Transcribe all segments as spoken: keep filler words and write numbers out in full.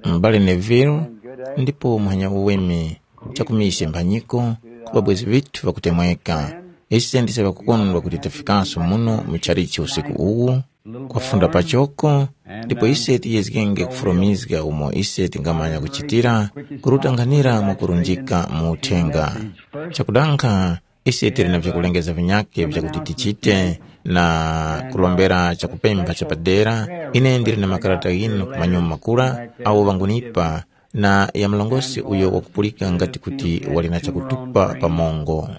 M'bale Neville, ndipo muhanya uweme chakumishe mphanyiko ku ŵabwezi ŵithu ŵakutemweka. Ise ndise ŵakukondwa kuti tafikaso muno mu chalichi usiku uwu, kwafunda pachoko, ndipo ise tiyezgenge kufulumizga umo ise tingamanya kuchitira, kurutanghanira mwakurunjika mu uthenga. Chakudankha, ise tili na vyakulengeza vinyakhe vyakuti tichite na kulombera chakupempha chapadera. Ine ndili na makarata ghinu ku manyuma makura awo ŵangunipa, na ya mlongosi uyo wakupulika ngati kuti wali na chakutupa pamongo.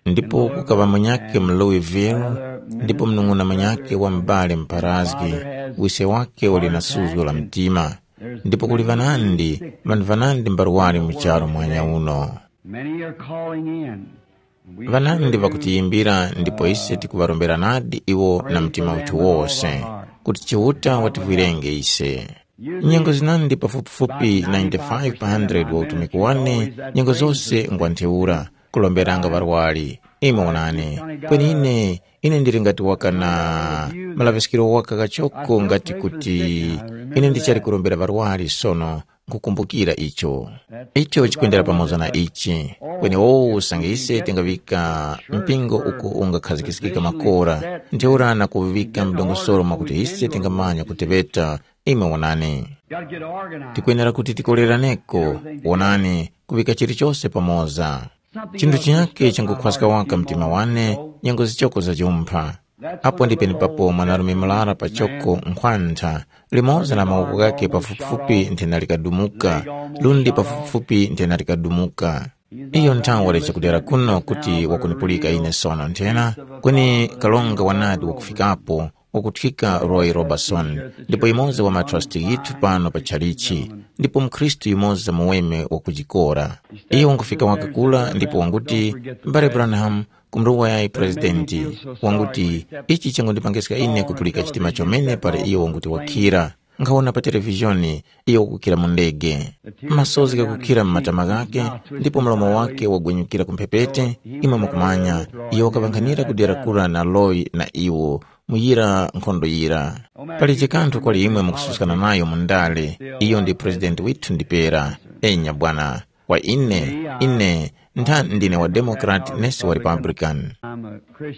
Ndipo kukaŵa munyakhe mu Louisville, ndipo mnung'una munyakhe wa m'bale mparazgi, wise wakhe wali na suzgo la mtima. Ndipo kuli ŵanandi, ŵanthu ŵanandi mbarwari mu charu mwanya uno. Many are calling in. Ŵanandi ŵakutiyimbira ndipo ise tikuŵarombera nadi iwo na mtima uthu wose, kuti Chiuta wativwirenge ise. Nyengo zinandi pafupifupi ninety-five pa hundred wa utumiki wane, nyengo zose ngwa ntheura, kulomberanga ŵarwari. Imwe onani, kweni ine, ine ndili ngati waka na malaŵiskiro waka kachoko ngati kuti ine ndichali kurombera ŵarwari sono, nkukumbukira icho. Icho chikwendera pamoza na ichi. Kweni wowo usange ise tingaŵika mpingo uko ungakhazikikika makora, ntheura na kuŵika mdongosolo mwakuti ise tingamanya kuteŵeta. Imwe wonani, tikwenera kuti tikoleraneko. Wonani, kuŵika chilichose pamoza. Chinthu chinyakhe changukhwaska waka mtima wane, nyengo zichoko zajumpha. Apo ndi penepapo mwanarume murara pachoko nkhwantha, limoza na mawoko ghakhe pafupifupi nthena likadumuka, lundi pafupifupi nthena likadumuka. Iyo nthawe wali chakudera kuno kuti wakunipulika ine sono nthena, kweni kalonga wanadi wakufikapo, wakuthika Roy Robertson, ndipo yumoza wa matrasti ghithu pano pa tchalichi, ndipo mukhristu yumoza muweme wakujikora. Iyo wangufika waka kula ndipo wanguti, mbale Branham, kumrowa yayi Presidenti, wanguti, ichi changundipangiska ine kupulika chitima chomene para iyo wanguti wakhira. Nkhawona pa televizhoni, iyo wakukhira mu ndege. Masozi ghakukhira mu matama ghakhe, ndipo mlomo wakhe wagwenyukira ku mphepete, imwe mukumanya, iyo wakaŵankhanira kudera kura na Roy na iwo, mu yira nkhondo yira. Palije kanthu kwali imwe mukususkana nayo mu ndale, iyo ndi Presidenti withu ndipera. Enya bwana, kwa ine, ine ntha ndine wa Democrat nesi wa Republican.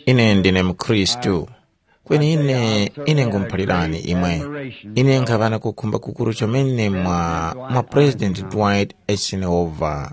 Ine ndine mukhristu. Kweni ine, ine ngumuphalirani imwe. Ine nkhaŵa na kukhumba kukuru chomene mwa, mwa President Dwight Eisenhower.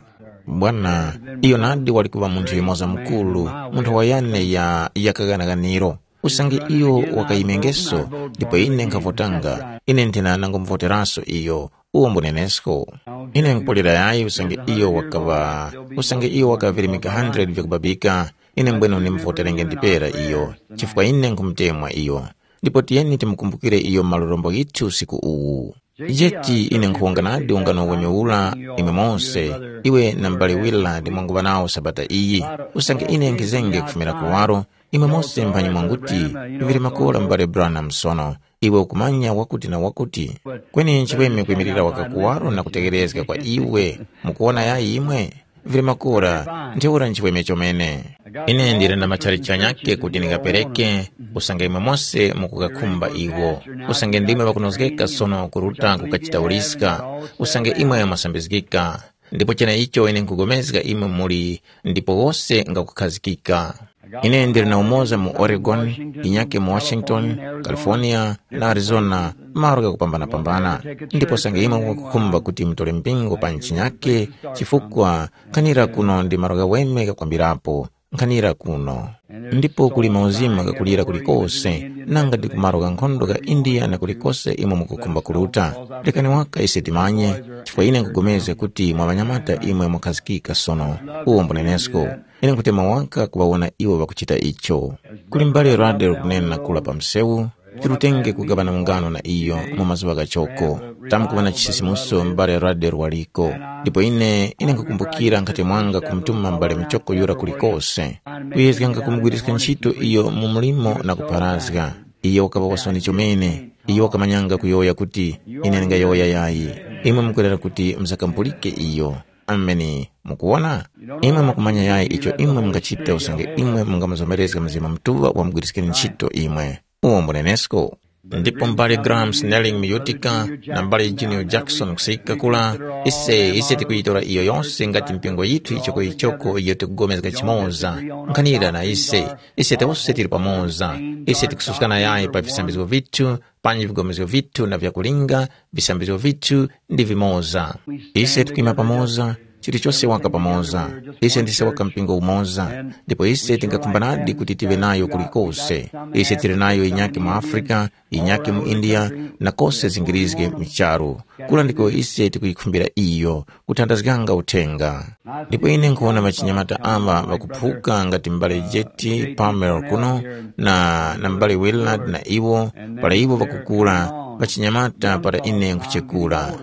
Bwana, iyo nadi wali kuŵa munthu yumoza mukuru, munthu wa yane ya, ya kaganaganiro. Usange iyo wakayimengeso, ndipo ine nkhavotanga, ine nthena nangumuvoteraso iyo. Uwo mbunenesko. Ine nkupulira yayi usange iyo wakaŵa, usange iyo wakavirimika hundred vyakubabika, ine mbwene ndimuvoterenge ndipera iyo, chifukwa ine nkumutemwa iyo. Ndipo tiyeni timukumbukire iyo malorombo ghithu usiku uwu. Jeti ine nkhuwonga nadi ungano wenyu ula, imwe mose, iwe na m'bale Willard mwanguŵa nawo sabata iyi. Usange ine nkhizenge kufumira kuwaro, imwe mose mphanyi mwanguti, vili makora m'bale Branham sono, iwe ukumanya wakuti na wakuti. Kweni nchiweme kwimirira waka kuwaro na kutegherezga kwa iwe, mukuwona yayi imwe? Vili makora, ntheura nchiweme chomene. Ine ndili na matchalitchi ghanyakhe kuti ndingapereke, usange imwe mose mukukakhumba iwo. Usange ndimwe ŵakunozgeka sono kuruta kukachita uliska, usange imwe mwasambizgika. Ndipo cheneicho ine nkupulikana imwe muli ndipo wose ngakukhazikika. Ine ndili na umoza mu Oregon, inyake mu Washington, California, na Arizona, malo ghakupambanapambana. Ndipo usange imwe mukukhumba kuti mutore mpingo pa nchinyake, chifukwa nkhanira kuno ndi malo ghaweme ghakwambirapo, nkhanira kuno. Ndipo kuli mauzima ghakulira kulikose, nanga ndi ku malo gha nkhondo gha India na kulikose imwe mukukhumba kuruta. Rekani waka ise timanye, chifukwa ine nkupulikana kuti mwa ŵanyamata imwe mwakhazikika sono. Uwo mbunenesko. Ine nkhutema waka kuŵawona iwo ŵakuchita icho. Kuli m'bale Ruddell kunena kula pa msewu, tirutenge kugaŵana ungano na iyo mu mazuŵa ghachoko. Tamkuŵa na chisisimuso m'bale Ruddell waliko. Ndipo ine, ine nkhukumbukira nkhati mwanga kumutuma m'bale muchoko yura kulikose. Kuyezganga kumugwiriska ntchito iyo mu mlimo na kupharazga. Iyo wakaŵa wasoni chomene. Iyo wakamanyanga kuyowoya kuti, ine ndingayowoya yayi. Imwe mukwerera kuti muzakampulike iyo. Ameni. Mukuwona? Imwe mukumanya yayi icho imwe mungachita usange imwe mungamuzomerezga Mzimu Mutuŵa wamugwiriskeni ntchito imwe. Uwo mbunenesko. Ndipo m'bale Graham Snelling mu Utica na m'bale Junior Jackson kusika kula, ise ise tikuyitora iyo yose ngati mpingo yithu ichokoyichoko iyo tikupulikana chimoza. Nkhanira na ise, ise tose tili pamoza. Ise tikususkana yayi pa visambizgo vithu, panji vipulikano vithu na vyakulinga, visambizgo vithu ndi vimoza. Ise tikwima pamoza, chilichose waka pamoza. Ise ndise waka mpingo umoza, ndipo ise tingakhumbanadi kuti tive nayo kulikose. Ise tili nayo inyake mu Afrika, inyake mu India, na kose zingirizge mu charu. Kula ndiko ise tikuyikhumbira iyo, kuthandazganga uthenga. Ndipo ine nkhuwona ŵachinyamata aŵa ŵakuphuka ngati m'bale Jeti Palmer kuno, na, na m'bale Willard na iwo, para iwo ŵakukula, ŵachinyamata para ine nkhuchekura.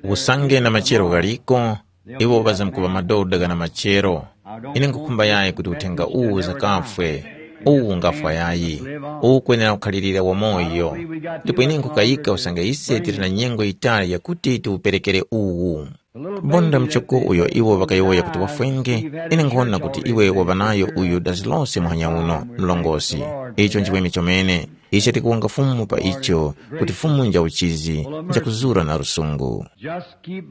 Usange na machero ghaliko, iwo ŵazamkuŵa madoda ghana machero. Ine nkhukhumba yayi kuti uthenga uwu uzakafwe. Uwu ungafwa yayi. Uwu ukwenera kukhalirira wamoyo. Ndipo ine nkhukayika usange ise tili na nyengo yitali yakuti tiwuperekere uwu. Bonda muchoko uyo iwo ŵakayowoya kuti wafwenge, ine nkhuwona kuti iwe waŵa nayo uyu dazi lose muhanya uno, mlongosi. Icho nchiweme chomene. Ise tikuwonga Fumu pa icho, kuti Fumu nja uchizi, nja kuzura na lusungu.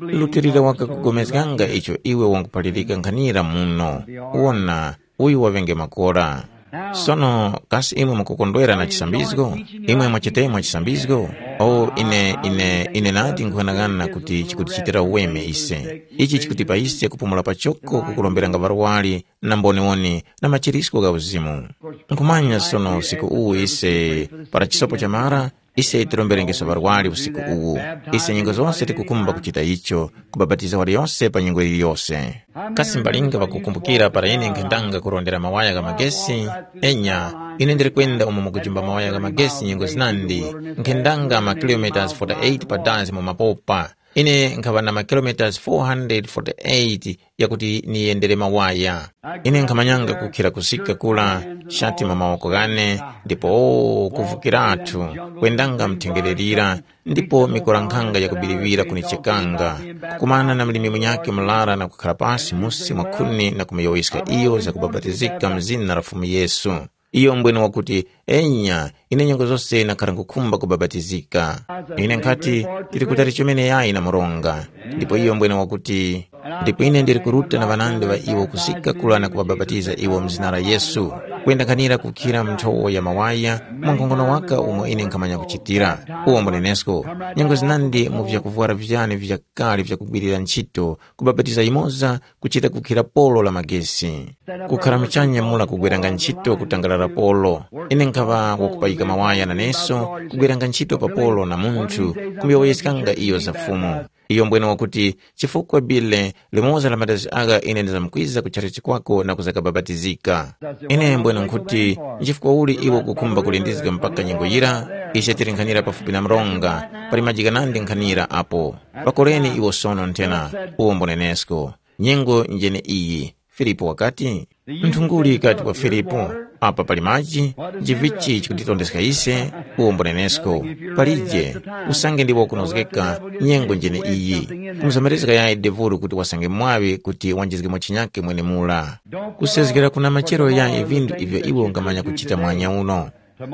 Lutilira waka kugomezganga icho iwe wanguphalirika nkhanira muno. Wona, uyu waŵenge makora. Sono, kasi imwe mukukondwera na chisambizgo? Imwe mwachitemwa chisambizgo? O, ine, ine, ine nadi nkhughanaghana kuti chikutichitira uweme ise. Ichi chikutipa ise kupumula pachoko kukuromberanga ŵarwari na mboniwoni na machirisko gha uzimu. Nkhumanya sono usiku uwu ise, para chisopo chamara, ise tiromberengeso ŵarwari usiku uwu. Ise nyengo zose tikukhumba kuchita icho, kubapatiza waliyose pa nyengo yiliyose. Kasi mbalinga ŵakukumbukira para ine nkhendanga kurondera mawaya gha magesi? Enya, ine ndili kwenda umo mukujimba mawaya gha magesi nyengo zinandi, nkhendanga makilometas forty-eight pa dazi mu mapopa. Ine nkhaŵa na makilometas four hundred forty-eight yakuti niyendere mawaya. Ine nkhamanyanga kukhira kusika kula, shati mu mawoko ghane, ndipo o, kuvukiratu, kwendanga mthengererira, ndipo mikolankhanga yakubiriwira kunichekanga, kukumana na mlimi munyakhe murara na kukhala pasi musi mwa khuni na kumuyowoyeska iyo zakubapatizika mu zina la Fumu Yesu. Iyo mbwene wakuti, enya, ine nyengo zose nakhara nkhukhumba kubapatizika. Ine nkhati, tili kutali chomene yayi na mronga. Ndipo iyo mbwene wakuti, ndipo ine ndili kuruta na ŵanandi ŵa iwo kusika kula na kuŵabapatiza iwo mu zina la Yesu, kwenda nkhanira kukhira mu nthowo ya mawaya, mwa nkhongono waka umo ine nkhamanya kuchitira. Uwo mbunenesko, nyengo zinandi mu vyakuvwara vyane vyakale vyakugwirira ntchito, kubapatiza yumoza kuchita kukhira polo la magesi. Kukhara muchanya mura kugweranga ntchito kutangalala polo. Ine nkhaŵa wakupayika mawaya naneso kugweranga ntchito pa polo na munthu kumuyowoyeskanga iyo za Fumu. Iyo mbwene wakuti, chifukwa bile limoza la madazi agha ine ndizamkwiza kuchara chikwako na kuzakabapatizika. Ine mbwene nkhuti, nchifukwa uli iwe ukukhumba kulindizga mpaka nyengo yira? Ise tili nkhanira pafupi na mronga, pali majika nandi nkhanira apo. Pakoreni iwo sono nthena, uwo mbunenesko. Nyengo njene iyi. Filipo wakati, nthunguli ikati kwa Filipo, apa pali maji, nchivichi chikutitondeska ise? Uwo mbunenesko. Palije, usange ndiwo kunozgeka, nyengo njene iyi. Kumuzomerezga yayi devulu kuti wasange mwaŵi kuti wanjizgemo chinyake mwenemura. Kusezgera kuna machero yayi vindu ivyo iwe ungamanya kuchita mwanya uno.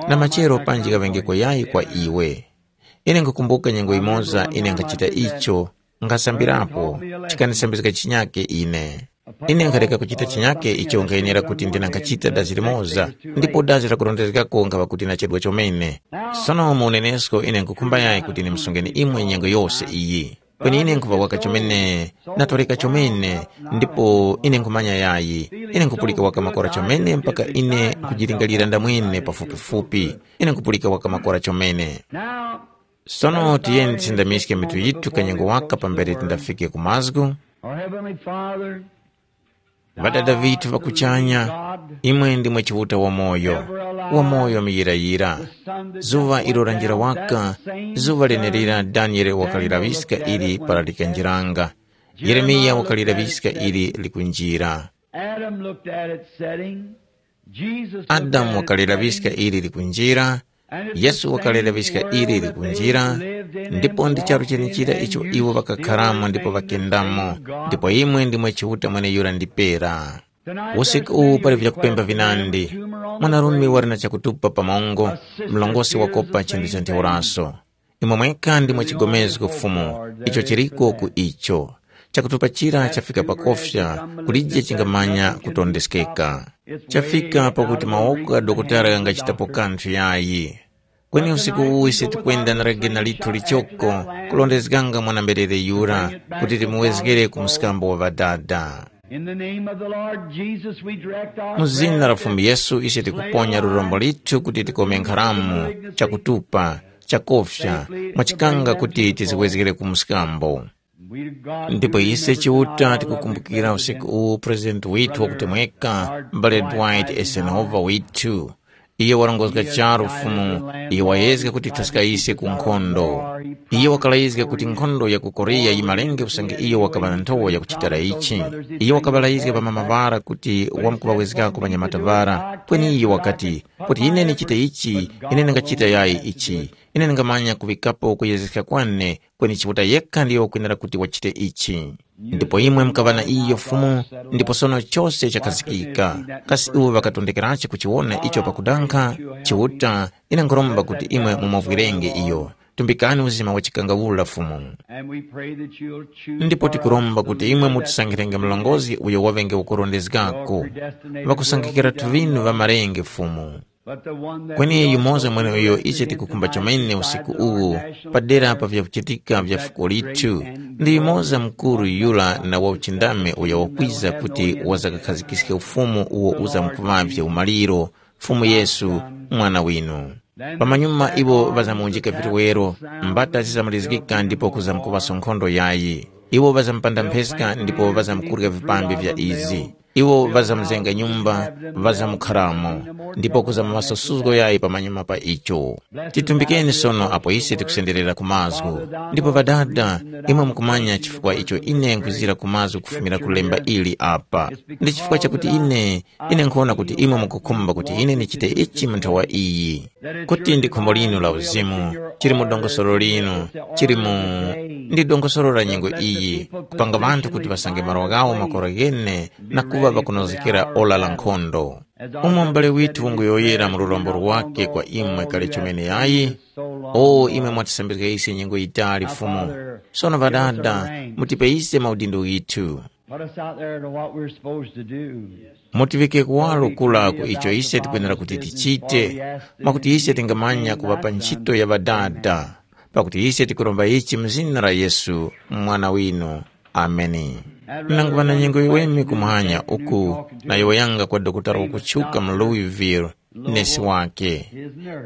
Na machero panji ghaŵengeko yayi kwa iwe. Ine nkhukumbuka nyengo yimoza ine nkhachita icho, nkhasambirapo, chikanisambizga chinyake ine. Ine nkhareka kuchita chinyake icho nkhayenera kuti ndina nkhachita dazi limoza, ndipo dazi lakurondezgako nkhaŵa kuti nachedwa chomene. Sono mu unenesko ine nkhukhumba yayi kuti ndimsungeni imwe nyengo yose iyi. Kweni ine nkhuŵa waka chomene, natoreka chomene, ndipo ine nkhumanya yayi. Ine nkhupulika waka makora chomene mpaka ine nkhujilingalira ndamwene pafupifupi. Ine nkhupulika waka makora chomene. Sono tiyeni tisindamiske mitu yithu kanyengo waka pambere tindafike ku mazgu. Our Heavenly Father, Ŵadada vithu ŵa kuchanya, imwe ndimwe Chiuta wamoyo, wamoyo muyirayira. Zuŵa ilo lanjira waka, zuŵa lenelira Daniele wakalilaŵiska ili para likanjiranga. Yeremiya wakalilaŵiska ili likunjira. Adam looked at it setting. Jesus looked Adamu at it wakalilaŵiska setting. Ili likunjira, Yesu wakalera viska ili likunjira, ndipo ndi charu chenechira icho iwo ŵakakharamo ndipo ŵakendamo, ndipo imwe ndimwe Chiuta mweneyura ndi pera. Usiku uwu pali vyakupemba vinandi. Mwanarume wali na chakutupa pamongo, mlongosi wakopa chinthu cha ntheuraso. Imwe mwekha ndimwe chigomezgo Fumu, icho chiriko ku icho. Chakutupa chira chafika pakofya, kulije chingamanya kutondeskeka. Chafika pakuti mawoko gha dokotala ghangachitapo kanthu yayi. Kweni usiku uwu ise tikwenda na ligena lithu lichoko, kulondezganga mwana-mberere yura, kuti timuwezgere ku mskambo wa Ŵadada. In the name of the Lord Jesus, we direct our Mu zina la Fumu Yesu ise tikuponya lurombo lithu kuti tikome nkharamu, chakutupa, chakofya, mwachikanga kuti tiziwezgere ku mskambo. Ndipo ise Chiuta tikukumbukira usiku uwu President withu wakutemweka, M'bale Dwight Eisenhower withu. Iye warongozga charu Fumu, iye wayezga kuti thuska ise ku nkhondo. Iye wakalayizga kuti nkhondo ya ku Korea yimalenge usange iyo wakaŵa na nthowa yakuchitira ichi. Iye wakaŵalayizga ŵamama ŵara kuti wamkuŵawezgako ŵanyamata ŵara, kweni iyo wakati, kuti ine ndichite ichi, ine ndingachita yayi ichi, ine ndingamanya kuŵikapo kuyezeska kwane, kweni Chiuta yekha ndiyo wakwenera kuti wachite ichi. Ndipo imwe mukaŵa na iyo Fumu, ndipo sono chose chakhazikika. Kasi iwo ŵakatondekerachi kuchiwona icho pakudankha? Chiuta, ine nkhuromba kuti imwe mumuvwirenge iyo. Tumbikani uzima wa chikangawula Fumu. And we pray that you'll choose Ndipo for tikuromba us kuti the imwe leader that mutisankhirenge mlongozi uyo waŵenge wakurondezgako, ŵakusankhikira tuvinu ŵa marenge Fumu. Kweni yumoza mweneuyo ise tikukhumba chomene usiku uwu, padera pa vyakuchitika vya fuko lithu, ndi yumoza mukuru yura na wauchindami uyo wakwiza kuti wazakakhazgiske ufumu uwo uzamkuŵavye umaliro, Fumu Yesu, Mwana winu. Pamanyuma iwo ŵazamuwunjika vituwero, mbata zizamulizgika ndipo kuzamkuŵaso nkhondo yayi. Iwo ŵazamupanda mpheska ndipo ŵazamkurya vipambi vya izi. Iwo ŵazamzenga nyumba, ŵazamukharamo, ndipo kuza maŵaso suzgo yayi pamanyuma pa icho. Titumbikeni sono apo ise tikusenderera ku mazgu. Ndipo Ŵadada, imwe mukumanya chifukwa icho ine nkhwizira ku mazgu kufumira ku lemba ili apa. Ndi chifukwa chakuti ine, ine nkhuwona kuti imwe mukukhumba kuti ine ndichite ichi mu nthowa iyi. Kuti ndi khumbo linu la uzimu, chili mu dongosolo linu, chili mu, ndi dongosolo la nyengo iyi, kupanga ŵanthu kuti ŵasange malo ghawo makora ghene na kuŵa ŵakunozgekera ora la nkhondo. Umo m'bale withu wanguyowoyera mu lurombo lwakhe kwa imwe kale chomene yayi, o imwe mwatisambizga ise nyengo yitali Fumu, sono Ŵadada, mutipe ise maudindo ghithu. Put us out there to what we're supposed to do. Mutiŵike kuwaro kura ku icho ise tikwenera kuti tichite, mwakuti ise tingamanya kuŵa pa ntchito ya Ŵadada, pakuti ise tikuromba ichi mu zina la Yesu, Mwana winu. Ameni. Nanguŵa na nyengo yiweme kumwanya uku, nayowoyanga kwa dokotala wakutchuka mu Louisville, nesi wake.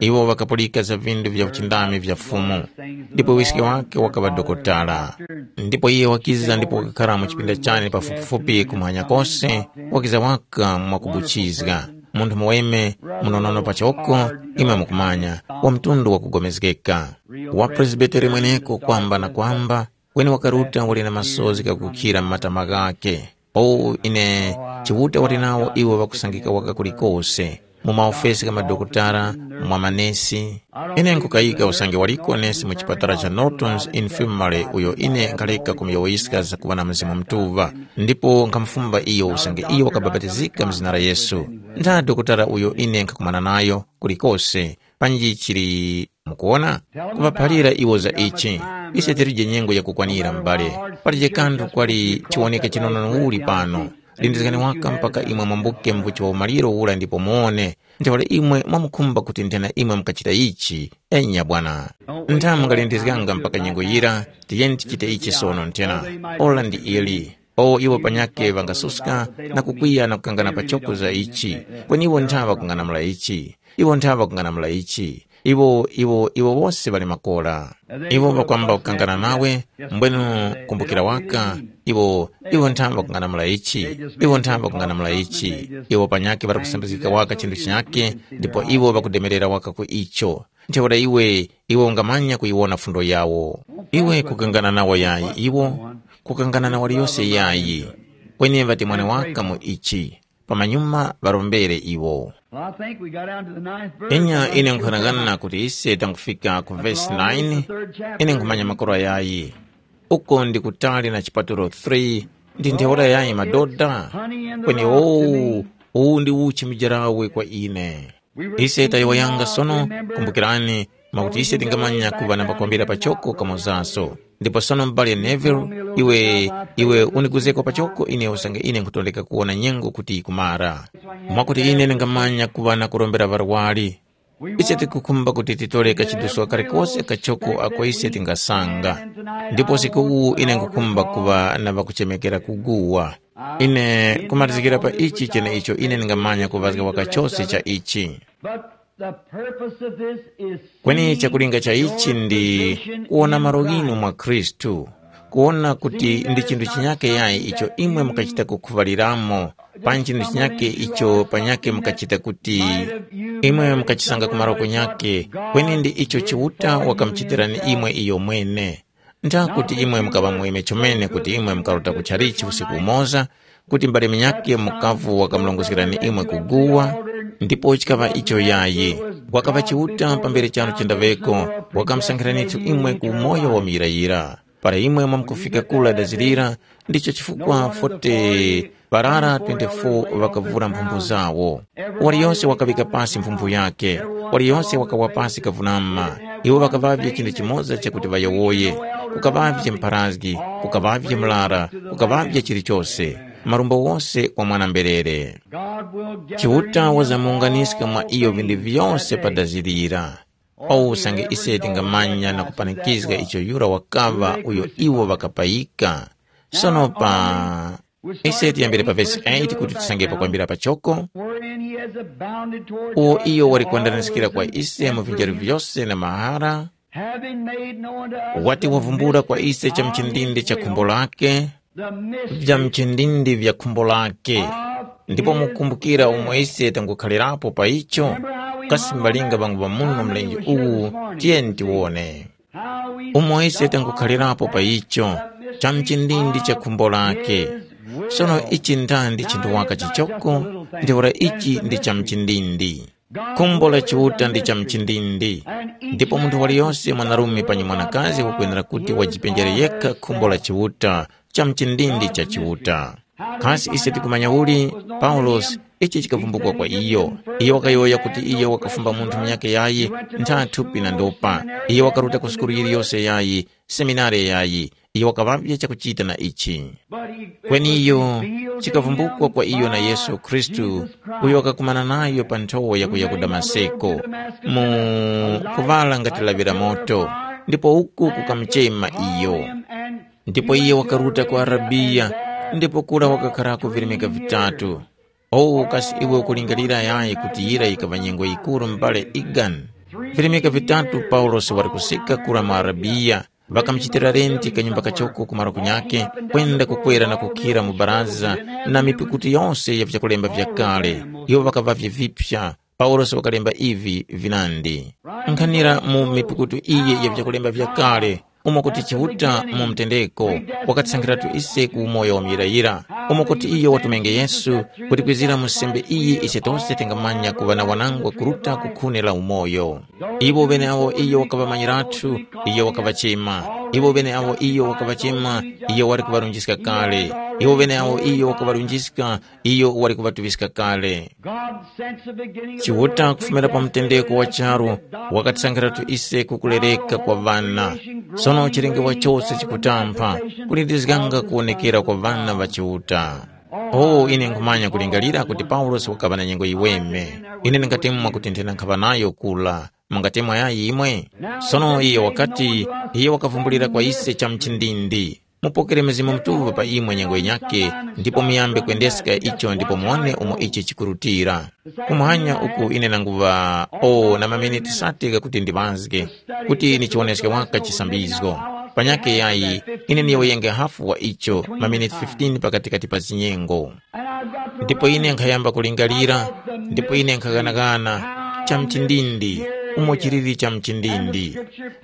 Iwo ŵakapulika za vindu vya uchindami vya Fumu, ndipo wiske wake wakaŵa dokotala. Ndipo iye wakiza ndipo wakakhara mu chipinda chane pafupifupi kumwanya kose, wakiza waka mwakubuchizga. Munthu muweme, munonono pachoko, imwe mukumanya, wa mtundu wakugomezgeka. Wa Presbiteri mweneko kwamba na kwamba, kweni wakaruta wali na masozi ghakukhira mu matama ghakhe. O ine, Chiuta wali nawo iwo ŵakusangika waka kulikose, mu maofesi gha madokotala, mwa manesi. Ine nkukayika usange waliko nesi mu chipatala cha Norton's Infirmary uyo ine nkhaleka kumuyowoyiska zakuŵa na Mzimu Mutuŵa, ndipo nkhamufumba iyo usange iyo wakabapatizika mu zina la Yesu. Ntha dokotala uyo ine nkhakumana nayo kulikose, panji chili Mukuwona? Kuŵaphalira iwo za ichi. Ise tilije nyengo yakukwanira, m'bale. Palije kanthu kwali chiwoneka chinono uli pano. Lindizgani waka mpaka imwe mwambuke mvuchi wa umaliro ura ndipo muwone. Ntheura imwe mwamukhumba kuti nthena imwe mukachita ichi. Enya bwana. Ntha mungalindizganga mpaka nyengo yira, tiyeni tichite ichi sono nthena. Ora ndi ili. O iwo panyakhe ŵangasuska na kukwiya na kukangana pachoko za ichi, kweni iwo ntha ŵakung'anamula ichi, iwo ntha ŵakung'anamula ichi, iwo iwo iwo wose ŵali makora. Iwo ŵakwamba kukangana nawe, mbwenu kumbukira waka, iwo iwo ntha ŵakung'anamula ichi, iwo ntha ŵakung'anamula ichi, iwo panyakhe ŵakusambizgika waka chinthu chinyakhe, ndipo iwo ŵakudemerera waka ku icho. Ntheura iwe, iwe ungamanya kuyiwona fundo yawo. Iwe kukangana nawo yayi iwo, kukangana na waliyose yayi. Kweni ŵatemwane waka mu ichi, pamanyuma ŵarombere iwo. Well, I think we got down to the ninth verse. Enya ine nkhanangana kuti ise tangufika ku vesi nine, ine nkhumanya makora yayi. Uko ndi kutali na chipatulo three, Ndi ntheura yayi madoda? Kweni owu, uwu ndi uchi mujarawe kwa ine. Ise tayowoyanga sono, kumbukirani, mwakuti ise tingamanya kuŵa na pakwambira pachoko kamozaso. Ndipo sono m'bale Neville, iwe, iwe uniguzeko pachoko ine usange ine nkhutondeka kuwona nyengo kuti yikumara. Mwakuti ine ndingamanya kuŵa na kurombera ŵarwari. Ise tikukhumba kuti titore kachiduswa kalikose kachoko ako ise tingasanga. Ndipo usiku uwu ine nkhukhumba kuŵa na ŵakuchemekera kuguwa. Ine kumatizikira pa ichi cheneicho ine ndingamanya kuŵazga waka chose cha ichi. But the purpose of this is Kweni seeing chakulinga cha ichi ndi your position kuwona in malo ghinu Christ. Mwa Khristu, kuwona kuti ndi chinthu chinyake yayi icho imwe mukachita kukhuŵaliramo, panji chinthu chinyake icho panyake mukachita kuti imwe mukachisanga kumaro kunyake, kweni ndi icho Chiuta wakamuchitirani imwe iyo mwene. Ntha kuti imwe mukaŵa muweme chomene kuti imwe mukaruta ku chalichi usiku umoza, kuti mbale munyakhe mukavu wakamurongozgerani imwe kuguwa, ndipo chikaŵa icho yayi. Wakaŵa Chiuta pambere charo chendaŵeko, wakamusankhiranitu imwe ku umoyo wa muyirayira. Para imwe mwamkufika kula dazirira, ndicho chifukwa forty parara twenty-four ŵakavura mphumbu zawo. Waliyose wakaŵika pasi mphumbu yakhe, waliyose wakawa pasi kavunama. Iwo ŵakaŵavye chinthu chimoza chakuti ŵayowoye. Kukaŵavye mpharazgi, kukaŵavye murara, kukaŵavye chilichose, marumbo wose kwa mwana-mberere. Chiuta wazamuwunganiska mwa iyo vinthu vyose padazirira. Owu usange ise tingamanya na kupanikizga icho yura wakaŵa uyo iwo ŵakapayika. Sono pa ise tiyambire pa vesi eight kuti tisangepo kwambira pachoko. Wherein he has abounded toward Uwo us iyo in wali all kuwandaniskira kwa wisdom ise and mu vinjero prudence, vyose na mahara, having made known to us wati the wavumbula kwa ise mystery cha of mchindindi his cha will, khumbo lake, the vya mystery mchindindi vya khumbo lake. Of Ndipo his mukumbukira will. Umo ise tangukhalirapo pa icho. Kasi mbalinga ŵangu ŵamuno mlenje uwu, tiyeni tiwone. Umo ise tangukhalirapo pa icho, cha mchindindi cha khumbo lake. Sono ichi ndandi chinthu waka chichoko, ntheura ichi ndi cha mchindindi. Khumbo la Chiuta ndi cha mchindindi. Ndipo munthu waliyose mwanarume panyi mwanakazi wakwenera kuti wajipenjere yekha khumbo la Chiuta, cha mchindindi cha Chiuta. Kasi ise tikumanya uli? Paulosi, ichi chikavumbukwa kwa iyo. Iyo wakayowoya kuti iyo wakafumba munthu munyakhe yayi, ntha thupi na ndopa. Iyo wakaruta ku sukulu yiliyose yayi, seminari yayi. Iyo wakaŵavye chakuchita na ichi. Kweni iyo, chikavumbukwa kwa iyo na Yesu Khristu, uyo wakakumana nayo pa nthowa yakuya ku Damaseko, mu kuŵala ngati laŵira moto, ndipo uku kukamuchema iyo. Ndipo iye wakaruta ku Arabiya, ndipo kura wakakharako virimika vitatu. O kasi iwe ukulingalira yayi kuti yira yikaŵa nyengo yikuru m'bale Egan? Virimika vitatu Paulosi wali kusika kura mu Arabiya, ŵakamuchitira renti kanyumba kachoko ku marokono ghakhe, kwenda kukwera na kukhira mu baraza na mipikutu yose ya vyakulemba vyakale. Iwo ŵakaŵavye vipya. Paulosi wakalemba ivi vinandi. Nkhanira mu mipukutu iyi ya vyakulemba vyakale, umo kuti Chiuta mu mtendeko wakatisankhiratu ise ku umoyo wa muyirayira, umo kuti iyo watumenge Yesu, kuti kwizira mu sembe iyi ise tose tingamanya kuŵa na wanangwa kuruta ku khuni la umoyo. Iwo ŵeneawo iyo wakaŵamanyirathu, iyo wakaŵachema. Iwo ŵeneawo iyo wakaŵachema, iyo wali kuŵarunjiska kale. Iwo ŵeneawo iyo wakaŵarunjiska, iyo wali kuŵatuŵiska kale. God sent the beginning of the Chiuta world kufumira pa mtendeko wa charu wakatisankhiratu ise kukulereka kwa ŵana. Sono chilengewa chose chikutampha kulindizganga kuwonekera kwa ŵana ŵa Chiuta. Oh, ine nkhumanya kulingalira kuti Paulosi wakaŵa na nyengo yiweme. Ine ndingatemwa kuti nthena nkhaŵa nayo kula. Mungatemwa yayi imwe? Sono iyo wakati, iye wakavumbulira kwa ise cha mchindindi. Mupokere Mzimu Mutuŵa pa imwe nyengo yinyakhe, ndipo muyambe kwendeska icho ndipo muwone umo ichi chikurutira. Kumuhanya uku ine nanguŵa o na maminiti sati ghakuti ndiŵazge, kuti nichiwoneske waka chisambizgo. Panyakhe yayi, ine niyowoyenge hafu wa icho, maminiti fifteen pakatikati pa zinyengo. Ndipo ine nkhayamba kulingalira, ndipo ine nkhaghanagana, cha mchindindi, umo chiliri cha mchindindi.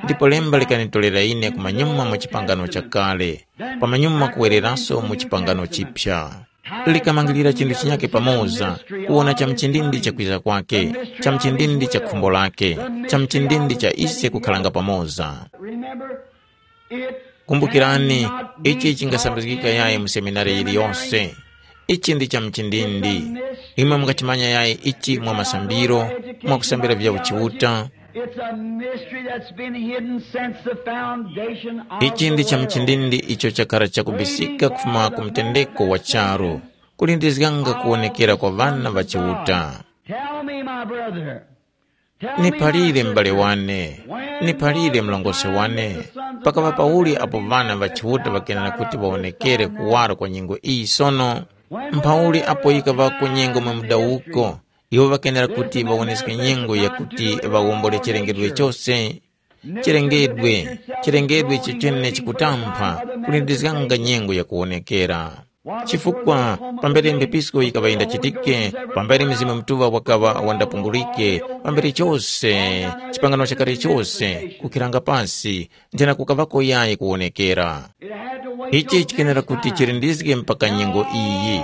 Ndipo lemba likanitolera ine kumanyuma mu chipangano chakale, pamanyuma kuwereraso mu chipangano chipya. Likamangilira chinthu chinyakhe pamoza, kuwona cha mchindindi cha kwiza kwake, cha mchindindi cha khumbo lake, cha mchindindi cha ise kukhalanga pamoza. Remember, Kumbukirani, ichi chingasambizgika yayi mu seminari yiliyose. Ichi ndi cha mchindindi. Imwe mungachimanya yayi ichi mwa masambiro, mwa kusambira vya uchiuta. It's a mystery that's been hidden since the foundation of Ichi ndi the cha world. Mchindindi icho chakhala chakubisika kufuma ku mtendeko wa charu, kulindizganga kuwonekera kwa ŵana ŵa Chiuta. Tell me, my brother. Tell me, my Niphalire m'bale sister. Wane, When niphalire was the mlongosi time wane, that the sons of pakava God pauli were apo to be ŵana ŵa manifested Chiuta outside ŵakenera of kuti this ŵawonekere time now? Kuwaro kwa nyengo iyi sono? Mphauli apo yikavako nyengo mwa mudawuko, iwo ŵakenera kuti ŵawoneske nyengo yakuti ŵawombole chilengedwe chose. Chilengedwe, chilengedwe chichene chikutampha kulindizganga nyengo yakuwonekera. Chifukwa pambere mbepisko yikaŵa yindachitike, pambere Mzimu Mutuŵa wakaŵa wandapungulike, pambere chose, chipangano chakale chose, kukhiranga pasi, nthena kukavako yayi kuwonekera. Ichi chikenera kuti chilindizge mpaka nyengo iyi.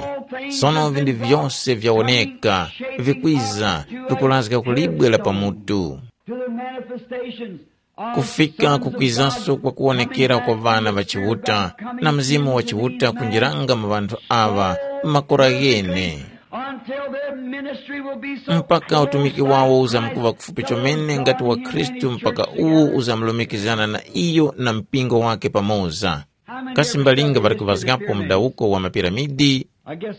Sono vinthu vyose vyawoneka, vikwiza, vikulazga ku libwe la pamutu. To the manifestations of kufika sons of kukwizaso God kwa kuwonekera kwa coming down ŵana ŵa Chiuta na Mzimu wa Chiuta kunjiranga mu ŵanthu aŵa m'makora ghene. Until their ministry will be so mpaka utumiki wawo uzamkuŵa kufupi chomene ngati wa Khristu mpaka uwo uzamlumikizana na iyo na mpingo wake pamoza. Kasi mbalinga ŵali kuvazgapo mdawuko wa mapiramidi?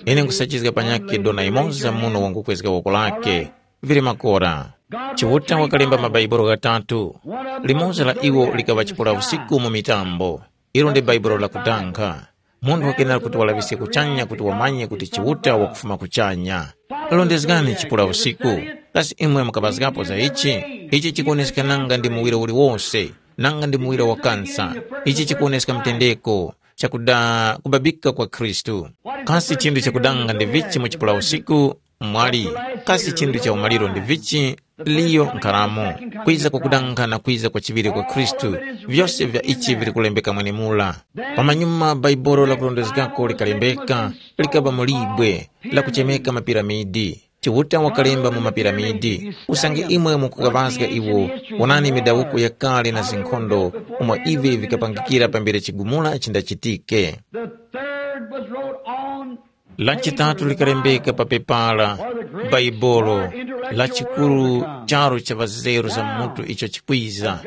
Ine nkusachizga panyakhe dona imoza muno wangukwezga woko lake. Vili makora. Chiuta wakalemba mabaibulo ghatatu. Limodzi la iwo likaŵa chipula usiku mu mitambo. Ilo ndi baibulo lakutankha. Munthu wakenera kuti walaŵiske kuchanya kuti wamanye kuti Chiuta wakufuma kuchanya. Londezgani chipula usiku. Kasi imwe mukapazgapo za ichi? Ichi chikuwoneska nanga ndi muwiro uliwose, nanga ndi muwiro wa kansa. Ichi chikuwoneska mtendeko, chakuda kubabika kwa Khristu. Kasi chinthu chakudanga ndi vichi mu chipula usiku? Mwali, kasi chinthu cha umaliro ndi vichi? Liyo nkharamo, kwiza kwa kudanga na kwiza kwa chiŵiri kwa Khristu, vyose vya ichi vili kulembeka mwenemula. Pamanyuma Bhaibuli lakulondezgako likalembeka, likaba mu libwe lakuchemeka mapiramidi. Chiuta wakalemba mu mapiramidi, usange imwe mukukaŵazga iwo, wonani midawuko yakale na zinkhondo umo ivi vikapangikira pambere chigumula chindachitike. The third was wrote on Lachitatu likalembeka pa pepala, Bhaibuli, lachikuru charu cha ŵazeru za mutu icho chikwiza.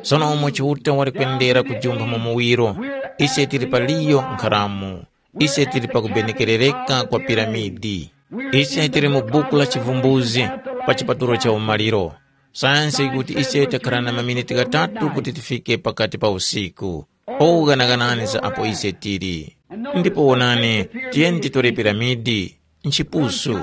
Sono umo Chiuta wali kwendera kujumpha mu muwiro, ise tili paliyo nkharamu, ise tili pakubenekerereka kwa piramidi. Ise tili mu buku la chivumbuzi pa chipatulo cha umaliro. Sayansi yikuti ise takhala na maminiti ghatatu kuti tifike pakati pa usiku. Oganaganani za apo ise tili. Ndipo wonani, tiyeni titore piramidi, nchipusu.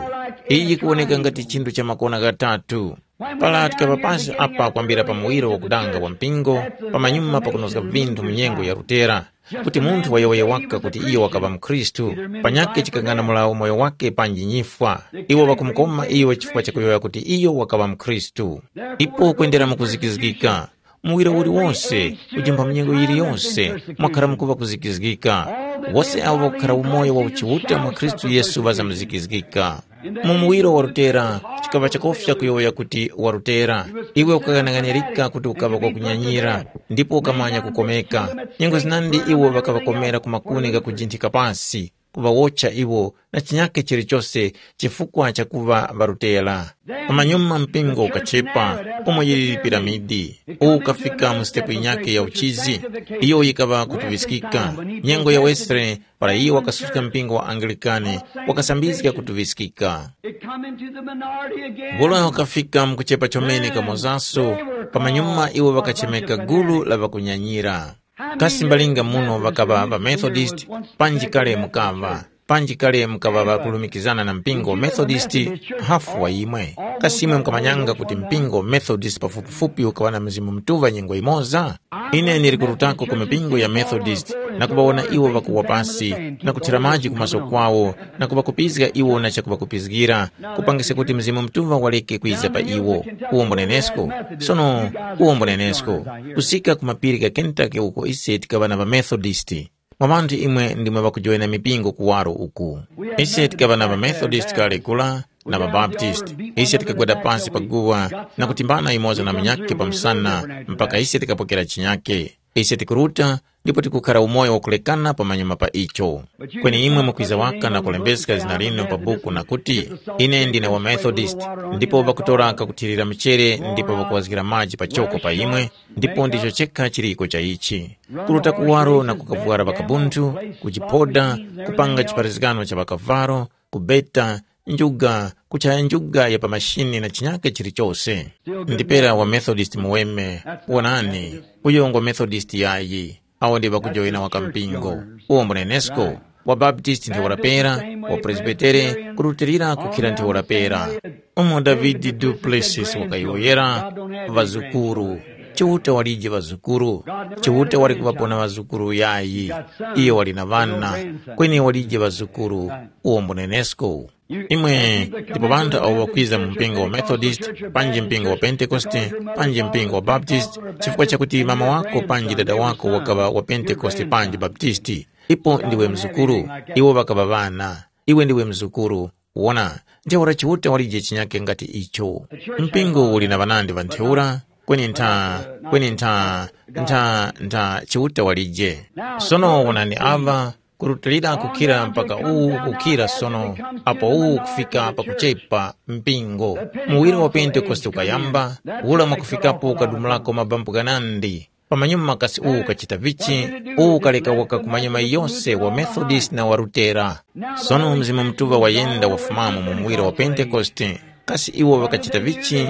Iyi yikuwoneka ngati chinthu cha makona ghatatu. Para tikaŵa pansi apa kwambira pa muwiro wakudanga wa mpingo, pamanyuma pakunozga vinthu mu nyengo ya Lutera, kuti munthu wayowoye waka kuti iyo wakaŵa mkhristu, panyakhe chikangana mulawo moyo wake panji nyifwa. Iwo ŵakumukoma iyo chifukwa chakuyowoya kuti iyo wakaŵa mkhristu. Ipo kwendera mukuzikizgika, muwiro uliwonse, kujimba mnyengo yiliyonse, mwakhara mukuŵa kuzikizgika. Wose awo ŵakukhara umoyo wa uchiuta mwa Khristu Yesu ŵazamzikizgika. Mu muwiro wa Lutera, chikaŵa chakofya kuyowoya kuti wa Lutera. Iwe ukaghanaghanirika kuti ukaŵa kwakunyanyira, ndipo ukamanya kukomeka. Nyengo zinandi iwo ŵakaŵakomera ku makuni ghakujinthika pasi, kuŵawotcha iwo na chinyakhe chilichose chifukwa chakuŵa ŵa Lutera. Pamanyuma mpingo ukachepa, umo yiliri piramidi, uwu ukafika mu sitepu yinyakhe ya uchizi, iyo yikaŵa kutuŵiskika. Nyengo ya Wesley, para iyo wakasuska mpingo wa Anglican, wakasambizga kutuŵiskika. It come into the minority again. Bula wakafika mu kuchepa chomene kamozaso, pamanyuma iwo ŵakachemeka gulu la ŵakunyanyira. Kasi mbalinga muno ŵakaŵa ŵa Methodist, panji kale mukaŵa, panji kale mukaŵa ŵakulumikizana na mpingo wa Methodist, hafu wa imwe. Kasi imwe mukamanyanga kuti mpingo wa Methodist pafupifupi ukaŵa na Mzimu Mutuŵa nyengo yimoza? Ine ndili kurutako ku mipingo ya Methodist na kuŵawona iwo ŵakuwa pasi na kuthira maji ku maso kwawo na kuŵakupizga iwo na chakuŵakupizgira, kupangiska kuti Mzimu Mutuŵa waleke kwiza pa iwo. Uwombo nenesko? Sono, uwombo nenesko, kusika ku mapiri gha Kentucky uko ise tikaŵa na ŵaMethodisti. Mwa ŵanthu imwe ndimwe ŵakujoyina mipingo kuwaro uku. Ise tikaŵa na ŵaMethodisti kale kula na ŵaBaptisti. Ise tikagwada pasi pa guwa na kutimbana yumoza na munyakhe pa msana mpaka ise tikapokera chinyakhe. Ise tikuruta ndipo tikukhara umoyo wakulekana pamanyuma pa icho. Kweni imwe mukwiza waka na kulembeska zina linu pa buku na kuti, ine ndine wa Methodist, ndipo ŵakutora kakuthirira mchere ndipo ŵakuwazgira maji pachoko pa imwe, ndipo ndicho chekha chiriko cha ichi. Kuruta kuwaro na kukavwara ŵakabunthu, kujiphoda, kupanga chiparizgano cha ŵakavalo, kubeta, njuga, kuchaya njuga ya pa mashini na chinyake chilichose. Ndipera wa Methodist muweme, wonani, uyo ngwa Methodist yayi, awo ndi ŵakujoyina waka mpingo, uwo mbunenesko, wa Baptist ntheura pera, wa Presbitere kurutilira kukhira ntheura pera. Umo Davidi du Plessis wakayowoyera, ŵazukuru. Chiuta walije ŵazukuru. Chiuta wali kuŵapona ŵazukuru yayi. Iyo wali na ŵana, kweni walije ŵazukuru. Uwo mbunenesko. Imwe ndipo ŵanthu awo ŵakwiza mu mpingo wa Methodist, panji mpingo wa Pentekoste, panji mpingo wa Baptist, chifukwa chakuti mama wako panji dada wako wakaŵa wa Pentekoste panji Baptisti, ipo ndiwe mzukuru. Iwo ŵakaŵa ŵana. Iwe ndiwe mzukuru. Wona, ntheura Chiuta walije chinyake ngati icho. Mpingo uli na ŵanandi ŵa ntheura, kweni ntha, kweni ntha, ntha, ntha Chiuta walije. Sono wonani ava, kurutilira kukhira mpaka uwu kukhira sono, apo uwu kufika pakuchepa mpingo. Muwiro wa Pentekoste ukayamba, ula mwakufikapo ukadumulako mabampu ghanandi. Pamanyuma makasi uwu ukachita vichi, uwu ukaleka waka kumanyuma yose wa Methodist na wa Lutera. Sono Mzimu Mutuŵa wayenda wafumamo mu muwiro wa Pentekoste. Kasi iwo ŵakachita vichi?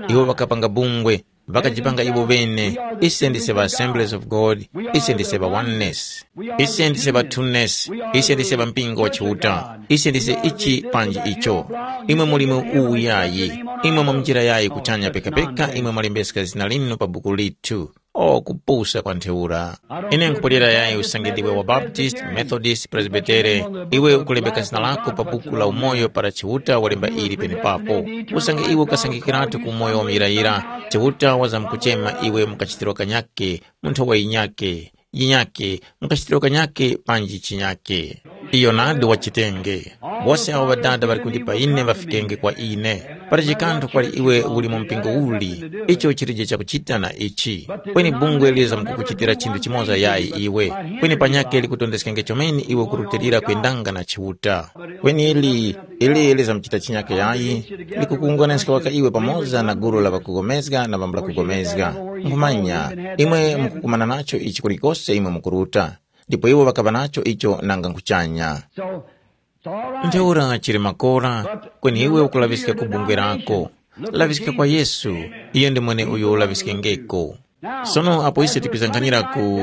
Iwo ŵakapanga bungwe, ŵakajipanga iwo ŵene, ise ndise ŵa Assemblies of God, ise ndise ŵa Oneness, ise ndise ŵa Twoness, ise ndise ŵa mpingo wa Chiuta, ise ndise ichi panji icho. Imwe muli mu uwu yayi, imwe mwa njira yayi kuchanya pekapeka imwe mwalembeska zina linu pa buku lithu. O kupusa kwa ntheura! Ine nkupulira yayi usange ndiwe wa Baptist, Methodist, Presbitere, iwe ukulembeka zina lako pa buku la umoyo para Chiuta walemba ili penepapo. Usange iwe ukasangikiratu ku umoyo wa muyirayira, Chiuta wazamkuchema iwe mu kachitiro kanyake, mu nthowa yinyake, yinyake, mu kachitiro kanyake panji chinyake. Iyo nadi wachitenge. Wose awo Ŵadada ŵali kundipa ine ŵafikenge kwa ine. Pali chikanthu kwali iwe uli mu mpingo uli, icho chilije chakuchita na ichi. Kweni bungwe lizamkukuchitira chinthu chimoza yayi iwe. Kweni panyakhe likutondeskenge chomene iwe ukurutilira kwendanga na Chiuta. Kweni ili, ili lizamuchita chinyakhe yayi, likukuwunganiska waka iwe pamoza na gulu la ŵakugomezga na ŵambula kugomezga. Nkhumanya, imwe mukukumana nacho ichi kulikose imwe mukuruta. Ndipo iwo ŵakaŵa nacho icho nanga nkuchanya. So, it's all right. Ntheura chili makora, kweni iwe ukulaŵiska ku bungwe lako. Laŵiska kwa Yesu, iyo ndi mweneuyo ulaŵiskengeko. Sono apo ise tikwizankhanira ku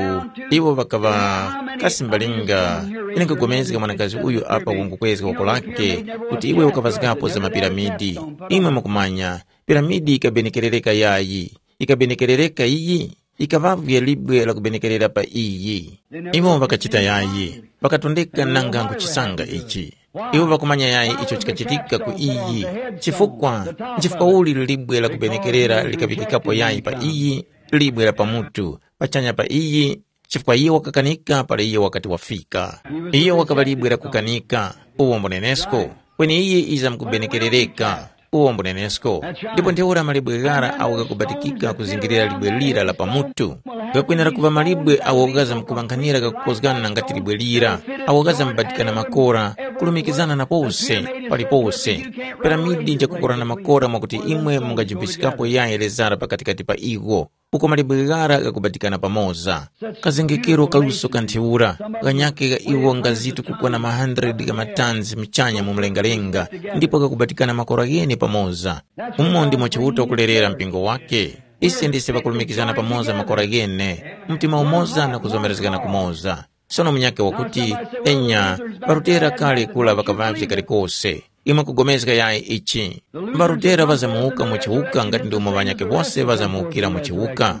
iwo ŵakaŵa kasi mbalinga, ine nkapulikana mwanakazi uyu apa wangukwezga woko lake kuti iwe ukaŵazgapo za mapiramidi. Imwe mukumanya, piramidi ikabenekerereka yayi, ikabenekerereka iyi? Yikaŵavye libwe la kubenekerera pa iyi. Iwo ŵakachita yayi, ŵakatondeka nanga nkuchisanga ichi. Iwo ŵakumanya yayi icho chikachitika ku iyi. Chifukwa, nchifukwa uli libwe la kubenekerera likaŵikikapo yayi pa iyi, libwe la pamutu, pachanya pa iyi, chifukwa iyo wakakanika para iyo wakati wafika. Iyo wakaŵa libwe la kukanika, uwo mbunenesko, kweni iye iza mukubenekerereka. Uwo mbunenesko. Ndipo ntheura malibwe ghara agho ghakubatikika kuzingirira libwe lira la pamutu, ghakwenera kuŵa malibwe agho ghazamkuŵankhanira ghakukozgana ngati libwe lira, agho ghazambatikana makora, kulumikizana na pose, palipose. Piramidi njakukorana makora mwakuti imwe mungajumphisikapo yayi lezara pakatikati pa igho. Uko malibwe ghara ghakubatikana pamoza. Kazengekero kaluso ka ntheura, ghanyakhe gha iwo ngazitu kukwana ma hundred gha matanzi muchanya mu mlengalenga, ndipo ghakubatikana makora ghene pamoza. Umo ndimo Chiuta wakulerera mpingo wake. Ise ndise ŵakulumikizana pamoza makora ghene, mtima umoza na kuzomerezgana kumoza. Sono munyakhe wakuti, enya, ŵarutera kale kura ŵakaŵavye kalikose. Imwe kugomezga yayi ichi. Ŵarutera ŵazamuwuka mu chiwuka ngati ndomwe ŵanyakhe wose ŵazamuwukira mu chiwuka.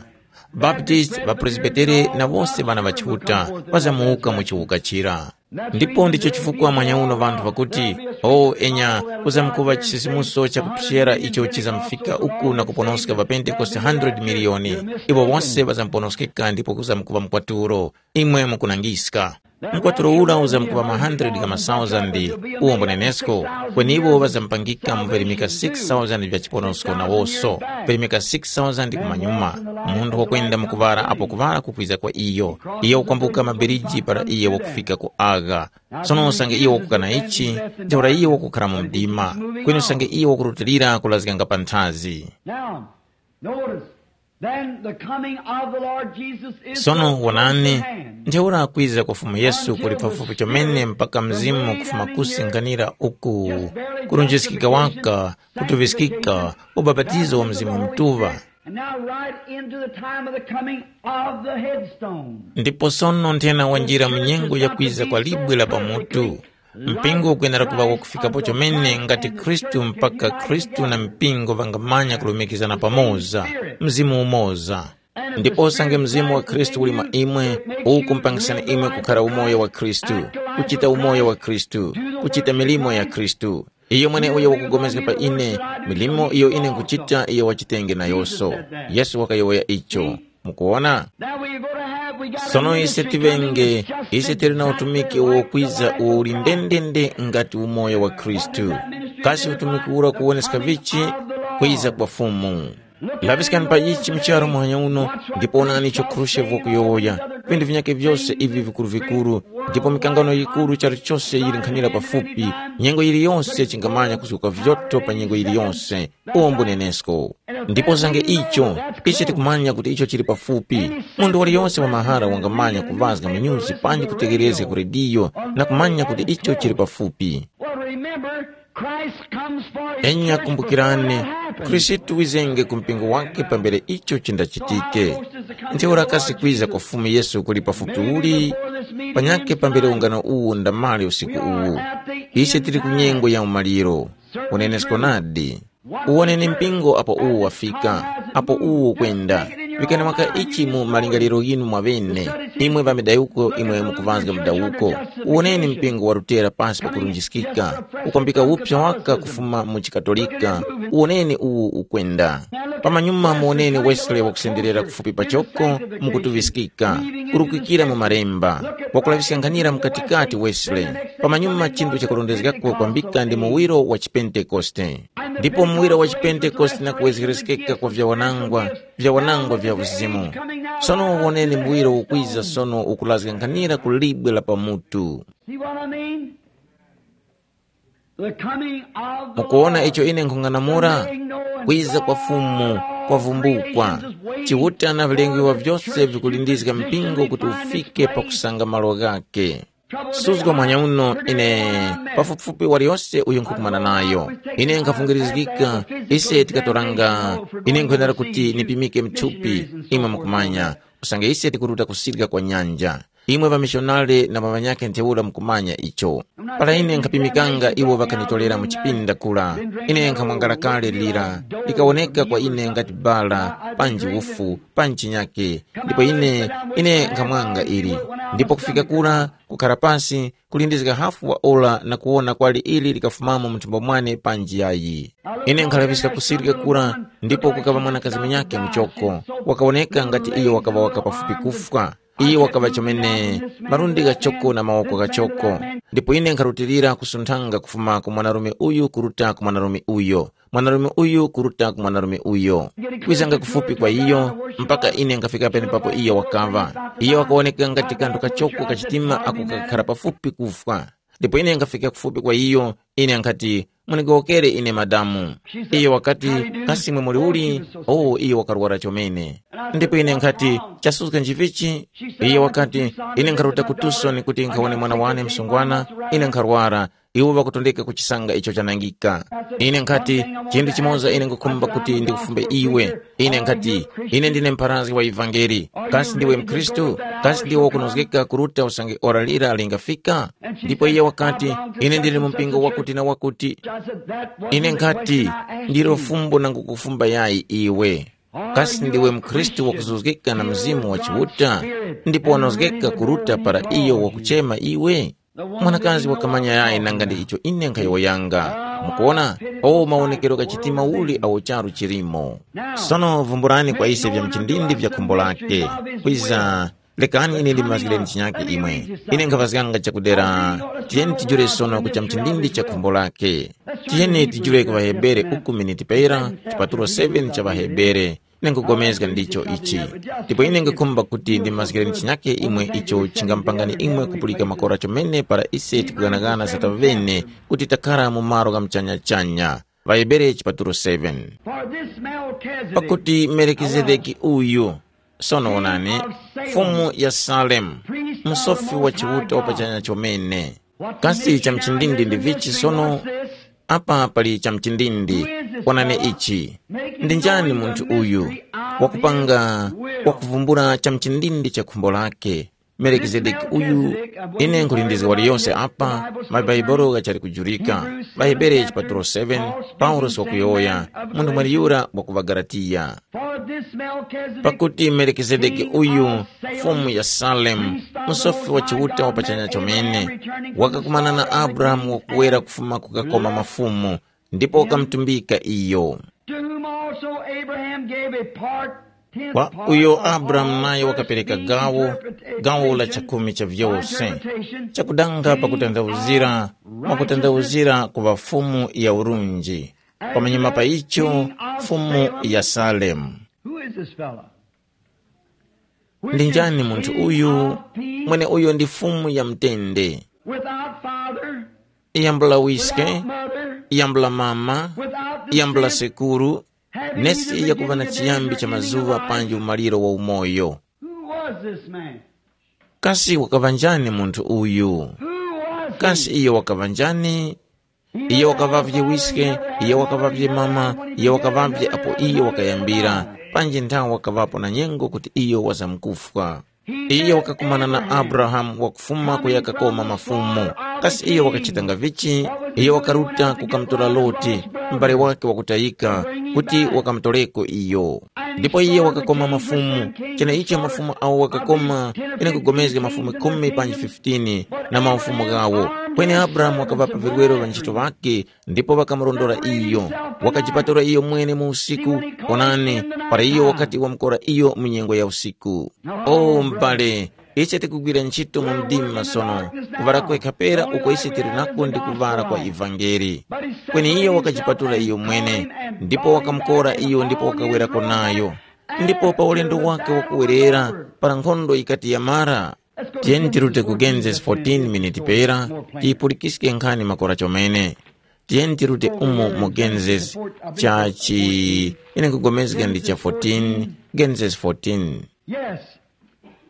Baptist, ŵapresbitere na wose ŵana ŵa Chiuta ŵazamuwuka mu chiwuka chira. Ndipo ndicho chifukwa mwanyauno ŵanthu ŵakuti, o enya, kuzamkuŵa chisisimuso chakuphyera icho chizamfika uku na kuponoska ŵapentekoste hundred miliyoni. Iwo wose ŵazamponoskeka ndipo kuzamkuŵa mkwatulo. Imwe mukunangiska. Mkwatulo ura uzamkuŵa ma hundred ga masauzandi, uwo mbunenesko, kweni iwo ŵazamupangika mu virimika six thousand vya chiponosko nawoso, virimika six thousand kumanyuma. Munthu wakwenda mu kuŵala apo kuŵala kukwiza kwa iyo, iyo wakwambuka mabiriji para iye wakufika ku agha. Sono usange iyo wakukana ichi, ntheura iyo wakukhara mu mdima, kweni usange iyo wakurutilira kulazganga panthazi. Now, notice, then the coming of the Lord Jesus is sono the wonani, first command. Ntheura kwiza kwa Fumu Yesu kuli pafupi chomene mpaka mzimu kufuma kusi nkhanira uku, kurunjiskika waka, kutuviskika, ubapatizo wa Mzimu Mutuŵa. And now right into the time of the coming of the headstone. Ndipo sono nthena wanjira mu nyengo ya kwiza kwa libwe la pamutu. Mpingo ukwenera kuŵa wakufikapo chomene ngati Khristu mpaka Khristu na mpingo ŵangamanya kulumikizana pamoza, mzimu umoza. Ndipo usange mzimu wa Khristu uli mwa imwe, uwu kumpangisani imwe kukhara umoyo wa Khristu, kuchita umoyo wa Khristu, kuchita milimo ya Khristu. Iyo mweneuyo wakupulikana pa ine, milimo iyo ine nkuchita iyo wachitenge nayoso. Yesu wakayowoya icho. Mukuwona? Sono ise tiŵenge, ise tili na utumiki uwo kwiza uwo uli ndendende ngati umoyo wa Khristu. Kasi utumiki ura kuwoneska vichi? Kwiza kwa Fumu. Laŵiskani pa ichi mu charu muhanya uno, ndipo onani icho Khrushchev wakuyowoya. Vintu vinyakhe vyose ivi vikuru-vikuru, ndipo mikangano yikuru charu chose yili nkhanira pafupi, nyengo yiliyonse chingamanya kuzuka vyoto pa nyengo yiliyonse. Uwo mbunenesko. Ndipo zange icho, ichi tikumanya kuti icho chili pafupi. Munthu waliyonse wa mahara wangamanya kuvazga munyuzi panji kutegerezga ku rediyo na kumanya kuti icho chili pafupi. Well, remember, Christ comes for his church before that happens. Enya kumbukirani, Khristu wizenge ku mpingo wake pambere icho chindachitike. Ntheura kasi kwiza kwa Fumu Yesu kuli pafupi uli? Panyakhe pambere ungano uwu ndamali usiku uwu. Ise tili ku nyengo ya umaliro. Unenesko nadi. Uwoneni mpingo apo uwu wafika, apo uwu ukwenda. Pikani waka ichi mu malingaliro ghinu mwaŵene, imwe ŵamidawuko imwe mukuŵazga mudawuko. Uwoneni mpingo wa Lutera pasi pa kurunjiskika, ukwambika upsa waka kufuma mu chikatolika. Uwoneni uwu ukwenda. Pamanyuma muwoneni Wesley wakusenderera kufupi pachoko mukutuŵiskika, kurukikira mu malemba, wakulaŵiska nkhanira mukatikati Wesley. Pamanyuma chinthu chakurondezgako kwambika ndi muwiro wa chipentekoste. Ndipo muwiro wa chipentekoste na kuwezgereskeka kwa vyawanangwa, vyawanangwa vya uzimu. Sono woneni muwiro ukwiza sono ukulazga nkhanira ku libwe la pamutu. See what I mean? The coming of the Mukuwona Lord. Icho ine nkhung'anamula? Kwiza kwa Fumu kwavumbukwa. Chiuta na vilengewa vyose vikulindizga mpingo kuti ufike pakusanga malo ghake. Suzgo mwanya uno ine pafupifupi waliyose uyo nkhukumana nayo. Ine nkhafungirizgika, ise tikatoranga, ine nkwenera kuti nipimike mthupi, imwe mukumanya, usange ise tikuruta kusirika kwa nyanja. Imwe ŵamishonari na ŵanyakhe ntheura mukumanya icho. Para ine nkhapimikanga iwo ŵakanitorera mu chipinda kura, ine nkhamwangala kale lira, likawoneka kwa ine ngati bala, panji ufu, panji chinyake, ndipo ine, ine nkhamwanga ili. Ndipo kufika kura, kukhara pasi, kulindizga hafu wa ora na kuwona kwali ili likafumamo mu nthumbo mwane panji yayi. Ine nkhalaŵiska kusirika kura, ndipo kukaŵa mwanakazi munyakhe muchoko, wakawoneka ngati iyo wakaŵa waka pafupi kufwa. Iyo wakaŵa chomene malundi ghachoko na mawoko ghachoko. Ndipo ine nkharutilira kusunthanga kufuma ku mwanarume uyu kuruta ku mwanarume uyo, mwanarume uyu kuruta ku mwanarume uyo, kwizanga kufupi kwa iyo, mpaka ine nkhafika penepapo iyo wakaŵa. Iyo wakawoneka ngati kanthu kachoko kachitima ako kakhara pafupi kufwa. Ndipo ine nkhafika kufupi kwa iyo, ine nkhati, "Mundigowokere ine, madamu." Iyo wakati, "Kasi imwe muli uli?" Oh, iyo wakarwara chomene. Ndipo ine nkhati, "Chasuzga njivichi?" Iyo wakati, "Ine nkharuta ku Tucson kuti nkhawone mwana wane msungwana, ine nkharwara, iwo ŵakutondeka kuchisanga icho chanangika." Ine nkhati, "Chinthu chimoza ine nkhukhumba kuti ndikufumbe iwe." Ine nkhati, "Ine ndine mpharazgi wa ivangeli. Kasi ndiwe mkhristu? Kasi ndiwe wakunozgeka kuruta usange ora lira lingafika?" Ndipo iye wakati, "Ine ndili mu mpingo wakuti na wakuti." Ine nkhati, "Ndilo fumbo nangukufumba yayi iwe. Kasi ndiwe mkhristu wakuzuzgika na Mzimu wa Chiuta, ndipo wanozgeka kuruta para iyo wakuchema iwe?" Mwanakazi wakamanya yayi nanga ndi icho ine nkhayowoyanga. Mukuwona, o mawonekero gha chitima uli awo charu chilimo. Sono vumburani kwa ise vya mchindindi vya khumbo lake. Kwiza Lekani ine ndimazgireni chinyake imwe. Ine nkhaŵazganga chakudera, tiyeni tijule sono ku chamchindindi cha khumbo lake. Tiyeni tijule ku ŵaHebere uku miniti pera, chipatulo seven cha ŵaHebere. Ine nkugomezga ndicho ichi. Ndipo ine nkukhumba kuti ndimazgireni chinyake imwe icho chingamupangani imwe kupulika makora chomene para ise tikughanaghana za taŵene kuti takhara mu malo gha muchanyachanya. Ŵahebere chipatulo seven. For this Melchizedek, pakuti Melkizedeki uyu, sono wonani, mfumu ya Salemu, msofi wa Chiuta wa pachanya chomene. Kasi cha mchindindi ndi vichi sono? Apa pali cha mchindindi. Wonani ichi. Ndi njani munthu uyu wakupanga, wakuvumbula cha mchindindi cha khumbo lake? Melikizedeki uyu, ine nkhulindizga waliyonse apa, mabaibulo ghachali kujurika. Ŵahebere chipatulo seven, Paulosi wakuyowoya, munthu mweneyura wa ku ŵaGalatiya. Pakuti Melikizedeki uyu, mfumu ya Salemu, msofi wa Chiuta wa pachanya chomene, wakakumana na Abrahamu wakuwera kufuma kukakoma mafumu, ndipo wakamutumbika iyo. To whom also Abraham gave a part, tenth kwa part uyo of Abrahamu all naye wakapereka gawo, gawo la chakhumi cha vyose, chakudanga pakutandawuzira, mwakutandawuzira ku ŵafumu ya urunji, pamanyuma pa icho, mfumu ya Salemu. Who is this fellow? Ndi njani munthu uyu? Mwene uyo ndi fumu ya mtende. Without father, yambula wiske, without mother, yambula mama, without yambula descent, sekuru, nesi yakuva na chiyambi cha mazuva panji umaliro wa umoyo. Who was this man? Kasi wakaŵa njani munthu uyu? Who was he? Kasi iyo wakaŵa njani? Iyo wakaŵavye wiske, iyo wakaŵavye mama, iyo wakaŵavye apo iyo wakayambira, panji nthawe wakaŵapo na nyengo kuti iyo wazamkufwa. Iyo wakakumana na Abrahamu wakufuma kuya kakoma mafumu. Kasi iyo wakachitanga vichi? Iyo wakaruta kukamutora Loti, m'bale wake wakutayika, kuti wakamutoreko iyo. Ndipo iyo wakakoma mafumu, cheneicho mafumu awo wakakoma, ine nkugomezga mafumu khumi panji fifteen na maufumu ghawo. Kweni Abrahamu wakaŵapa virwero ŵanchito ŵakhe, ndipo ŵakamurondora iyo. Wakajipatula iyo mwene mu usiku, onani, para iyo wakati wamukora iyo mu nyengo ya usiku. O m'bale, ise tikugwira ntchito mu mdima sono, kuŵala kwekha pera uko ise tili nako ndi kuŵala kwa ivangeli. Kweni iyo wakajipatula iyo mwene, ndipo wakamukora iyo ndipo wakawerako nayo. Ndipo pa ulendo wake wakuwerera, para nkhondo yikati yamara, tiyeni tirute ku Genesis fourteen miniti pera, tiyipulikiske nkhani makora chomene. Tiyeni tirute umo mu Genesis, chachi, ine nkugomezga ndi cha fourteen, Genesis fourteen. Yes.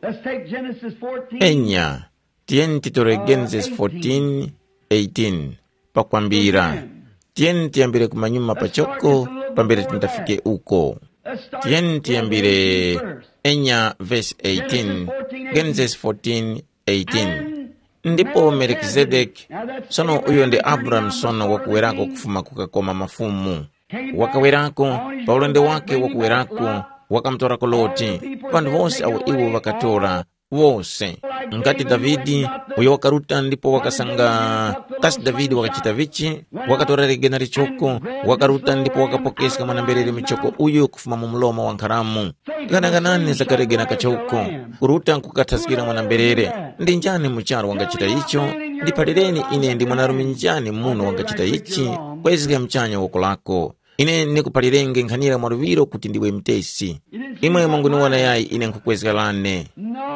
Let's take Genesis fourteen. Enya, tiyeni titore Genesis fourteen, eighteen. Pakwambira, tiyeni tiyambire kumanyuma pachoko, pambere tindafike uko. Tiyeni tiyambire enya verse eighteen, Genesis fourteen, eighteen. Ndipo Melkizedeki, sono uyo ndi Abrahamu sono wakuwerako kufuma kukakoma mafumu. Wakawerako, pa ulendo wake wakuwerako, wakamutorako Loti, panthu wose awo iwo ŵakatora, wose. Ngati Davide, uyo wakaruta ndipo wakasanga, kasi Davide wakachita vichi? Wakatora legena lichoko, wakaruta ndipo wakapokeska mwana-mberere muchoko uyu kufuma mu mlomo wa nkharamu. Ghanaghanani za kalegena kachoko, kuruta nkukathaskira mwana-mberere. Ndi njani mu charu wangachita icho? Ndiphalireni ine ndi mwanarume njani muno wangachita ichi, kwezga mchanya woko lako. Ine ndikuphalirenge nkhanira mwaluŵiro kuti ndiwe mutesi. Imwe munguniwona yayi ine nkhukwezga lane?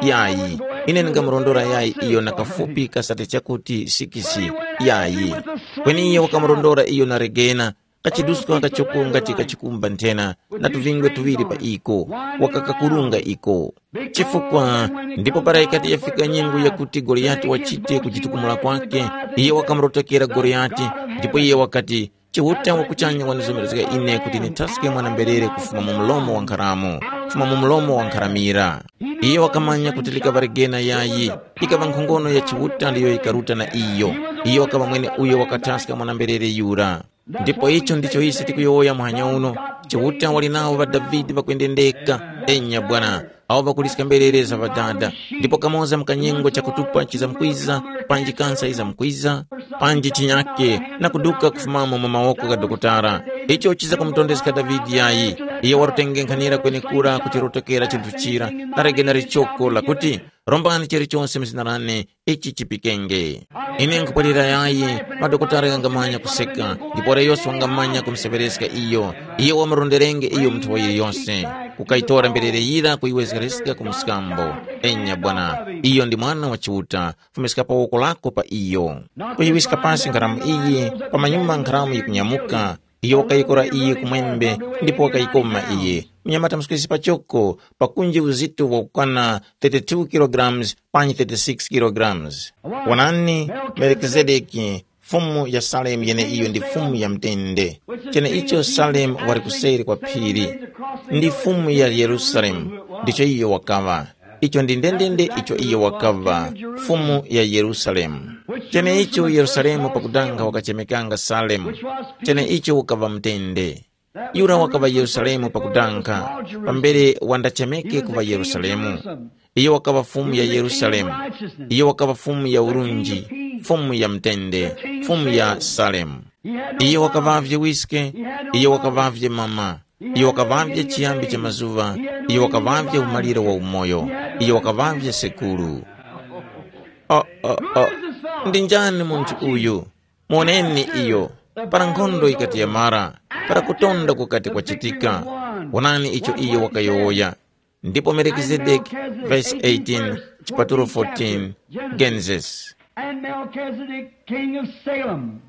Yayi. Ine ndingamurondora yayi iyo na kafupi kasate chakuti sikisi? Yayi. Kweni iye wakamurondora iyo na legena, kachiduska kachoko ngati kachikumba nthena, na tuvingwe tuŵiri pa iko, wakakakurunga iko. Chifukwa, ndipo para yikati yafika nyengo yakuti Goliyati wachite kujitukumula kwake, iye wakamurotokera Goliyati, ndipo iye wakati, Chiuta wakuchanya wanizomezga ine kuti nithaske mwana-mberere kufuma mu mlomo wa nkharamu, kufuma mu mlomo wa nkharamira. Iyo wakamanya kuti likaŵa legena yayi, ikaŵa nkhongono ya Chiuta ndiyo yikaruta na iyo. Iyo wakaŵa mwene uyo wakathaska mwana-mberere yura. Ndipo icho ndicho ise tikuyowoya muhanya uno, Chiuta wali nawo ŵa Davide ŵakwendendeka, enya bwana, awo ŵakuliska mberere za Ŵadada, ndipo kamoza mu kanyengo chakutupa chizamkwiza, panji kansa yizamkwiza, panji chinyake, na kuduka kufumamo mu mawoko gha dokotala. Icho chiza kumutondeska Davide yayi, Iyo warutengenkhanira kwenekura kuchirotokera chinthu chira, narege na lichoko lakuti, rombani chilichonse mu zina lane, ichi chipikenge. Ine nkhupwalira yayi, madokotala ghangamanya kuseka, ndipo wara yose wangamanya kumuseŵereska iyo. Iyo wamuronderenge iyo munthu wayo yose, kukayitora mberere yira kuyiwezgereska ku mskambo. Enya bwana, iyo ndi mwana wa Chiuta, fumiska pa woko lako pa iyo. Kuyiwiska pasi nkharamu iyi, pamanyuma nkharamu yikunyamuka. Iyo wakayikora iyi kumwembe, ndipo wakayikoma iyi. Mnyamata mswesi pachoko, pakunji uzito wakukwana thirty-two kilograms panyi thirty-six kilograms. Wanani, Melkizedeki, fumu ya Salemu yeneiyo ndi fumu ya mtende. Cheneicho Salemu wali kuseri kwa phiri, ndi fumu ya Yerusalemu, ndicho iyo wakaŵa. Icho ndi ndendende icho iyo wakaŵa, fumu ya Yerusalemu. Cheneicho Yerusalemu pakudanga wakachemekanga Salemu, cheneicho ukaŵa mtende. Yura wakaŵa Yerusalemu pakudanga, pambere wandachemeke kuŵa Yerusalemu. Iyo wakaŵa fumu ya Yerusalemu. Iyo wakaŵa fumu ya urunji, fumu ya mtende, fumu ya Salemu. Iyo wakaŵavye wiske, iyo wakaŵavye mama, iyo wakaŵavye chiyambi cha mazuŵa, iyo wakaŵavye umaliro wa umoyo, iyo wakaŵavye sekuru. Oh, oh, oh. Ndi njani munthu uyu? Moneni iyo, para nkhondo yikati yamara, para kutonda kukati kwachitika. Wonani icho iyo wakayowoya. Ndipo Melkizedeki, verse eighteen, chipatulo fourteen, Genesis. And Melchizedek, king of Salem,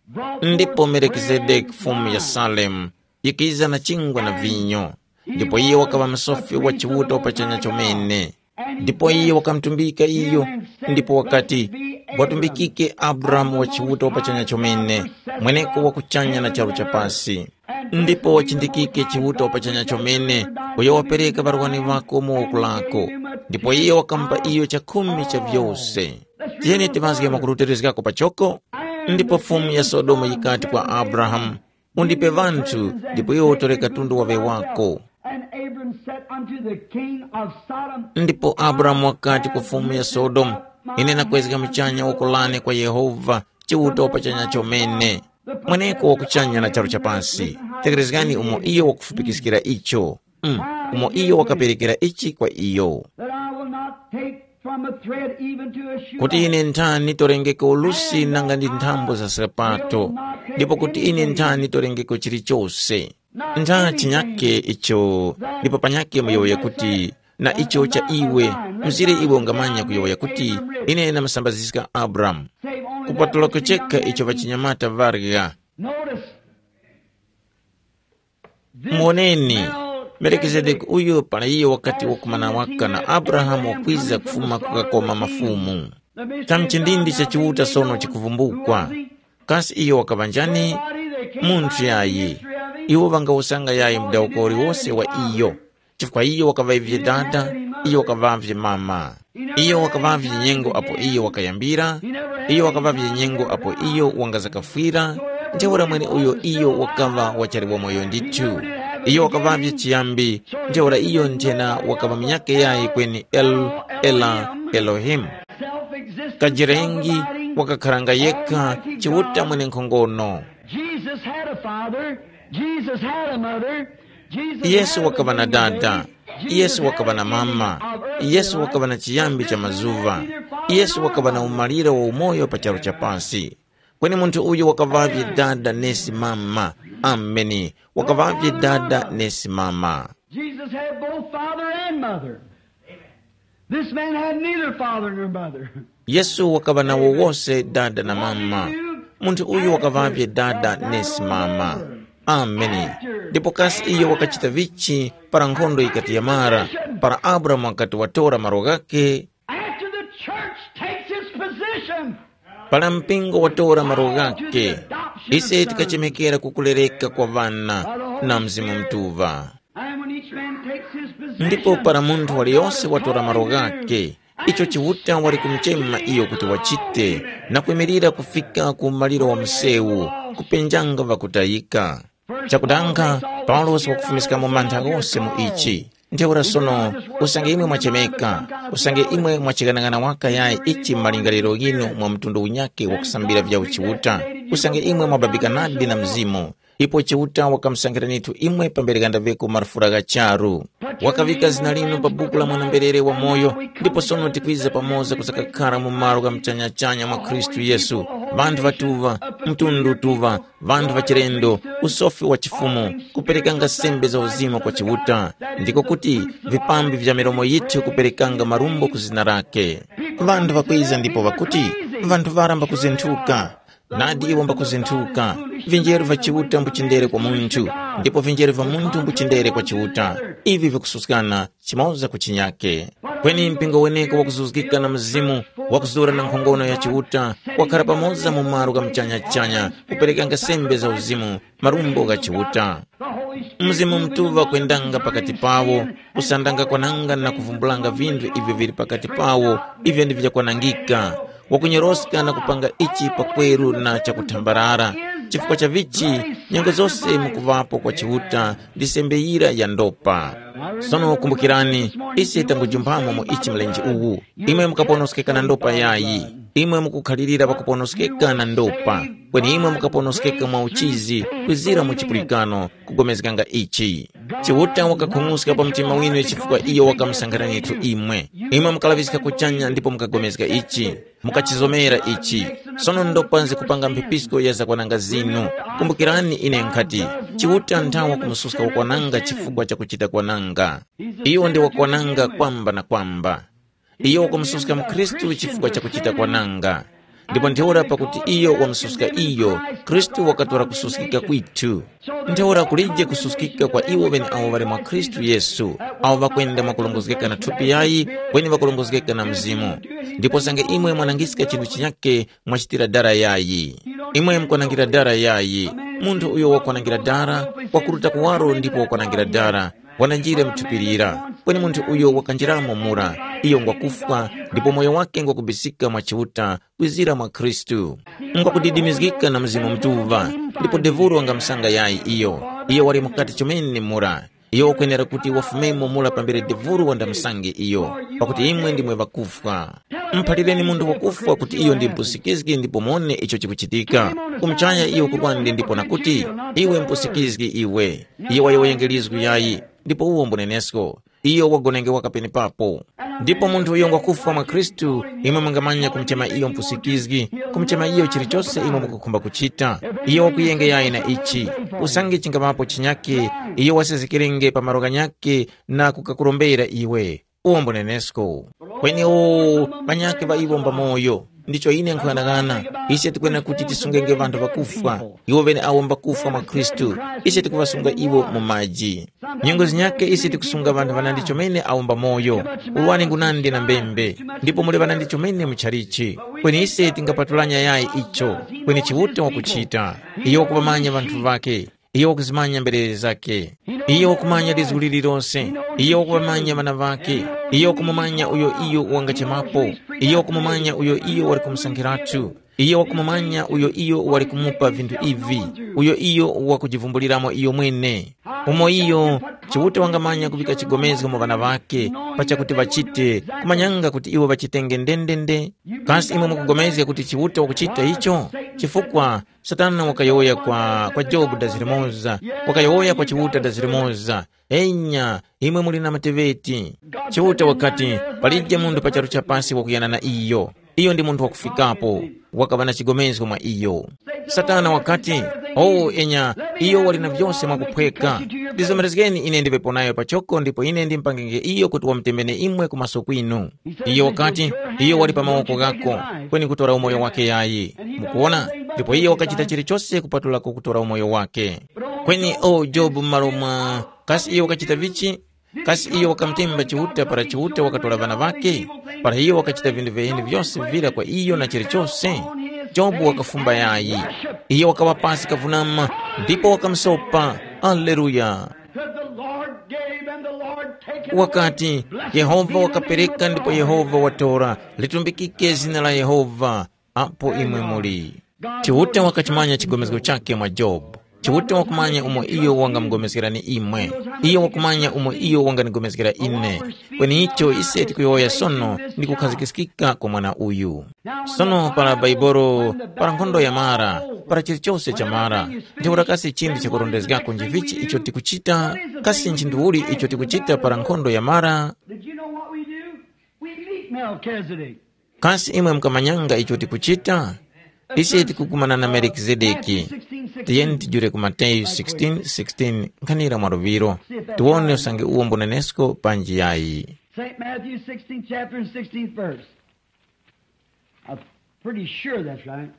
brought Ndipo forth Melkizedeki, bread and fumu ya wine. Salemu, yikiza na chingwa na vinyo. Ndipo iye wakaŵa msofi wa Chiuta wa pachanya chomene. Ndipo iye wakamtumbika iyo, ndipo wakati, watumbikike Abrahamu wa Chiuta wa pachanya chomene, mweneko wa kuchanya na charu cha pasi. Ndipo wachindikike Chiuta wa pachanya chomene, uyo wapereka ŵarwani ŵako mu woko lako. Ndipo iye wakamupa iyo chakhumi cha vyose. Tiyeni timazge makurutilizgako pachoko. Ndipo fumu ya Sodomu yikati kwa Abrahamu, undipe vanthu, ndipo iwe utore katundu waŵe wako. And Abram said unto the king of Sodom, Ndipo Abrahamu wakati ku fumu ya Sodomu, ine nakwezga muchanya woko lane kwa Yehova, Chiuta wa pachanya chomene, mweneko wa kuchanya na charu cha pasi. Tekerezgani umo iyo wakufupikiskira icho. Mm, umo iyo wakaperekera ichi kwa iyo. That I will not take from a thread even to a shoe. Kuti ine nthani torengeko ulusi nanga ndi nthambo za sapato, ndipo kuti ine nthani torengeko chilichose. Ntha chinyake icho, ndipo panyake muyowoya kuti, na icho cha iwe, mzire iwe ungamanya kuyowoya kuti, ine namusambaziska Abramu. Kupatulako chekha icho ŵachinyamata ŵarya. Notice, Muoneni, Melkizedeki uyu para iyo wakati wakumana waka na Abrahamu wakwiza kufuma kukakoma mafumu. Kamchindindi cha Chiuta sono chikuvumbukwa. Kasi iyo wakaŵa njani? Munthu yayi. Iwo ŵangawusanga yayi mudawuko uliwose wa iyo. Chifukwa iyo wakaŵavye dada, iyo wakaŵavye mama. Iyo wakaŵavye nyengo apo iyo wakayambira, iyo wakaŵavye nyengo apo iyo wangazakafwira, ntheura mweneuyo iyo wakaŵa wachali wamoyo ndithu. Iyo wakaŵavye chiyambi, ntheura iyo nthena wakaŵa munyakhe yayi kweni El, Ela, Elohimu. Kajirengi wakakharanga yekha Chiuta mwenenkhongono. Jesus had a father, Jesus had a mother, Jesus Yesu had a wakaŵa na living dada, baby, Jesus Yesu had wakaŵa a na mama, beginning of earth Yesu and wakaŵa na life. Chiyambi cha This man mazuva, had neither father Yesu nor wakaŵa na mother. Umaliro wa umoyo pa charu cha pasi. Kweni munthu uyu wakaŵavye dada nesi mama. Ameni. Wakaŵavye dada nesi mama. Jesus had both father and mother. This man had neither father nor mother. Yesu wakaŵa nawo wose dada na mama. Munthu uyu wakaŵavye dada nesi mama. Ameni. Ndipo kasi iyo wakachita vichi para nkhondo yikati yamara, para Abrahamu wakati watora malo ghakhe? After the church takes its position, para mpingo watora malo ghakhe, ise tikachemekera kukulereka kwa ŵana na Mzimu Mutuŵa. And when each man takes his position, ndipo para munthu waliyonse watora malo ghakhe, icho Chiuta wali kumuchema iyo kuti wachite, na kwimirira kufika ku maliro wa msewu, kupenjanga ŵakutayika. Chakudanga, Paulosi wakufumiskamo mantha ghose mu ichi. Ntheura sono, usange imwe mwachemeka, usange imwe mwachighanag'ana waka yayi ichi m'malingaliro ghinu mwa mtundu unyakhe wakusambira vya uchiuta, usange imwe mwababika nadi na Mzimu, Ipo Chiuta wakamusankhiranitu imwe pambere ghandaŵeko marufura gha charu. Wakaŵika zina linu pa buku la mwana-mberere wamoyo, ndipo sono tikwiza pamoza kusakakhara mu malo gha muchanyachanya mwa Khristu Yesu, ŵanthu ŵatuŵa, mtundu utuŵa, ŵanthu ŵachilendo, usofi wa chifumu, kuperekanga sembe za uzimu kwa Chiuta, ndiko kuti vipambi vya milomo yithu kuperekanga marumbo ku zina lake. Ŵanthu ŵakwiza ndipo ŵakuti, ŵanthu ŵara mbakuzinthuka. Nadi iwo mbakuzinthuka, vinjeru va Chiuta mbuchindere kwa munthu, ndipo vinjeru va munthu mbuchindere kwa Chiuta. Ivi vikususkana chimoza ku chinyake. Kweni mpingo weneko wakuzuzgika na Mzimu, wakuzura na nkhongono ya Chiuta, wakhara pamoza mu malo gha muchanya-chanya, kuperekanga sembe za uzimu, marumbo gha Chiuta. Mzimu Mutuŵa kwendanga pakati pawo, kusandanga kwananga na kuvumbulanga vinthu ivyo vili pakati pawo, ivyo ndi vyakwanangika, wakunyoroska na kupanga ichi pakweru na chakuthambarara. Chifukwa cha vichi, nyengo zose mukuŵapo kwa Chiuta ndi sembe yira ya ndopa. Sono kumbukirani, ise tangujumphamo mu ichi mlenje uwu. Imwe mukaponoskeka na ndopa yayi. Imwe mukukhalirira pakuponoskeka na ndopa. Kweni imwe mukaponoskeka mwa uchizi, kwizira mu chipulikano, kugomezganga ichi. Chiuta wakakhung'uska pa mtima winu chifukwa iyo wakamusankhiranitu imwe. Imwe mukalaŵiska kuchanya ndipo mukagomezga ichi. Mukachizomera ichi. Sono ndopa nzikupanga mphepisko ya zakwananga zinu. Kumbukirani ine nkhati, Chiuta nthawa kumususka wakwananga chifukwa cha kuchita kwananga. Iyo ndi wakwananga kwamba na kwamba. Iyo wakumususka mu Khristu chifukwa cha kuchita kwananga. Ndipo ntheura pakuti iyo wamususka iyo, Khristu wakatora kususkika kwithu. Ntheura kulije kususkika kwa iwo ŵeneawo ŵali mwa Khristu Yesu, awo ŵakwenda mwakulongozgeka na thupi yayi, kweni ŵakulongozgeka na Mzimu. Ndipo sange imwe mwanangiska chinthu chinyakhe mwachitira dara yayi. Imwe mukwanangira dara yayi. Munthu uyo wakwanangira dara, wakuruta kuwaro ndipo wakwanangira dara, wananjire mu thupi lira. Kweni munthu uyo wakanjiramo mura, iyo ngwakufwa, ndipo moyo wake ngwakubisika mwa Chiuta, kwizira mwa Khristu. Ngwakudidimizgika na Mzimu Mutuŵa, ndipo devuro wangamusanga yayi iyo. Iyo wali mukati chomene mura. Iyo wakwenera kuti wafumemo mura pambere devuro wandamusange iyo, pakuti imwe ndimwe ŵakufwa. Muphalireni munthu wakufwa kuti iyo ndi mpusikizgi ndipo mone icho chikuchitika. Kumuchaya iyo kurwande ndipo nakuti, iwe mpusikizgi iwe. Iyo wayowoyenge lizgu yayi, ndipo uwo mbunenesko. Iyo wagonenge waka penepapo. Ndipo munthu uyo ngwakufwa mwa Khristu, imwe mungamanya kumuchema iyo mpusikizgi, kumuchema iyo chilichose imwe mukukhumba kuchita. Iyo wakuyengeyayi na ichi. Usange chingaŵapo chinyakhe, iyo wasezekerenge pa malo ghanyakhe na kukakurombera iwe. Uwo mbunenesko. Kweni o, panyakhe ŵa iwo mbamoyo. Ndicho ine nkhughanaghana, ise tikwenera kuti tisungenge ŵanthu ŵakufwa, iwo ŵeneawo mbakufwa mwa Khristu, ise tikuŵasunga iwo mu maji. Nyengo zinyakhe ise tikusunga ŵanthu ŵanandi chomene awo mbamoyo, ulwani ngunandi na mbembe, ndipo muli ŵanandi chomene muchalichi. Kweni ise tingapatulanya yayi icho, kweni Chiuta wakuchita. Iyo wakuŵamanya ŵanthu ŵakhe. Iyo wakuzimanya mberere zakhe. Iyo wakumanya lizgu lililose. Iyo wakuŵamanya ŵana ŵakhe. Iyo wakumumanya uyo iyo wangachemapo. Iyo wakumumanya uyo iyo wali kumusankhiratu. Iyo wakumumanya uyo iyo wali kumupa vinthu ivi. Uyo iyo wakujivumbuliramo iyo mwene. Umo iyo, Chiuta wangamanya kuŵika chigomezgo mu ŵana ŵakhe, pachakuti ŵachite, kumanyanga kuti iwo ŵachitenge ndendende. Kasi imwe mukugomezga kuti Chiuta wakuchita icho? Chifukwa Satana wakayowoya kwa, kwa Jobu dazi limoza, wakayowoya kwa Chiuta dazi limoza. Enya, imwe muli na mateŵeti. Chiuta wakati, palije munthu pa charu cha pasi wakuyana na iyo. Iyo ndi munthu wakufikapo, wakaŵa na chigomezgo mwa iyo. Satana wakati, o enya, iyo wali na vyose mwakuphweka. Ndizomerezgeni ine ndiŵepo nayo pachoko ndipo ine ndimpangenge iyo kuti wamutemene imwe kumaso kwinu. Iyo wakati, iyo wali pa mawoko ghako, kweni kutora umoyo wake yayi. Mukuwona? Ndipo iyo wakachita chilichose kupatulako kutora umoyo wake. Kweni o Jobu m'malo mwa, kasi iyo wakachita vichi? Kasi iyo wakamutemba Chiuta para Chiuta wakatora ŵana ŵakhe? Para iyo wakachita vinthu viheni vyose vira kwa iyo na chilichose? Jobu wakafumba yayi. Iyo wakaŵa pasi kavunama, ndipo wakamusopa. Aleluya! Said, "The Lord gave and the Lord taketh away. Wakati, Blessed be Yehova the name wakapereka of the ndipo Lord." Yehova watora, litumbikike zina la Yehova. Apo imwe muli. Chiuta wakachimanya chigomezgo chake mwa Jobu. Chiuta wakumanya umo iyo wangamupulikana imwe. Iyo wakumanya umo iyo wangandipulikana ine. Kweni icho ise tikuyowoya sono ndi kukhazikiskika kwa mwana uyu. Sono para Baibolo, para nkhondo yamara, para chilichose chamara, ntheura kasi chinthu chakurondezgako nchivichi icho tikuchita? Kasi nchinthu uli icho tikuchita para nkhondo yamara? Did you know what we do? We meet Melchizedek. Kasi imwe mukamanyanga icho tikuchita? Ise tikukumana na Melkizedeki. Tiyeni tijule ku Mateyu sixteen sixteen, nkhanira mwa luŵiro. Tiwone usange uwo mbunenesko panji yayi. Saint Matthew sixteenth chapter and sixteenth verse. I'm pretty sure that's right.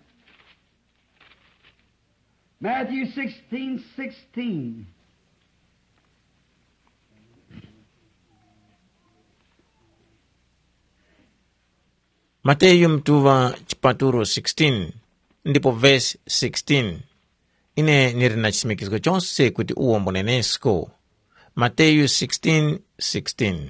Matthew sixteen sixteen. Mateyu mtuŵa chipatulo sixteen, ndipo vesi sixteen. Ine ndili na chisimikizgo chose kuti uwo mbunenesko. Mateyu sixteen sixteen.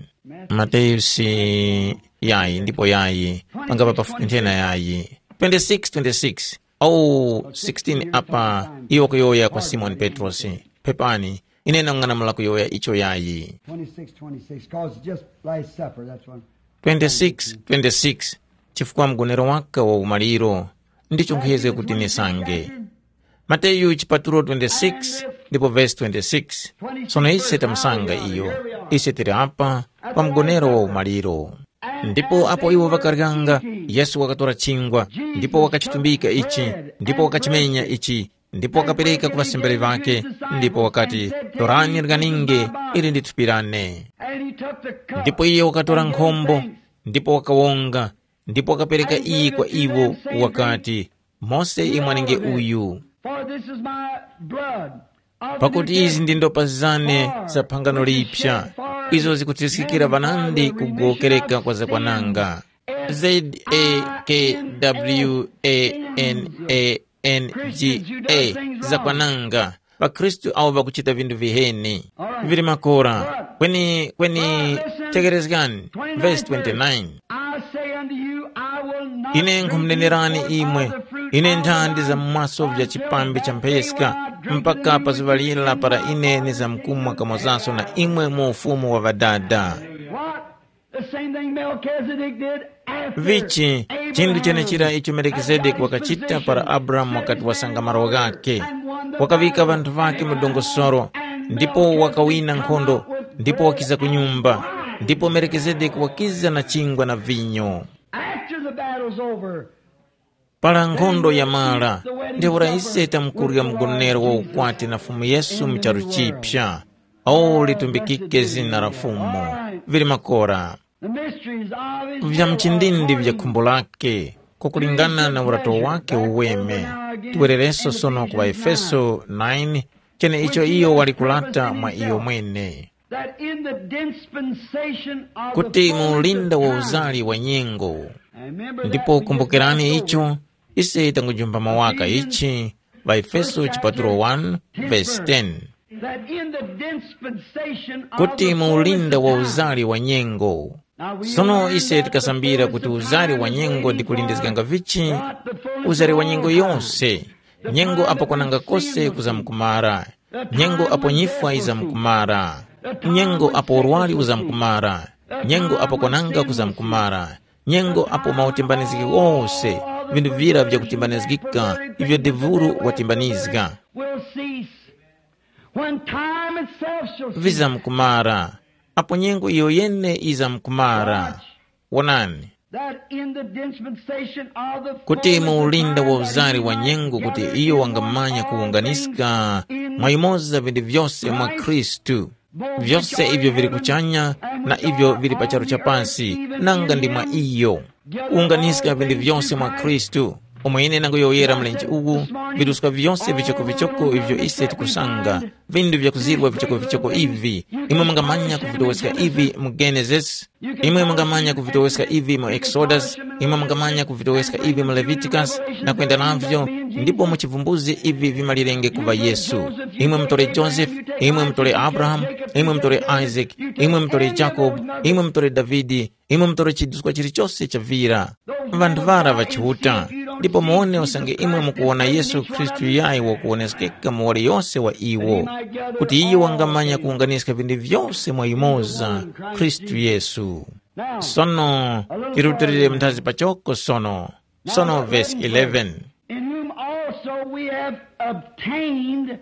Mateyu si yayi ndipo yayi, pangapa pafupi nthena yayi. Twenty-six twenty-six. Au sixteen apa, iwo kuyowoya kwa Simoni Petrosi, pepani, ine nang'anamula kuyowoya icho yayi. Twenty-six twenty-six, 'cause it's just Last Supper, that's what. Twenty-six twenty-six, chifukwa mgonero waka wa umaliro, ndicho nkhuyezga kuti nisange. Mateyu chipatulo twenty-six ndipo vesi twenty-six. Sono ise tamusanga iyo, ise tili apa pa mgonero wa umaliro. Ndipo apo iwo ŵakaryanga, Yesu wakatora chingwa, ndipo wakachitumbika ichi, ndipo wakachimenya ichi, ndipo wakapereka ku ŵasambiri ŵakhe, ndipo wakati, "Torani, ryaninge, ili ndi thupi lane." Ndipo iye wakatora nkhombo, ndipo wakawonga, ndipo wakapereka iyi kwa iwo, wakati, "Mose imwanenge uyu." For this is my blood of the Pakuti izi ndi ndopa zane za phangano lipsa, izo zikutiskikira ŵanandi kugowokereka kwa zakwananga. Zakwananga. Ŵakhristu awo ŵakuchita vinthu viheni. Vili makora. Kweni, kweni, tekerezgani, vesi twenty-nine. I say unto you, I will not Ine drink nkhumunenerani new oil imwe, of the fruit ine of nthandi the za mmaso vya chipambi cha mpheska, mpaka pa zuŵa lira para ine nizamkumwa kamozanso na imwe mu ufumu wa Ŵadada. What? The same thing Melchizedek did after Vichi, chinthu Abraham chenechira icho had Melkizedeki got his wakachita position, para Abrahamu wakati wasanga malo ghake. Wakaŵika ŵanthu ŵake mu dongosolo, ndipo wakawina nkhondo, ndipo wakiza ku nyumba, ndipo Melkizedeki wakiza na chingwa na vinyo. After the battle's over, Para nkhondo yamara, ntheura ise tamkurya mgonero wa ukwati na Fumu Yesu mu charu chipya. O, litumbikike zina la Fumu. Vili makora. The mysteries of his Vya mchindindi vya khumbo lake, kukulingana na urato wake uweme. Tiwerereso sono ku Efeso nine, cheneicho iyo wali kulata mwa iyo mwene. That in the dispensation of the kuti mu fullness of ulinda wa time. Uzali wa nyengo. And remember that Ndipo we just kumbukirani passed over. Icho, ise tangujumba mawaka ichi, ŵaEfeso chipatulo one, verse ten. That in the dispensation of kuti the mu ulinda wa fullness of time. Uzali wa nyengo. Now we Sono learned ise that the tikasambira fullness kuti of uzali time wa is nyengo when ndi kulindizganga vichi, God the fullness uzali wa of nyengo all time. Yose, nyengo apo kwananga kose kuzamkumara, nyengo apo nyifwa izamkumara, nyengo apo urwari uzamkumara, nyengo apo kwananga kuzamkumara, nyengo apo mautimbanizgi ghose, vinthu vira vyakutimbanizgika ivyo devuru watimbanizga, When time itself shall cease, vizamkumara, apo nyengo iyo yene izamkumara. Wonani, that in the dispensation of the kuti mu ulinda wa uzari wa nyengo kuti iyo wangamanya kuwunganiska mwa yumoza vinthu vyose mwa Khristu, vyose ivyo vili kuchanya na ivyo vili pa charu cha pasi, nanga ndi mwa iyo kuwunganiska vinthu vyose mwa Khristu. Umo ine nanguyowoyera mlenje uwu, viruska vyose vichokovichoko ivyo ise tikusanga, vinthu vyakuzirwa vichokovichoko ivi, imwe mungamanya kuvitoweska ivi mu Genesis, imwe mungamanya kuvitoweska ivi mu Exodus, imwe mungamanya kuvitoweska ivi mu Leviticus, na kwenda navyo, ndipo mu chivumbuzi ivi vimalirenge kuva Yesu. Imwe mutole Joseph, imwe mutole Abraham, imwe mutole Isaac, imwe mutole Jacob, imwe mutole Davidi, imwe mutole chiduskwa chilichose chavira. Vanthu vara va Chiuta, Ndipo muwone usange imwe mukuwona Yesu Khristu yayi wakuwoneskeka mu waliyose wa iwo, kuti iyo wangamanya kuwunganiska vinthu vyose mwa yumoza, Khristu Yesu. Sono, tirutilire mnthazi pachoko sono. Sono vesi eleven. In whom also we have obtained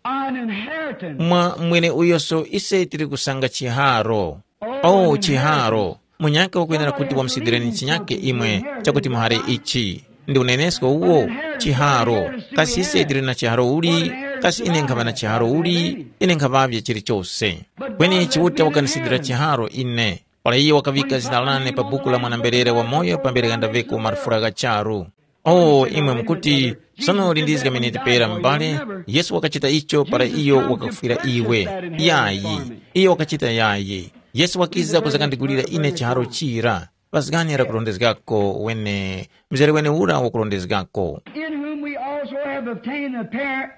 an inheritance. Mwa mweneuyoso ise tili kusanga chiharo. O chiharo, munyaka wakwenera kuti wamusidwireni chinyake imwe, chakuti muhare ichi. Ndi unenesko uwo? Chiharo. Kasi ise tili na chiharo uli? Kasi ine nkhaŵa na chiharo uli? Ine nkhaŵavye chilichose. Kweni Chiuta wakanisidwira chiharo ine. Para iye wakaŵika zina lane pa buku la mwana-mberere wamoyo pambere ghandaveko marufura gha charu. O, imwe mukuti, sono lindizga miniti pera m'bale, Yesu wakachita icho para iyo wakakufwira iwe. Yayi, iyo wakachita yayi. Yesu wakiza kuzakandigulira ine chiharo chira. Pazgani lakurondezgako wene, mzere wene ura wakurondezgako. In whom we also have obtained an apparent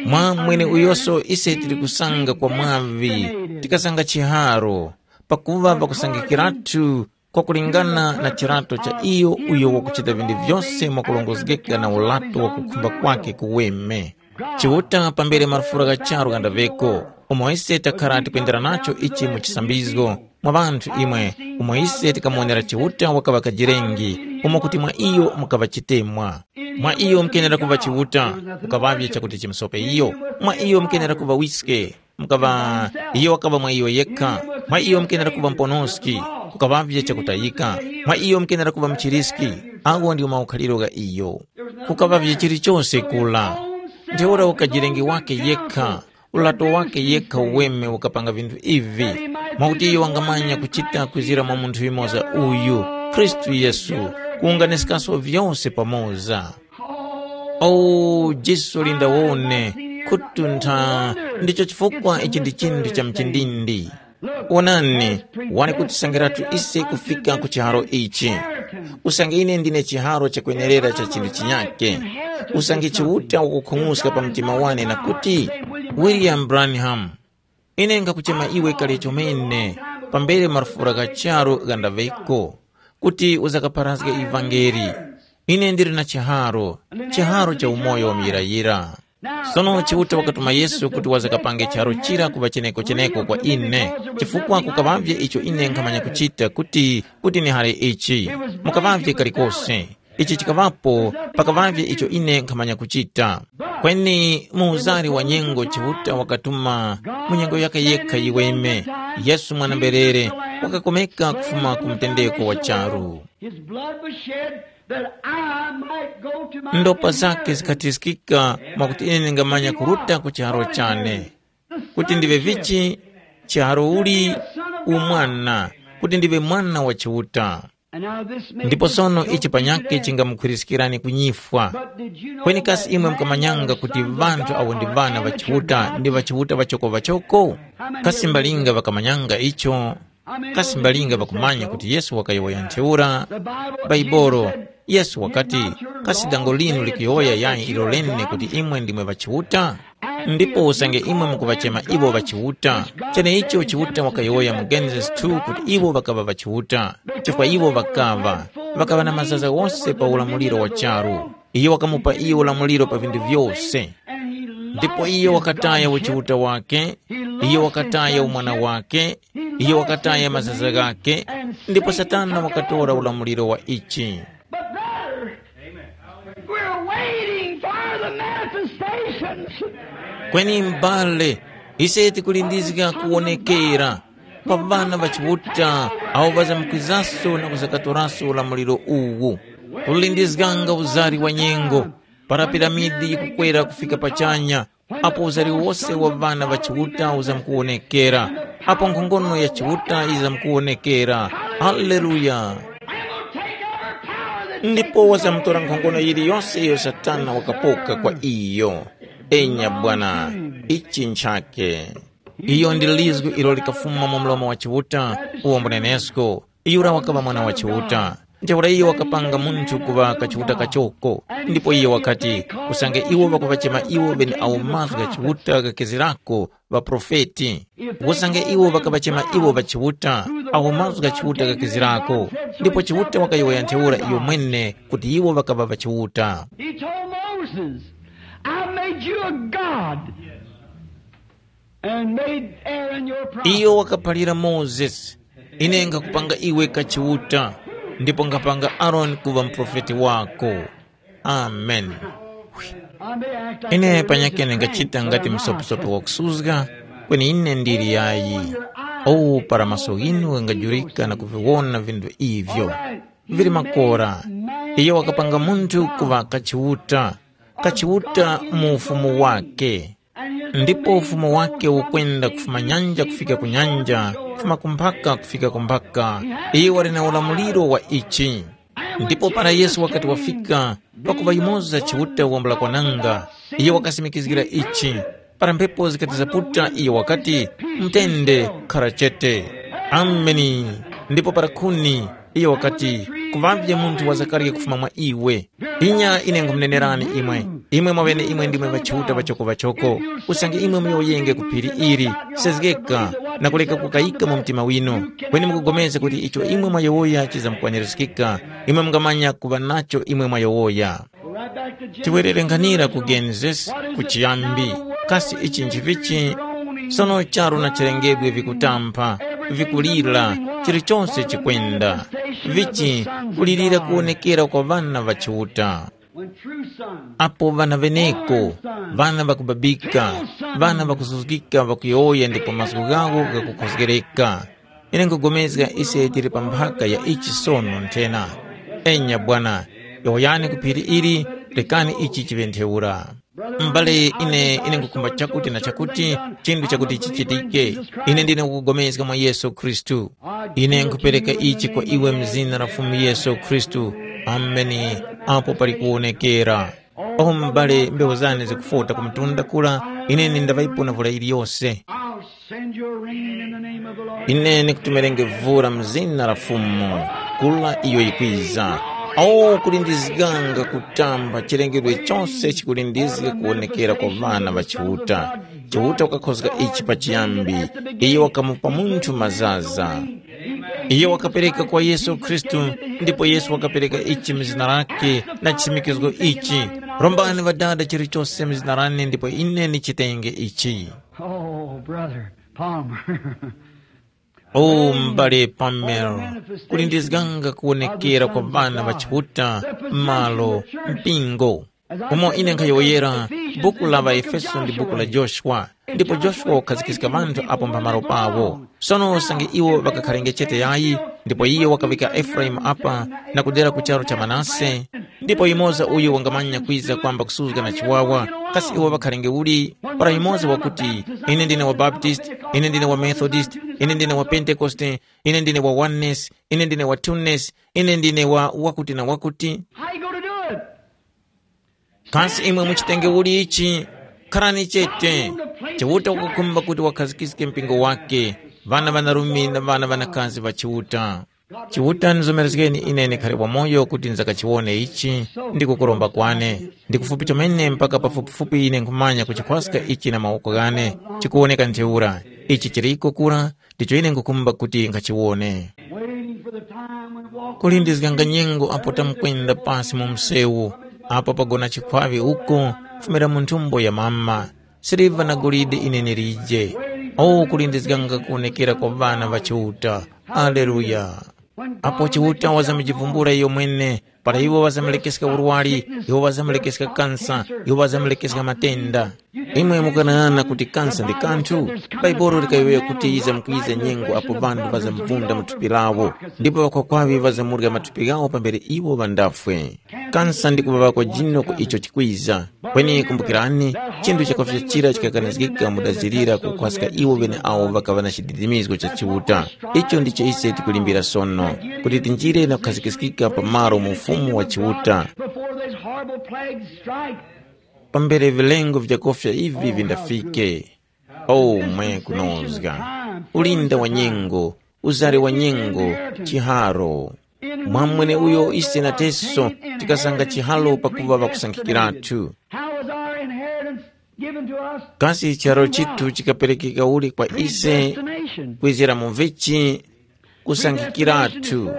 mwa mwene uyoso ise tili kusanga kwa mwavi, tikasanga chiharo, pakuva pakusangikiratu kwakulingana na chirato cha iyo uyo wakuchita vinthu vyose mwakulongozgeka na ulato wa kukhumba kwake kuweme. Chiuta pambere marufura gha charu ghandaveko, umo ise takhara tikwendera nacho ichi mu chisambizgo, mwa ŵanthu imwe, umo ise tikamuwonera Chiuta wakaŵa kajirengi, umo kuti mwa iyo mukaŵa chitemwa. Mwa iyo mukenera kuŵa Chiuta, mukaŵavye chakuti chimusope iyo. Mwa iyo mukenera kuŵa wiske, mukaŵa iyo wakaŵa mwa iyo yekha. Mwa iyo mukenera kuŵa muponoski, kukaŵavye chakutayika. Mwa iyo mukenera kuŵa muchiriski, agho ndiwo maukhaliro gha iyo. Kukaŵavye chilichose kula. Ntheura ukajirengi wake yekha, ulato wake yekha uweme ukapanga vinthu ivi, mwakuti iyo wangamanya kuchita kwizira mwa munthu yumoza uyu, Khristu Yesu, kuwunganiskaso vyose pamoza. O, jiso lindawone, khutuntha, ndicho chifukwa ichi ndi chinthu cha mchindindi. Wonani, wani kutisangiratu ise kufika ku chiharo ichi. Usange ine ndine chiharo chakwenerera cha chinthu chinyake. Usange Chiuta wakukhung'uska pa mtima wane na kuti, William Branham, ine nkhakuchema iwe kale chomene, pambere marufura gha charu ghandaŵeko, kuti uzakapharazge ivangeli. Ine ndili na chiharo, chiharo cha umoyo wa muyirayira. Sono Chiuta wakatuma Yesu kuti wazakapange chiharo chira kuŵa cheneko-cheneko kwa ine, chifukwa kukaŵavye icho ine nkhamanya kuchita kuti, kuti nihare ichi. Mukaŵavye kalikose. Ichi chikaŵapo, pakaŵavye icho ine nkhamanya kuchita. Kweni mu uzari wa nyengo Chiuta wakatuma mu nyengo yake yekha yiweme, Yesu mwana-mberere, wakakomeka kufuma ku mutendeko wa charu. His blood was shed that I might go to my Ndopa zake inheritance. Zikathiskika mwakuti ine ndingamanya kuruta ku chiharo chane. Kuti ndive vichi, chiharo uli, umwana, kuti ndive mwana wa Chiuta. Ndipo sono ichi panyakhe chingamukhwiriskirani kunyifwa. Kweni kasi imwe mukamanyanga kuti ŵanthu awo ndi ŵana ŵa Chiuta ndi ŵa Chiuta ŵachoko-ŵachoko? Kasi mbalinga ŵakamanyanga icho? Kasi mbalinga ŵakumanya kuti Yesu wakayowoya ntheura? Baibolo, Yesu wakati, kasi dango linu likuyowoya yayi ilo lene kuti imwe ndimwe ŵa Chiuta? Ndipo usange imwe mukuŵachema iwo ŵa Chiuta, cheneicho Chiuta wakayowoya mu Genesis two kuti iwo ŵakaŵa ŵa Chiuta, chifukwa iwo ŵakaŵa, ŵakaŵa na mazaza ghose pa ulamuliro wa charu. Iyo wakamupa iyo ulamuliro pa vinthu vyose. Ndipo iyo wakataya uchiuta wake, iyo wakataya umwana wake, iyo wakataya mazaza ghake, ndipo Satana wakatora ulamuliro wa ichi. But brother, we're waiting for the manifestations. Kweni m'bale, ise tikulindizika kuwonekera pa ŵana ŵa Chiuta awo ŵazamkwizaso na kuzakatoraso ulamuliro uwu. Kulindizganga uzari wa nyengo, para piramidi yikukwera kufika pachanya, apo uzari wose wa ŵana ŵa Chiuta uzamkuwonekera, apo nkhongono ya Chiuta yizamkuwonekera. Haleluya! Ndipo wazamutora nkhongono yiliyose iyo Satana wakapoka kwa iyo. Enya Bwana, ichi nchake. Iyo ndi lizgu ilo likafuma mu mlomo wa Chiuta, uwo mbunenesko. Yura wakaŵa mwana wa Chiuta. Ntheura iyo wakapanga munthu kuŵa kachiuta kachoko, ndipo iyo wakati, usange iwo ŵakuŵachema iwo ŵeneawo mazgu gha Chiuta ghakezerako, ŵaprofeti. Usange iwo ŵakaŵachema iwo ŵa Chiuta, awo mazgu gha Chiuta ghakezerako, ndipo Chiuta wakayowoya ntheura iyo mwene kuti iwo ŵakaŵa ŵa Chiuta. He told Moses, I made you a God and made Aaron your prophet. Iyo wakaphalira Mozesi, ine ngakupanga iwe kachiuta, ndipo ngapanga Aroni kuŵa muprofeti wako. Amen. I may act like ine panyakene ngachita ngati msoposopo wakusuzga, kweni ine ndili yayi. Owu para maso ghinu ghangajurika na kuviwona vinthu ivyo vili makora. Iye wakapanga munthu kuŵa kachiuta, kachiuta mu ufumu wake. Ndipo ufumu wake ukwenda kufuma nyanja kufika ku nyanja, kufuma ku mphaka kufika ku mphaka. Iye wali na ulamuliro wa ichi. Ndipo para Yesu wakati wafika, pakuŵa yumoza Chiuta wambula kwananga, iyo wakasimikizgira ichi. Para mphepo zikati zaputa, iyo wakati, mtende, khara chete. Ameni. Ndipo para khuni, iyo wakati, kuŵavye munthu wa zakarya kufuma mwa iwe. Inya ine nkhumunenerani imwe, imwe mwaŵene imwe ndimwe ŵachiuta ŵachoko-ŵachoko. Usange imwe muyowoyenge ku phiri ili, sezgeka, na kuleka kukayika mu mtima winu, kweni mukupulikana kuti icho imwe mwayowoya chizamkukwanirizgika, imwe mungamanya kuŵa nacho imwe mwayowoya. Tiwerere nkhanira ku Genesis, ku chiyambi. Kasi ichi nchivichi? Sono charu na chilengedwe vikutampha, vikulira, chilichonse chikwenda. Vichi kulirira kuwonekera kwa ŵana ŵa Chiuta. Apo ŵana ŵeneko, ŵana ŵakubabika, ŵana ŵakuzuzgika ŵakuyowoya ndipo mazgu ghawo ghakukhozgereka. Ine nkhugomezga ise tili pa mphaka ya ichi sono nthena. Enya bwana, yowoyani ku phiri ili, rekani ichi chiŵe ntheura. M'bale ine, ine nkhukhumba chakuti na chakuti, chinthu chakuti chichitike. Ine ndine kukupulikana mwa Yesu Khristu. Ine nkhupereka ichi kwa iwe mu zina la Fumu Yesu Khristu. Ameni. Apo pali kuwonekera. O m'bale, mbewu zane zikufota ku mtunda kura, ine ndaŵayipo na vula yiliyose. I'll send you a rain in the name of the Lord. Ine ndikutumirenge vula mu zina la Fumu, kura iyo yikwiza. O kulindizganga kutamba chilengedwe chose chikulindizga kuwonekera kwa ŵana ŵa Chiuta. Chiuta wakakhozga ichi pachiyambi. Iyo wakamupa munthu mazaza. Iyo wakapereka kwa Yesu Khristu, ndipo Yesu wakapereka ichi mu zina lake na chisimikizgo ichi. Rombani Ŵadada chilichose mu zina lane ndipo ine ndichitenge ichi. Oh, Brother Palmer. O m'bale Palmer, kulindizganga kuwonekera kwa ŵana ŵa Chiuta, malo, mpingo. Umo ine nkhayowoyera, buku la ŵaEfeso ndi buku la Joshua, ndipo Joshua wakhazikika ŵanthu apo mphamaro pawo. Sono usange iwo ŵakakharenge chete yayi, ndipo iye wakaŵika Efuraimu apa na kudera ku charu cha Manase, ndipo yumoza uyo wangamanya kwiza kwamba kusuzga na chiwawa, kasi iwo ŵakharenge uli? Para yumoza wakuti, ine ndine wa Baptist, ine ndine wa Methodist, ine ndine wa Pentekoste, ine ndine wa Oneness, ine ndine wa Twoness, ine ndine wa wakuti na wakuti. How you gonna do it? Kasi imwe muchitenge uli ichi? Kharani chete. Chiuta wakukhumba kuti wakhazikiske mpingo wake, ŵana ŵanarume na ŵana ŵanakazi ŵa Chiuta. Chiuta nizomerezgeni ine ndikhale wamoyo kuti nzakachiwone ichi, ndi kukuromba kwane. Ndi kufupi chomene mpaka pafupifupi ine nkhumanya kuchikhwaska ichi na mawoko ghane, chikuwoneka ntheura. Ichi chiliko kura, ndicho ine nkhukhumba kuti nkhachiwone. Waiting for the time when walk kulindizganga nyengo apo tamkwenda pasi mu msewu, apo pagona chikhwaŵe uko, kufumira mu nthumbo ya mama. Siliva na golide ine ndilije. O kulindizganga kuwonekera kwa ŵana ŵa Chiuta. Aleluya. Apo Chiuta wazamujivumbula iyo mwene, para iwo ŵazamulekeska urwari, iwo ŵazamulekeska kansa, iwo ŵazamulekeska matenda. Imwe mukanang'ana kuti kansa ndi kanthu? Bhaibuli likayowoya kuti yizamkwiza nyengo apo ŵanthu ŵazamvunda mu thupi lawo, ndipo ŵakhwakwaŵe ŵazamurya mathupi ghawo pambere iwo ŵandafwe. Kansa ndi kuŵaŵa kwa jino ku icho chikwiza. Kweni kumbukirani, chinthu chakufya chira chikakanizgika mudazirira kukhwaska iwo ŵeneawo ŵakaŵa na chididimizgo cha Chiuta. Icho ndicho ise tikulimbira sono, kuti tinjire na kukhazikiskika pa malo mu Ufumu wa Chiuta. Before these horrible plagues strike, pambere vilengo vyakofya ivi vindafike. O mwe kunozga! Ulinda wa nyengo, uzari wa nyengo, chiharo. Mwa mweneuyo ise nateso tikasanga chihalo pakuva ŵakusankhikiratu. How was our inheritance given to us? Kasi chihalo chithu chikaperekeka uli kwa ise? Predestination. Kwizira mu vichi? Kusankhikiratu.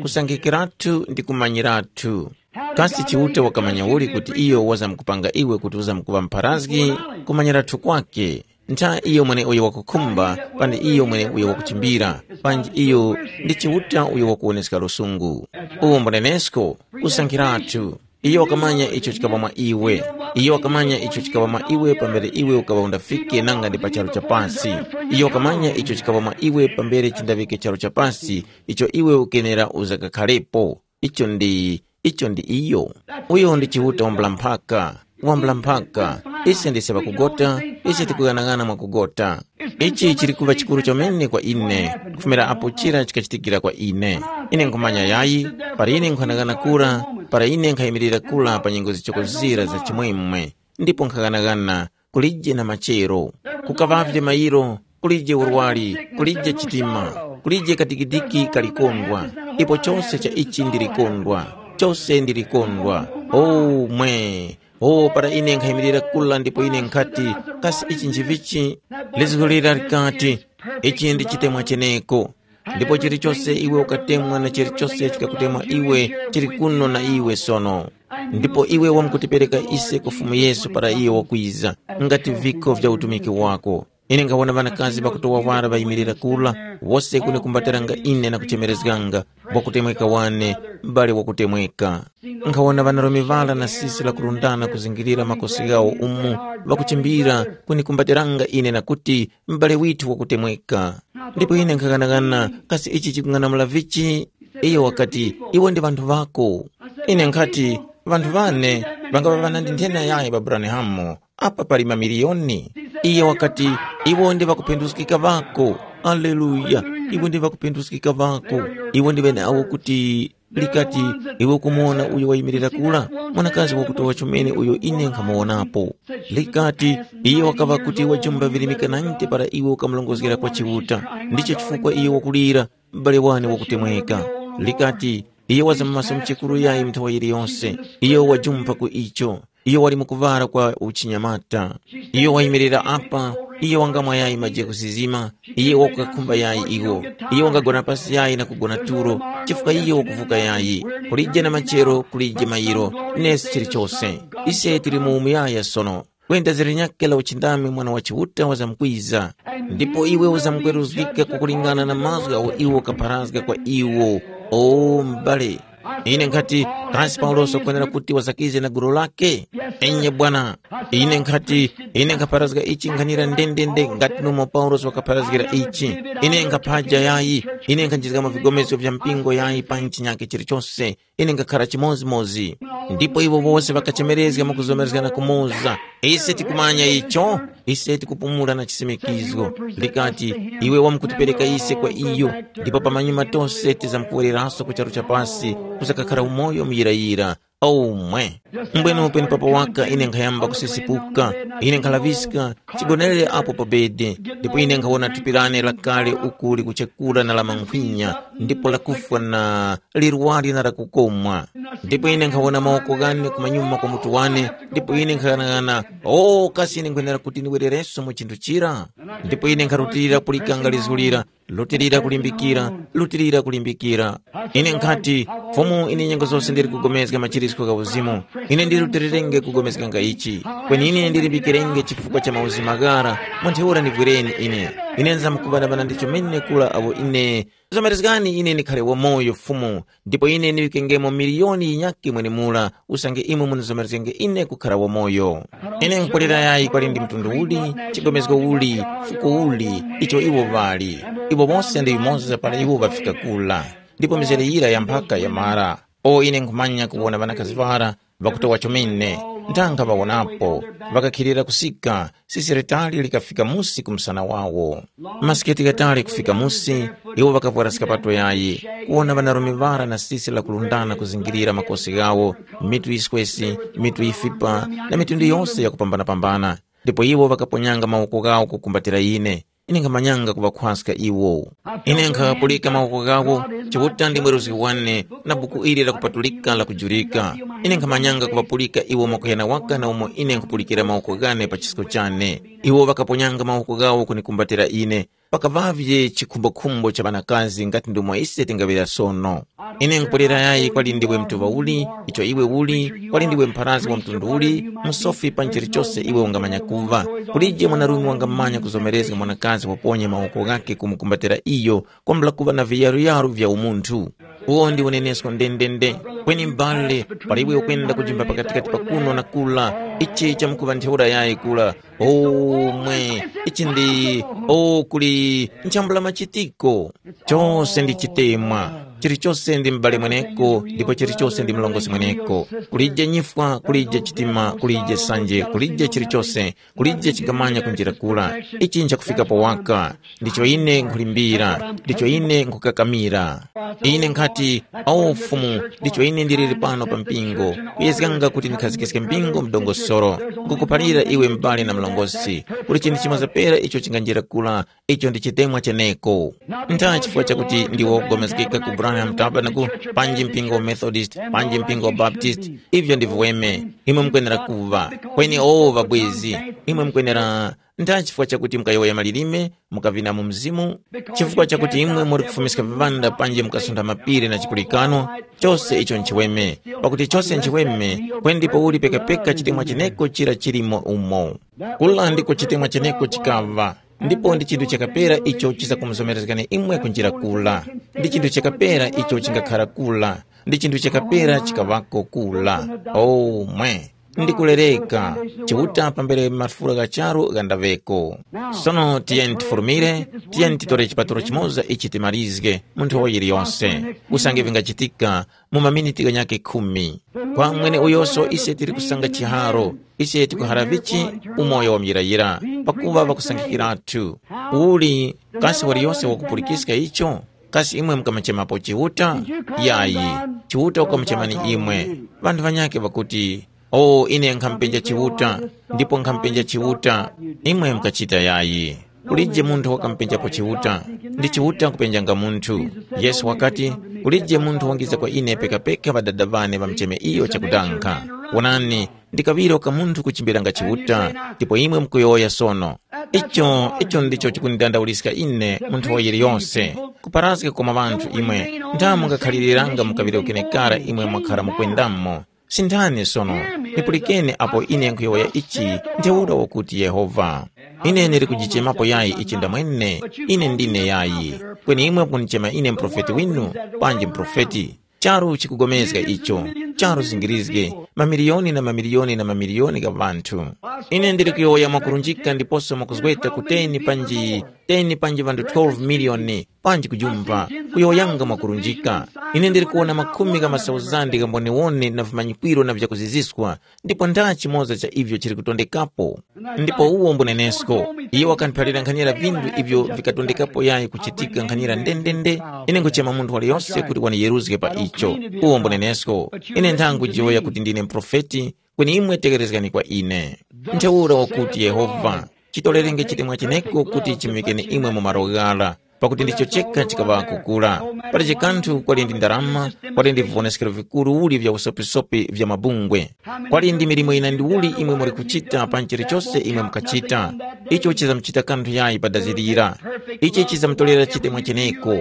Kusankhikiratu ndi kumanyiratu. Kasi Chiuta wakamanya uli kuti iyo wazamkupanga iwe kuti uzamkuŵa mpharazgi? Kumanyiratu kwake. Ntha iyo mweneuyo wakukhumba, panji iyo mweneuyo wakuchimbira, panji iyo ndi Chiuta uyo wakuwoneska lusungu. Uwo mbunenesko, kusankhiratu. Iyo wakamanya icho chikaŵa mwa iwe. Iyo wakamanya icho chikaŵa mwa iwe pambere iwe ukaŵa undafike nanga ndi pa charu cha pasi. Iyo wakamanya icho chikaŵa mwa iwe pambere chindaŵike charu cha pasi icho iwe ukenera uzakakhalepo. Icho ndi, icho ndi iyo. Uyo ndi Chiuta wambula-mphaka. Wambula-mphaka. Ise ndise ŵakugota, ise tikughanagana mwakugota. Ichi chili kuŵa chikuru chomene kwa ine, kufumira apo chira chikachitikira kwa ine. Ine nkhumanya yayi, para ine nkhanagana kura, para ine nkhayimirira kura pa nyengo zichoko zira za chimwemwe, ndipo nkhaghanagana, kulije na machero. Kukaŵavye mayiro, kulije urwari, kulije chitima, kulije kadikidiki kalikondwa, ipo chose cha ichi ndilikondwa, chose ndilikondwa. O mwe! O para ine nkhayimirira kula ndipo ine nkhati, kasi ichi nchivichi? Lizgu lira likati, ichi ndi chitemwa cheneko. Ndipo chilichose iwe ukatemwa na chilichose chikakutemwa iwe chili kuno na iwe sono. Ndipo iwe wamkutipereka ise ku Fumu Yesu para iyo wakwiza, ngati vikho vya utumiki wako. Ine nkhawona ŵanakazi ŵakutowa wara ŵayimirira kula, wose kunikumbatiranga ine na kuchemerezganga, wakutemweka wane, m'bale wakutemweka. Nkhawona ŵanarume ŵara na sisi lakurundana kuzingirira makosi ghawo umu, ŵakuchimbira kunikumbatiranga ine na kuti, m'bale withu wakutemweka. Ndipo ine nkhaghanagana, kasi ichi chikung'anamula vichi? Iyo wakati, iwo ndi ŵanthu ŵako. Ine nkhati, ŵanthu ŵane ŵangaŵa ŵanandi nthena yayi pa Buranihamu? Apa pali mamiliyoni. Iye wakati, iwo ndi ŵakuphinduskika ŵako. Aleluya. Iwo ndi ŵakuphinduskika ŵako. Iwo ndi ŵeneawo kuti likati, iwe ukumuwona uyo wayimirira kula, mwanakazi wakutowa chomene uyo ine nkhamuwonapo. Likati, iye wakaŵa kuti wajumba virimika nante para iwe ukamulongozgera kwa Chiuta. Ndicho chifukwa iye wakulira, m'bale wane wakutemweka. Likati, iye waza mu maso mchekuru yayi nthawa yiliyose. Iye wajumpa ku icho. Iyo wali mu kuŵala kwa uchinyamata. Iyo wayimirira apa, iyo wangamwa yayi maji kusizima, iyo wakukakhumba yayi iwo. Iyo wangagona pasi yayi na kugona tulo, chifukwa iyo wakuvuka yayi. Kulije na machero, kulije mayiro, nesi chilichose. Ise tili mu umuyaya sono. Kwenda zilinyakhe la uchindami Mwana wa Chiuta wazamkwiza. Ndipo iwe uzamkweruzgika kukulingana na mazgu agho iwo ukapharazga kwa iwo. O m'bale, ine nkhati, kasi Paulosi wakwenera kuti wazakize na gulu lake? Enye bwana, ine nkhati, ine nkhapharazga ichi nkhanira ndendende ngati nomwe Paulosi wakapharazgira ichi. Ine nkhaphaja yayi, ine nkhanjizgamo vigomeso vya mpingo yayi pa chinyakhe chilichose, ine nkhakhara chimozimozi. Ndipo iwo wose ŵakachemerezga mwakuzomerezgana kumoza, ise tikumanya icho. Ise tikupumula na chisimikizgo. Likati, iwe wamkutipereka ise kwa iyo, ndipo pamanyuma tose tizamkuwereraso ku charu cha pasi, kuzakakhara umoyo muyirayira. Omwe. Mbwenu penepapo waka ine nkhayamba kusisipuka, ine nkhalaŵiska, chigonerere apo pa bede, ndipo ine nkhawona thupi lane lakale uku likuchekura na la mankhwinya, ndipo lakufwa na lirwari na lakukomwa. Ndipo ine nkhawona mawoko ghane kumanyuma kwa mutu wane, ndipo ine nkhaghanagana, o kasi ine nkhwenera kuti ndiwererenso mu chinthu chira? Ndipo ine nkharutilira kulikanga lizgu lira, lutilira kulimbikira, lutilira kulimbikira. Ine nkhati, Fumu, ine nyengo zose ndili kugomezga machirisko gha uzimu. Ine ndilutilirenge kugomezganga ichi. Kweni ine ndilimbikirenge chifukwa cha mauzimu ghara, mu ntheura ndivwireni ine. Ine nzamkuŵanaŵana ndi chomene kula apo ine Zomerezgani ine ndikhale wamoyo Fumu, ndipo ine ndiŵikengemo miliyoni yinyakhe mwenemura, usange imwe munizomerezgenge ine kukhara wamoyo. Ine nkhulira yayi kwali ndi mtundu uli, chigomezgo uli, fuko uli, icho iwo ŵali. Iwo wose ndi yumoza para iwo ŵafika kura. Ndipo mizere yira ya mphaka yamara. O ine nkhumanya kuwona ŵanakazi ŵara, ŵakutowa chomene, ndanga ŵawonapo, ŵakakhilira kusika, sisi litali likafika musi ku msana wawo. Masiketi ghatali kufika musi, iwo ŵakavwara skapato yayi, kuwona ŵanarume ŵara na sisi lakulundana kuzingirira makosi ghawo, mitu yiswesi, mitu yifipa, na mitundu yose yakupambana-pambana. Ndipo iwo ŵakaponyanga mawoko ghawo kukumbatira ine. Ine nkhamanyanga kuŵakhwaska iwo. Ine nkhapulika mawoko ghawo, Chiuta ndi mweruzgi wane, na buku ili lakupatulika lakujurika. Ine nkhamanyanga kuŵapulika iwo mwakuyana waka na umo ine nkhupulikira mawoko ghane pa chisko chane. Iwo ŵakaponyanga mawoko ghawo kunikumbatira ine. Pakaŵavye chikhumbokhumbo cha ŵanakazi ngati ndumo ise tingaŵira sono. Ine nkupwerera yayi kwali ndiwe mtuŵa uli, icho iwe uli, kwali ndiwe mpharazgi wa mtundu uli, musofi pa chilichose iwe ungamanya kuŵa. Kulije mwanarume wangamanya kuzomerezga mwanakazi waponye mawoko ghakhe kumukumbatira iyo kwambula kuŵa na viyaruyaru vya umunthu. Uwo ndi unenesko ndendende. Kweni m'bale, pali iwe ukwenda kujimba pakatikati pa kuno na kula, ichi chamkuŵa ntheura yayi kula. Omwe, ichi ndi, o kuli nchambula machitiko. Chose ndi chitemwa. Chilichose ndi m'bale mweneko, ndipo chilichose ndi mlongosi mweneko. Kulije nyifwa, kulije chitima, kulije sanje, kulije chilichose, kulije chingamanya kunjira kula. Ichi nchakufika powaka. Ndicho ine nkhulimbira, ndicho ine nkhukakamira. Ine nkhati, awo Fumu, ndicho ine ndiliri pano pa mpingo, kuyezganga kuti ndikhazikiske mpingo mdongosoro. Nkukuphalira iwe m'bale na mlongosi, kuti chinthu chimoza pera icho chinganjira kula, icho ndi chitemwa cheneko. Ntha chifukwa chakuti ndiwo kugomezgeka ku Branham Tabernacle, panji mpingo wa Methodist, panji mpingo wa Baptist, ivyo ndi viweme, imwe mukwenera kuva. Kweni owo ŵabwezi, imwe mukwenera, ntha chifukwa chakuti mukayowoya malilime, mukavina mu mzimu, chifukwa chakuti imwe muri kufumiska vivanda panji mukasuntha mapiri na chipulikano, chose icho nchiweme, pakuti chose nchiweme, kweni ndipo uli pekapeka chitemwa cheneko chira chilimo umo. Kula ndiko chitemwa cheneko chikava, ndipo ndi chinthu chakapera icho chizakumuzomezgani imwe kunjira kula. Ndi chinthu chakapera icho chingakhara kula, ndi chinthu chakapera chikaŵako kula. Omwe, ndikulereka, Chiuta pambere mafura gha charu ghandaŵeko. Sono tiyeni tifurumire, tiyeni titore chipaturo chimoza ichi timalizge mu nthowa yiliyonse, usange vingachitika mu maminiti ghanyakhe khumi. Kwa mwene uyoso ise tili kusanga chiharo, ise tikuhara vichi umoyo wa muyirayira, pakuva ŵakusangikirathu. Uli kasi waliyose wakupulikiska icho? Kasi imwe mukamachemapo Chiuta? Yayi, Chiuta wakamuchemani imwe. Ŵanthu ŵanyakhe ŵakuti, o ine nkhamupenja Chiuta, ndipo nkhamupenja Chiuta, imwe mukachita yayi. Kulije munthu wakamupenjapo Chiuta, ndi Chiuta kupenjanga munthu. Yesu wakati, kulije munthu wangiza kwa ine pekapeka Ŵadada ŵane ŵamucheme iyo chakudanga. Wonani, ndi kaŵiro ka munthu kuchimbiranga Chiuta, ndipo imwe mukuyowoya sono. Icho, icho ndicho chikundidandauliska ine munthu wa yiliyose, kuparaska kukoma ŵanthu imwe, ndamo mungakhaliranga mu kaŵiro kenekara imwe mwakhara mukwendamo. Sindani sono, nipulikeni apo ine nkhuyowoya ichi, ntheura wakuti Yehova. Ine ndili kujichemapo yayi ichi ndamwene, ine ndine yayi. Kweni imwe mukunichema ine muprofeti winu, panji muprofeti. Charu chikugomezga icho, charu zingirizge, mamiliyoni na mamiliyoni na mamiliyoni gha ŵanthu. Ine ndili kuyowoya mwakurunjika ndiposo mwakuzgweta ku ten panji ten panji ŵanthu twelve miliyoni, panji kujumba, kuyowoyanga mwakurunjika. Ine ndili kuwona makhumi gha masauzandi gha mboniwoni na vimanyikwiro na vyakuziziswa, ndipo ndara chimoza cha ivyo chili kutondekapo. Ndipo uwo mbunenesko, iye wakandiphalira nkhanira vinthu ivyo vikatondekapo yayi kuchitika nkhanira ndendende. Ine nkuchema munthu waliyose kuti waniyeruzge pa icho. Uwo mbunenesko, ine nthangu jiyowoya kuti ndine muprofeti, kweni imwe tekerezgani kwa ine. Ntheura wakuti Yehova, chitolerenge chitemwa cheneko kuti chimuŵikeni imwe mu malo ghara, pakuti ndicho chekha chikaŵa kukula. Palibe kanthu kwali ndi ndarama, kwali ndi viwoneskero vikuru uli vya usopisopi vya mabungwe. Kwali ndi milimo yina ndiuli imwe muli kuchita pa chilichose imwe mukachita, icho chizamuchita kanthu yayi pa dazi lira. Ichi chizamutolera chitemwa cheneko.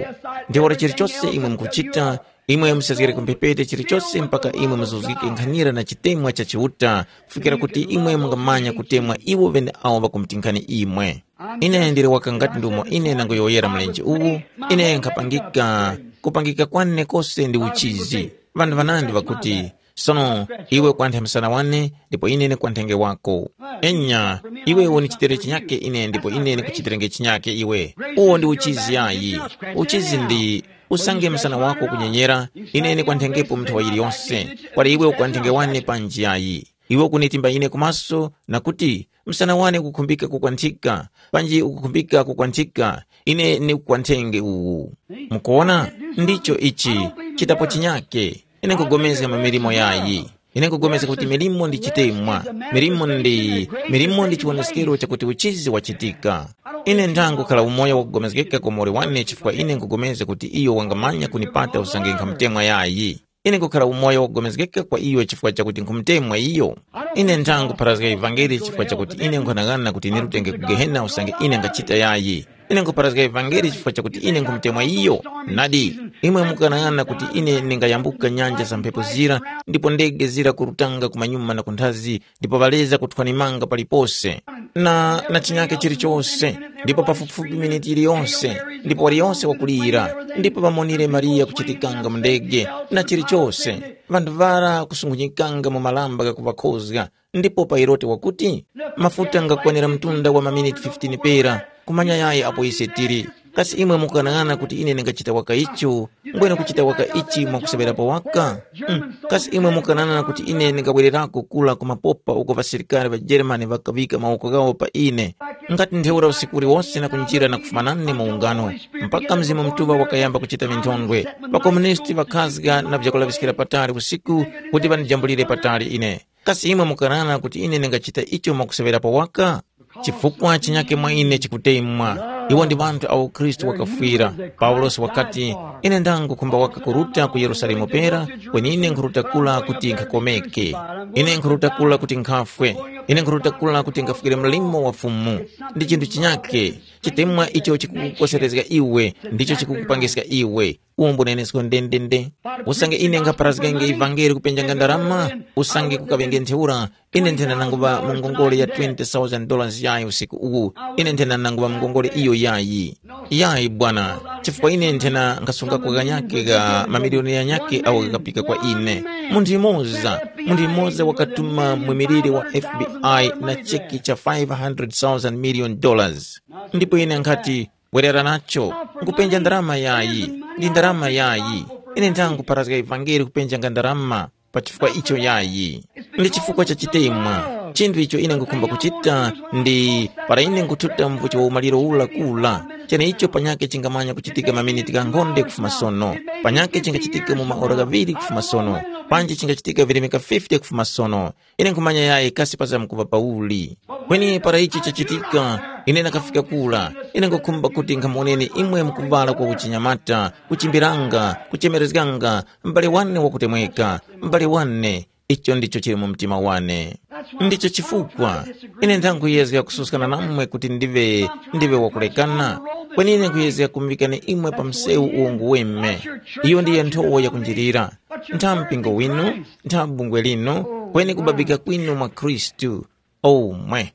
Ntheura chilichose imwe mukuchita, imwe musezgere ku mphepete chilichose mpaka imwe muzuzgike nkhanira na chitemwa cha Chiuta, kufikira kuti imwe mungamanya kutemwa iwo ŵeneawo ŵakumutinkani imwe. Ine ndili waka ngati ndumo ine nangoyowoyera mlenje uwu, ine nkhapangika, kupangika kwane kose ndi uchizi. Ŵanthu ŵanandi ŵakuti, sono, iwe kwanthe msana wane, ndipo ine nikwanthenge wako. Enya, iwe unichitere chinyake ine ndipo ine nikuchitirenge chinyake iwe. Uwo ndi uchizi yayi. Uchizi ndi, usange msana wako kunyenyera, ine nikwanthenge munthu wa yiliyonse, kwali iwe ukwanthenge wane panji yayi. Iwe ukunitimba ine kumaso na kuti, msana wane ukukhumbika kukwanthika, panji ukukhumbika kukwanthika, ine nikukwanthenge uwu. Mukuona, ndicho ichi, chitapo chinyake. Ine nkugomezga mu milimo yayi. Ine nkugomezga kuti milimo ndi chitemwa. Milimo ndi, milimo ndi chiwoneskero chakuti uchizi wachitika. Ine nthangukhala umoyo wakugomezgeka kwa muwoli wane chifukwa ine nkupulikana kuti iyo wangamanya kunipata usange nkhamutemwa yayi. Ine nkhukhala umoyo wakugomezgeka kwa iyo chifukwa chakuti nkhumutemwa iyo. Ine nthangupharazga ivangeli chifukwa chakuti ine nkhanang'ana kuti nirutenge ku Gehena usange ine nkhachita yayi. Ine nkhupharazga ivangeli chifukwa chakuti ine nkhumutemwa iyo. Nadi, imwe mukanang'ana kuti ine ndingayambuka nyanja za mphepo zira, ndipo ndege zira kurutanga kumanyuma na kunthazi, ndipo ŵaleza kuthwanimanga palipose, na, na chinyake chilichose, ndipo pafupifupi miniti yiliyonse, ndipo waliyonse wakulira, ndipo ŵamonire Mariya kuchitikanga mu ndege, na chilichose, ŵanthu ŵara kusunghunyikanga mu malamba ghakuŵakhozga, ndipo Pailote wakuti, mafuta ngakwanira mtunda wa maminiti fifteen pera, kumanya yayi apo ise tili. Kasi imwe mukanang'ana kuti ine ndingachita waka icho? Mbwene kuchita waka ichi mwakuseŵerapo waka? Mm. Kasi imwe mukanang'ana kuti ine ndingabwererako kula ku mapopa uko ŵasilikari ŵa Jeremani ŵakaŵika mawoko ghawo pa ine? Ngati ntheura usiku uliwonse na kunjira na kufuma nane mu ungano, mpaka Mzimu Mutuŵa wakayamba kuchita minthondwe. Ŵakomunisti ŵakhazga na vyakulaŵiskira patali usiku kuti ŵandijambulire patali ine. Kasi imwe mukanang'ana kuti ine ndingachita icho mwakuseŵerapo waka? Chifukwa chinyake mwa ine chikutemwa. Iwo ndi ŵanthu awo Khristu wakafwira. Paulosi wakati, ine ndangukhumba waka kuruta ku Yerusalemu pera, kweni ine nkhuruta kula kuti nkhakomeke. Ine nkhuruta kula kuti nkhafwe. Ine nkhuruta kula kuti nkhafwikire mlimo wa Fumu. Ndi chinthu chinyake, chitemwa icho chikukukoserezga iwe, ndicho chikukupangiska iwe. Uwo mbunenesko ndendende. Usange ine nkhaparazgenge ivangeli kupenjanga ndarama, usange kukaŵenge ntheura, ine nthena nanguŵa mu ngongole ya twenty thousand dollars yayi usiku uwu. Ine nthena nanguŵa mu ngongole iyo yayi. Yayi bwana, chifukwa ine nthena nkhasunga kaganyake ga mamiliyoni ghanyake awo ghakapika kwa ine. Munthu yumoza, munthu yumoza wakatuma mwimiliri wa F B I na cheki cha five hundred thousand million dollars. Ndipo ine nkhati, bwerera nacho, nkupenja ndarama yayi, ndi ndarama yayi. Ine nthangupharazga ivangeli kupenjanga ndarama pa chifukwa icho yayi. Ndi chifukwa cha chitemwa. Chinthu icho ine ngukhumba kuchita ndi para ine nkuthuta mvuchi wa umaliro ula kula, cheneicho panyake chingamanya kuchitika maminiti ghankhonde kufuma sono, panyake chingachitika mu maora ghaŵiri kufuma sono, panji chingachitika virimika fifty kufuma sono. Ine nkhumanya yayi kasi pazamkuŵa pauli. Kweni para ichi chachitika, ine nakafika kula, ine nkhukhumba kuti nkhamuwoneni imwe mukuŵala kwa uchinyamata, kuchimbiranga, kuchemerezganga, m'bale wane wakutemweka, m'bale wane, icho ndicho chili mu mtima wane. Ndicho chifukwa ine nthanguyezga kususkana namwe kuti ndive ndive wakulekana, kweni ine nkhuyezga kumuŵikani imwe pa msewu uwo nguweme. Iyo ndiyo nthowa yakunjirira. Ntha mpingo winu, ntha bungwe linu, kweni kubabika kwinu mwa Khristu. Omwe.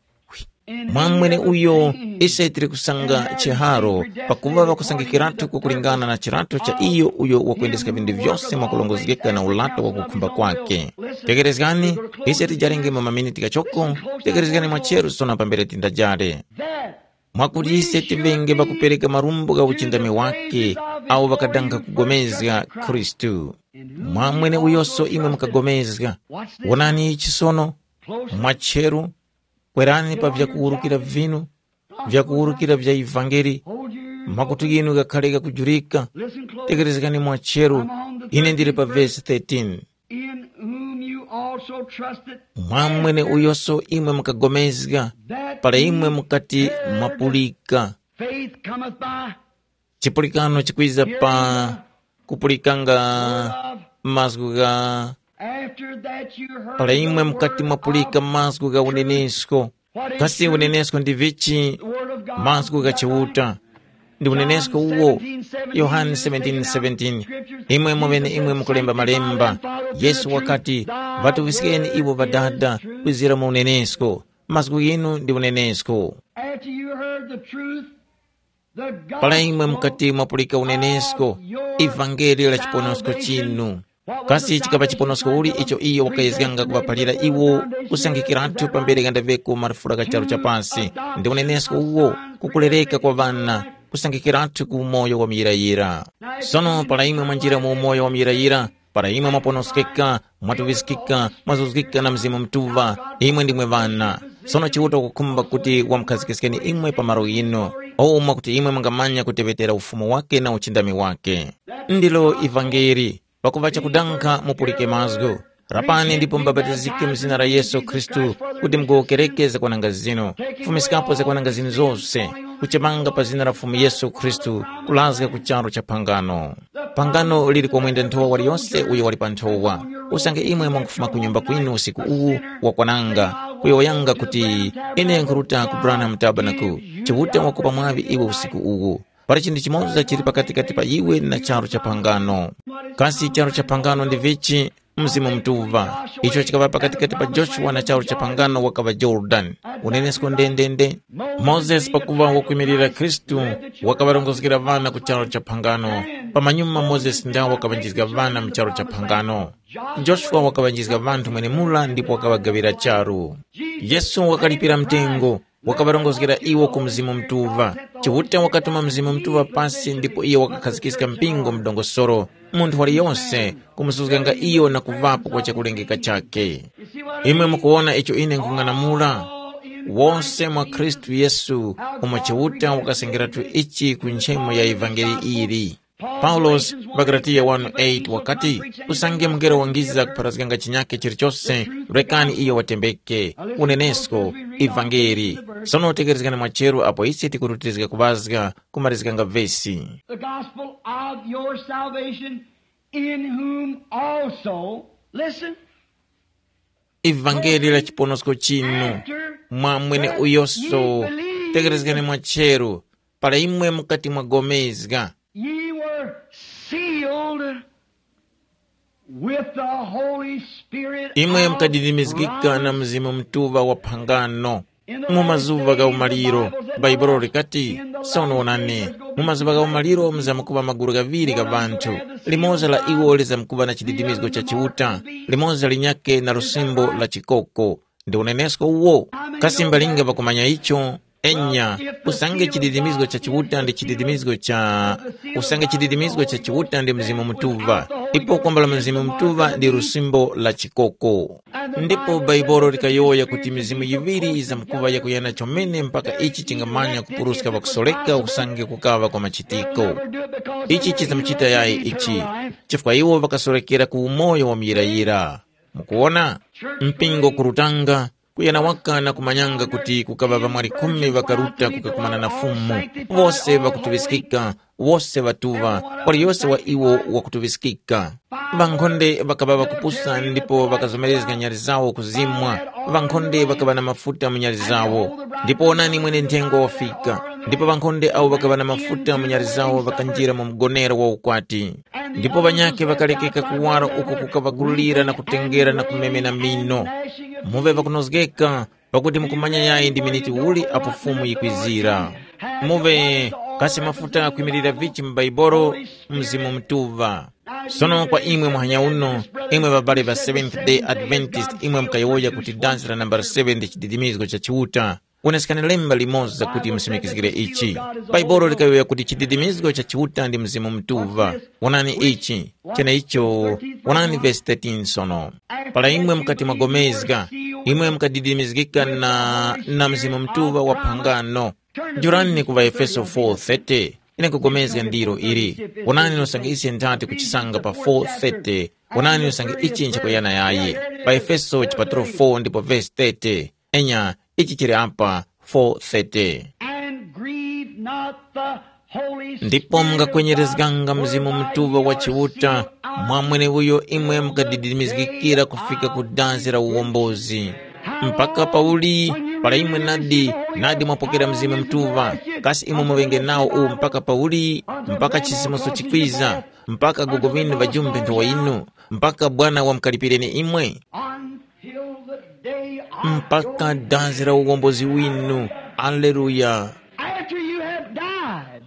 Mwa mweneuyo, ise tili kusanga chiharo, pakuva ŵakusangikiratu kukulingana na chirato cha iyo uyo wakwendeska vinthu vyose mwakulongozgeka na ulato wa kukhumba kwake. Tekerezgani, ise tijarenge mu maminiti ghachoko, tekerezgani mwacheru sono pambere tindajare. Mwakuti ise tivenge ŵakupereka marumbo gha uchindami wake awo ŵakadanga kugomezga Khristu. Mwa mweneuyoso imwe mukagomezga. Wonani ichi sono, mwacheru, kwerani pa vyakuwurukira vinu, vyakuwurukira vya ivangeli, makutu ghinu ghakhare ghakujurika. Tekerezgani mwacheru, ine ndili pa vesi thirteen. In whom you also trusted, mwa mwene uyoso imwe mukagomezga, that para imwe mukati mwapulika. Faith cometh by chipulikano chikwiza pa kupulikanga mazgu gha. After that you heard para imwe mukati mwapulika mazgu gha unenesko. Kasi unenesko ndi vichi? Mazgu gha Chiuta. Ndi unenesko uwo. Yohane seventeen seventeen. Imwe mweneimwe mukulemba malemba. Yesu wakati, ŵatuŵiskeni iwo Ŵadada kwizira mu unenesko. Mazgu ghinu ndi unenesko. After you heard the truth, the gospel para imwe mukati mwapulika unenesko, of your ivangeli la chiponosko salvation. Chinu. Kasi chikapa chiponosko uli icho iyo wakayezganga kuŵaphalira iwo kusangikiratu pambere ghandaŵeko marufura gha charu cha pasi? Ndi unenesko uwo, kukulereka kwa ŵana, kusangikiratu ku umoyo wa muyirayira. Sono para imwe mwanjira mu umoyo wa muyirayira, para imwe mwaponoskeka, mwatuŵiskika, mwazuzgika na Mzimu Mutuŵa, imwe ndimwe ŵana. Sono Chiuta wakukhumba kuti wamukhazikiskeni imwe pa malo ghinu, umo mwakuti imwe mungamanya kuteŵetera ufumu wake na uchindami wake. Ndilo ivangeli. Pakuva chakudanga mupulike mazgu. Rapani ndipo mubapatizike mu zina la Yesu Khristu kuti mugowokereke zakwananga zinu, kufumiskapo zakwananga zinu zose. kuchemanga pa zina la Fumu Yesu Khristu, kulazga ku charu cha phangano. Phangano lili komwenda nthowa waliyose uyo wali pa nthowa. Usange imwe mwangufuma ku nyumba kwinu usiku uwu, wakwananga, kuyowoyanga kuti, ine nkhuruta ku Branham Tabernacle, Chiuta wakupa mwaŵi iwe usiku uwu. Pali chinthu chimoza chili pakatikati pa iwe na charu cha phangano. Kasi charu cha phangano ndi vichi? Mzimu Mutuŵa. Icho chikaŵa pakatikati pa Joshua na charu cha phangano wakaŵa Yorodani. Unenesko ndendende. Mozesi pakuŵa wakwimirira Khristu, wakaŵarongozgera ŵana ku charu cha phangano. Pamanyuma Mozesi ndawo wakaŵanjizga ŵana mu charu cha phangano. Joshua wakaŵanjizga ŵanthu mwenemura ndipo wakaŵagaŵira charu. Yesu wakalipira mtengo, wakaŵarongozgera iwo ku Mzimu Mutuŵa. Chiuta wakatuma Mzimu Mutuŵa pasi ndipo iyo wakakhazikiska mpingo mu dongosolo, munthu waliyonse kumusuzganga iyo na kuŵapo kwa chakulengeka chakhe. Imwe mukuwona icho ine nkhung'anamula? Wose mwa Khristu Yesu, umo Chiuta wakasengeratu ichi ku nchemo ya ivangeli ili. Paulosi pa Galatiya wanu eight wakati, usange mungelo wangiza kupharazganga chinyakhe chilichose, rekani iyo watembeke. Unenesko, ivangeli. Sono tekerezgani mwacheru apo ise tikurutirizga kuŵazga kumarizganga vesi. The gospel of your salvation, in whom also, listen, Ivangeli la chiponosko chinu, mwa mwene uyoso, tekerezgani mwacheru, para imwe mukati mwagomezga. Ye were sealed with the Holy Spirit. Imwe of mukadidimizgika na promise. Mzimu Mutuŵa wa phangano. Mu mazuŵa gha umaliro, Bhaibuli likati, sono wonani, mu mazuŵa gha umaliro muzamkuŵa magulu ghaŵiri gha ŵanthu, limoza la iwo lizamkuŵa na chididimizgo cha Chiuta, limoza linyakhe na lusimbo la chikoko. Ndi unenesko uwo. Kasi mbalinga ŵakumanya icho? Enya, usange chididimizgo cha Chiuta ndi chididimizgo cha usange chididimizgo cha Chiuta ndi Mzimu Mutuŵa, ipo kwambala Mzimu Mutuŵa ndi lusimbo la chikoko. Ndipo Bhaibuli likayowoya kuti mizimu yiŵiri yizamkuŵa yakuyana chomene mpaka ichi chingamanya kupuruska ŵakusoreka usange kukaŵa kwa machitiko. Ichi chizamuchita yayi ichi, chifukwa iwo ŵakasorekera ku umoyo wa muyirayira. Mukuwona? Mpingo kurutanga, kuyana waka na kumanyanga kuti kukaŵa ŵamwali khumi ŵakaruta kukakumana na Fumu, wose ŵakutuŵiskika, wose ŵatuŵa, waliyose wa iwo wakutuŵiskika. Ŵankhonde ŵakaŵa ŵakupusa ndipo ŵakazomerezga nyali zawo kuzimwa, ŵankhonde ŵakaŵa na mafuta mu nyali zawo. Ndipo wonani mwene nthengo wafika, ndipo ŵankhonde awo ŵakaŵa na mafuta mu nyali zawo ŵakanjira mu mgonero wa ukwati. Ndipo ŵanyakhe ŵakarekeka kuwara uko kukaŵa kulira na kutengera na kumemena mino. Muŵe ŵakunozgeka, pakuti mukumanya yayi ndi miniti uli apo Fumu yikwizira. Muŵe kasi mafuta ghakwimirira vichi mu Bhaibuli? Mzimu Mutuŵa. Sono kwa imwe muhanya uno, imwe ŵabale ŵa Seventh Day Adventist, imwe mukayowoya kuti dansi la nambala seven ndi chididimizgo cha Chiuta. Wonesekani lemba limoza kuti musimikizgire ichi. Bhaibuli likayowoya kuti chididimizgo cha Chiuta ndi Mzimu Mutuŵa. Wonani ichi, cheneicho, wonani vesi thirteen sono. Para imwe mukati mwagomezga, imwe mukadidimizgika na, na Mzimu Mutuŵa wa phangano. Njurani ku ŵaEfeso four thirty. Ine nkugomezga ndiro ili. Wonani usange ise nthati kuchisanga pa four thirty. Wonani usange ichi nchakuyana yayi. Pa Efeso chipatulo four ndipo vesi thirty. Enya, ichi chili apa, four thirty. And grieve not the Holy Ndipo Spirit mungakwenyerezganga of God, Mzimu Mutuŵa wa Chiuta, mwa mweneuyo imwe mukadidimizgikira kufika ku danzi la uwombozi. Mpaka pauli, para imwe nadi, nadi mwapokera Mzimu Mutuŵa, kasi imwe muŵenge nawo uwu mpaka pauli? Mpaka chisimuso chikwiza, mpaka gogo ŵinu ŵajumbe nthowa yinu, mpaka Bwana wamkalipireni imwe? Until the day of Mpaka your danzi la uwombozi winu. Aleluya. After you have died,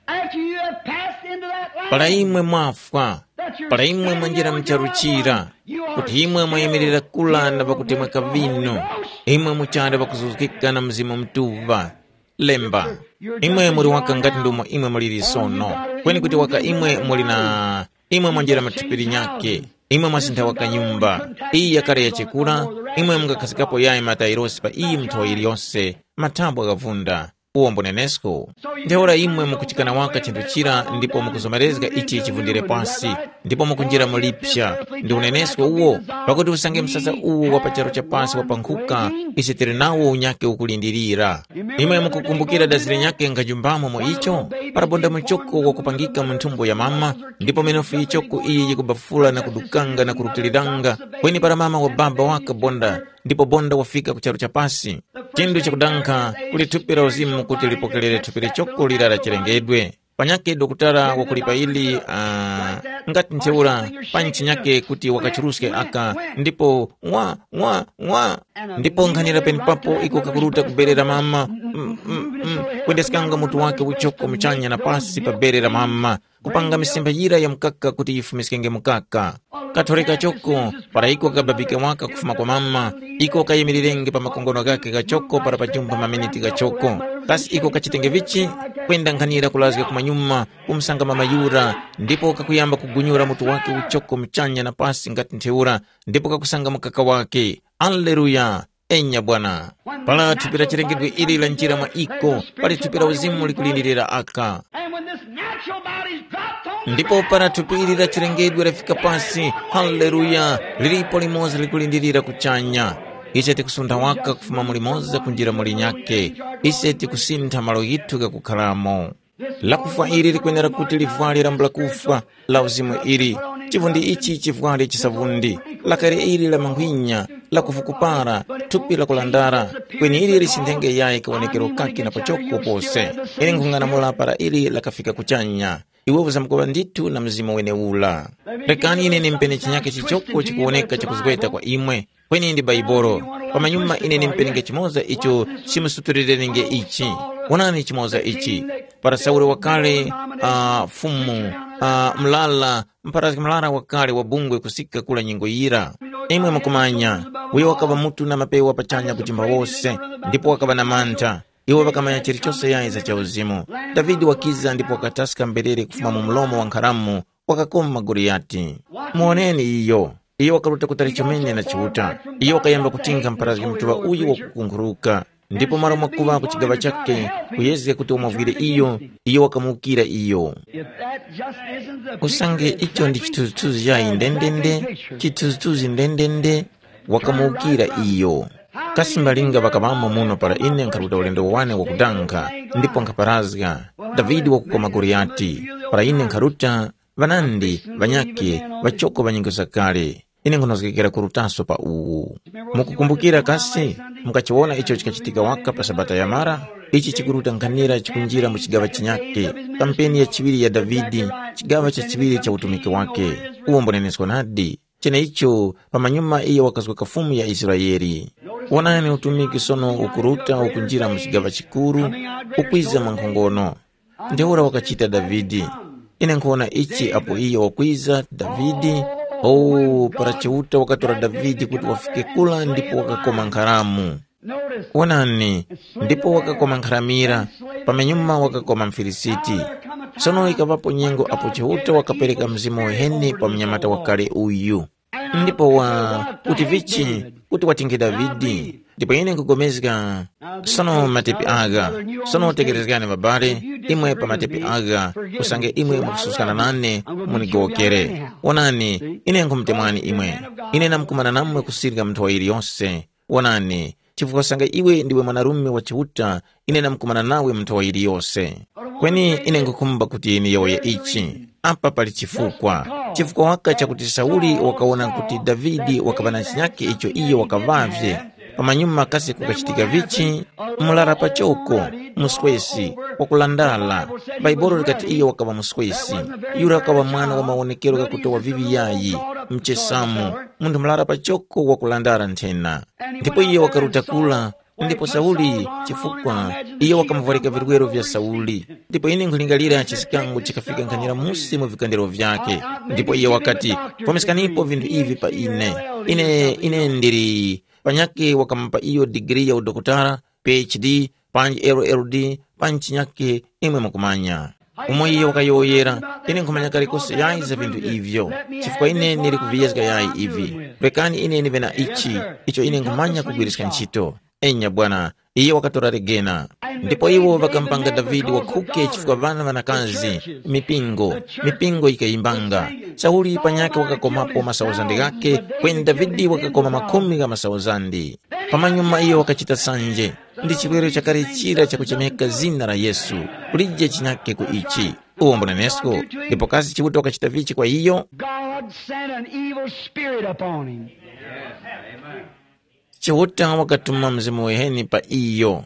after you have passed into that life, Para imwe mwafwa, that you're para imwe standing mwanjira there on your mcharuchira, right kuti imwe mwayimirira kula na pakutemweka vinu, imwe muchali pakuzuzgika na Mzimu Mutuŵa. Lemba, imwe muli waka ngati ndomo imwe muliri sono, kweni kuti waka imwe muli na imwe mwanjira mathupi linyakhe, imwe mwasintha waka nyumba. Iyi yakale yachekura, imwe mungakhazikapo yayi matairosi pa iyi muthowa yiliyose, mathabwa ghavunda. Uwo mbunenesko. Ntheura imwe mukuchikana waka chinthu chira ndipo mukuzomerezga ichi chivundire pasi, ndipo mukunjira mu lipsa. Ndi unenesko uwo, pakuti usange msasa uwo wa pa charu cha pasi wapankhuka, ise tili nawo unyake ukulindirira. Imwe mukukumbukira dazi linyakhe nkajumbamo mu icho? Parabonda muchoko wakupangika mu nthumbo ya mama, ndipo minofu yichoko iyi yikubafula na kudukanga na kurutiliranga, kweni para mama wa baba wakabonda, ndipo bonda wafika ku charu cha pasi. Chinthu chakudankha, kuli thupi la uzimu kuti lipokerere thupi lichoko lira la chilengedwe. Panyakhe dokutala wakulipa ili, uh, ngati ntheura, pa ntchinyake kuti wakachuruske aka, ndipo ng'wa ng'wa ng'wa. Ndipo nkhanira penepapo iko kakuruta ku bere la mama, mm, mm, mm, kwendeskanga mutu wake uchoko muchanya na pasi pa bere la mama, kupanga misemba yira ya mukaka kuti yifumiskenge mukaka. Kathoreka choko, para iko kababike waka kufuma kwa mama, iko kayimirirenge pa makongono ghakhe ghachoko para pajumpha maminiti ghachoko. Kasi iko kachitenge vichi? Kwenda nkhanira kulazga kumanyuma, kumusanga mama yura, ndipo kakuyamba kugunyura mutu wake uchoko muchanya na pasi ngati ntheura, ndipo kakusanga mukaka wake. Aleluya! Enya bwana. Para thupi la chilengedwe ili lanjira mwa iko, pali thupi la uzimu likulindirira aka. And when this natural body's dropped on the Ndipo para thupi ili la chilengedwe lafika pasi, haleluya, lilipo limoza likulindirira kuchanya. Ise tikusuntha waka kufuma muli moza kunjira muli nyakhe. Ise tikusintha malo ghithu ghakukharamo. Lakufwa ili likwenera kuti livwale lambula kufwa, la uzimu ili. Chivundi ichi chivwale chisavundi, lakale ili la mankhwinya, la kuvukupara, thupi la kulandara, kweni ili lisindenge yayi kawonekero kake na pachoko pose. Ine nkhung'anamula para ili lakafika kuchanya. Iwe uzamkuŵa ndithu na mzimu weneula. Rekani ine nimpene chinyake chichoko chikuwoneka chakuzgweta kwa imwe, kweni ndi Baibolo. Pamanyuma ine nimpenenge chimoza icho chimusutulirenge ichi. Wonani chimoza ichi. Para Sauli wakale, uh, fumu, uh, mlala, mpharazgi mlala wakale wa bungwe kusika kula nyengo yira. Imwe mukumanya, uyo wakaŵa mutu na mapewa pachanya kujimba wose, ndipo wakaŵa na mantha. Iwo ŵakamanya chilichose yayi za chauzimu. Davide wakiza ndipo wakataska mberere kufuma mu mlomo wa nkharamu, wakakoma Goliyati. Muwoneni iyo. Iyo wakaruta kutali chomene na Chiuta. Iyo wakayamba kutinkha mpharazgi mutuŵa uyu wakukunkhuluka, ndipo malo mwakuŵa ku chigaŵa chakhe kuyezga kuti wamuvwire iyo, iyo wakamuwukira iyo. If that just isn't the Usange picture of icho ndi exactly chithunzithunzi chayi that ndendende, exact nature. Chithunzithunzi ndendende, wakamuwukira iyo. Kasi mbalinga ŵakaŵamo muno para ine nkharuta ulendo wane wakudankha, ndipo nkhaparazga, Davide wakukoma Goliyati, para ine nkharuta, ŵanandi, ŵanyakhe, ŵachoko ŵa nyengo zakale. Ine nkhunozgekera kurutaso pa uwu. Mukukumbukira kasi, mukachiwona icho chikachitika waka pa Sabata yamara? Ichi chikuruta nkhanira chikunjira mu chigaŵa chinyakhe, kampeni ya chiŵiri ya Davide, chigaŵa cha chiŵiri cha utumiki wake. Uwo mbunenesko nadi. Cheneicho, pamanyuma iyo wakazga kafumu ya Israele. Wonani utumiki sono ukuruta ukunjira mu chigaŵa chikuru, ukwiza mwankhongono. Ntheura wakachita Davide. Ine nkhuwona ichi apo iyo wakwiza, Davide, oh, para Chiuta wakatora Davide kuti wafike kula ndipo wakakoma nkharamu. Wonani, ndipo wakakoma nkharamira, pamenyuma wakakoma mFilisiti. Sono ikaŵapo nyengo apo Chiuta wakapereka mzimu uheni pa mnyamata wakale uyu. Ndipo wa kuti vichi, kuti watinge Davide. Ndipo ine nkugomezga, sono matepi agha, sono tekerezgani ŵabale, imwe pa matepi agha, usange imwe mukususkana nane, munigowokere. Wonani, ine nkhumutemwani imwe. Ine namkumana namwe kusirika mu nthowa yiliyose. Wonani, chifukwa usange iwe ndiwe mwanarume wa Chiuta, ine namkumana nawe mu nthowa yiliyose. Kweni ine nkhukhumba kuti niyowoye ichi. Apa pali chifukwa. Chifukwa waka chakuti Sauli wakawona kuti Davide wakaŵa na chinyakhe icho iyo wakaŵavye. Pamanyuma kasi kukachitika vichi? Mlara pachoko, muswesi, wakulandala. Bhaibuli likati iyo wakaŵa muswesi. Yura wakaŵa mwana wa mawonekero ghakutowa viŵi yayi, mchesamu, munthu mlara pachoko wakulandala nthena. Ndipo iyo wakaruta kula, ndipo Sauli, chifukwa iyo wakamuvwarika virwero vya Sauli. Ndipo ine nkhulingalira chisikango chikafika nkhanira musi mu vikandiro vyakhe. Ndipo iyo wakati, fumiskanipo vinthu ivi pa ine. Ine, ine ndili, panyakhe wakamupa iyo digiri ya udokotala, P H D, panji L L D, panji chinyakhe, imwe mukumanya. Umo iyo wakayowoyera, ine nkhumanya kalikose yayi za vinthu ivyo, chifukwa ine ndili kuviyezga yayi ivi. Rekani ine ndive na ichi, icho ine nkhumanya kugwiriska ntchito. Enya bwana, Iyo wakatora legena. Ndipo iwo ŵakamupanga Davide wakhuke chifukwa ŵana ŵanakazi, mipingo, mipingo yikayimbanga. Sauli panyakhe wakakomapo masauzandi ghakhe, kweni Davide wakakoma makhumi gha masauzandi. Pamanyuma iyo wakachita sanje, ndi chiwerero chakale chira chakuchemeka zina la Yesu, kulije chinyakhe ku ichi. Uwo mbunenesko, ndipo kasi Chiuta wakachita vichi kwa iyo? God sent an evil spirit upon him. Chiuta wakatuma mzimu wiheni pa iyo,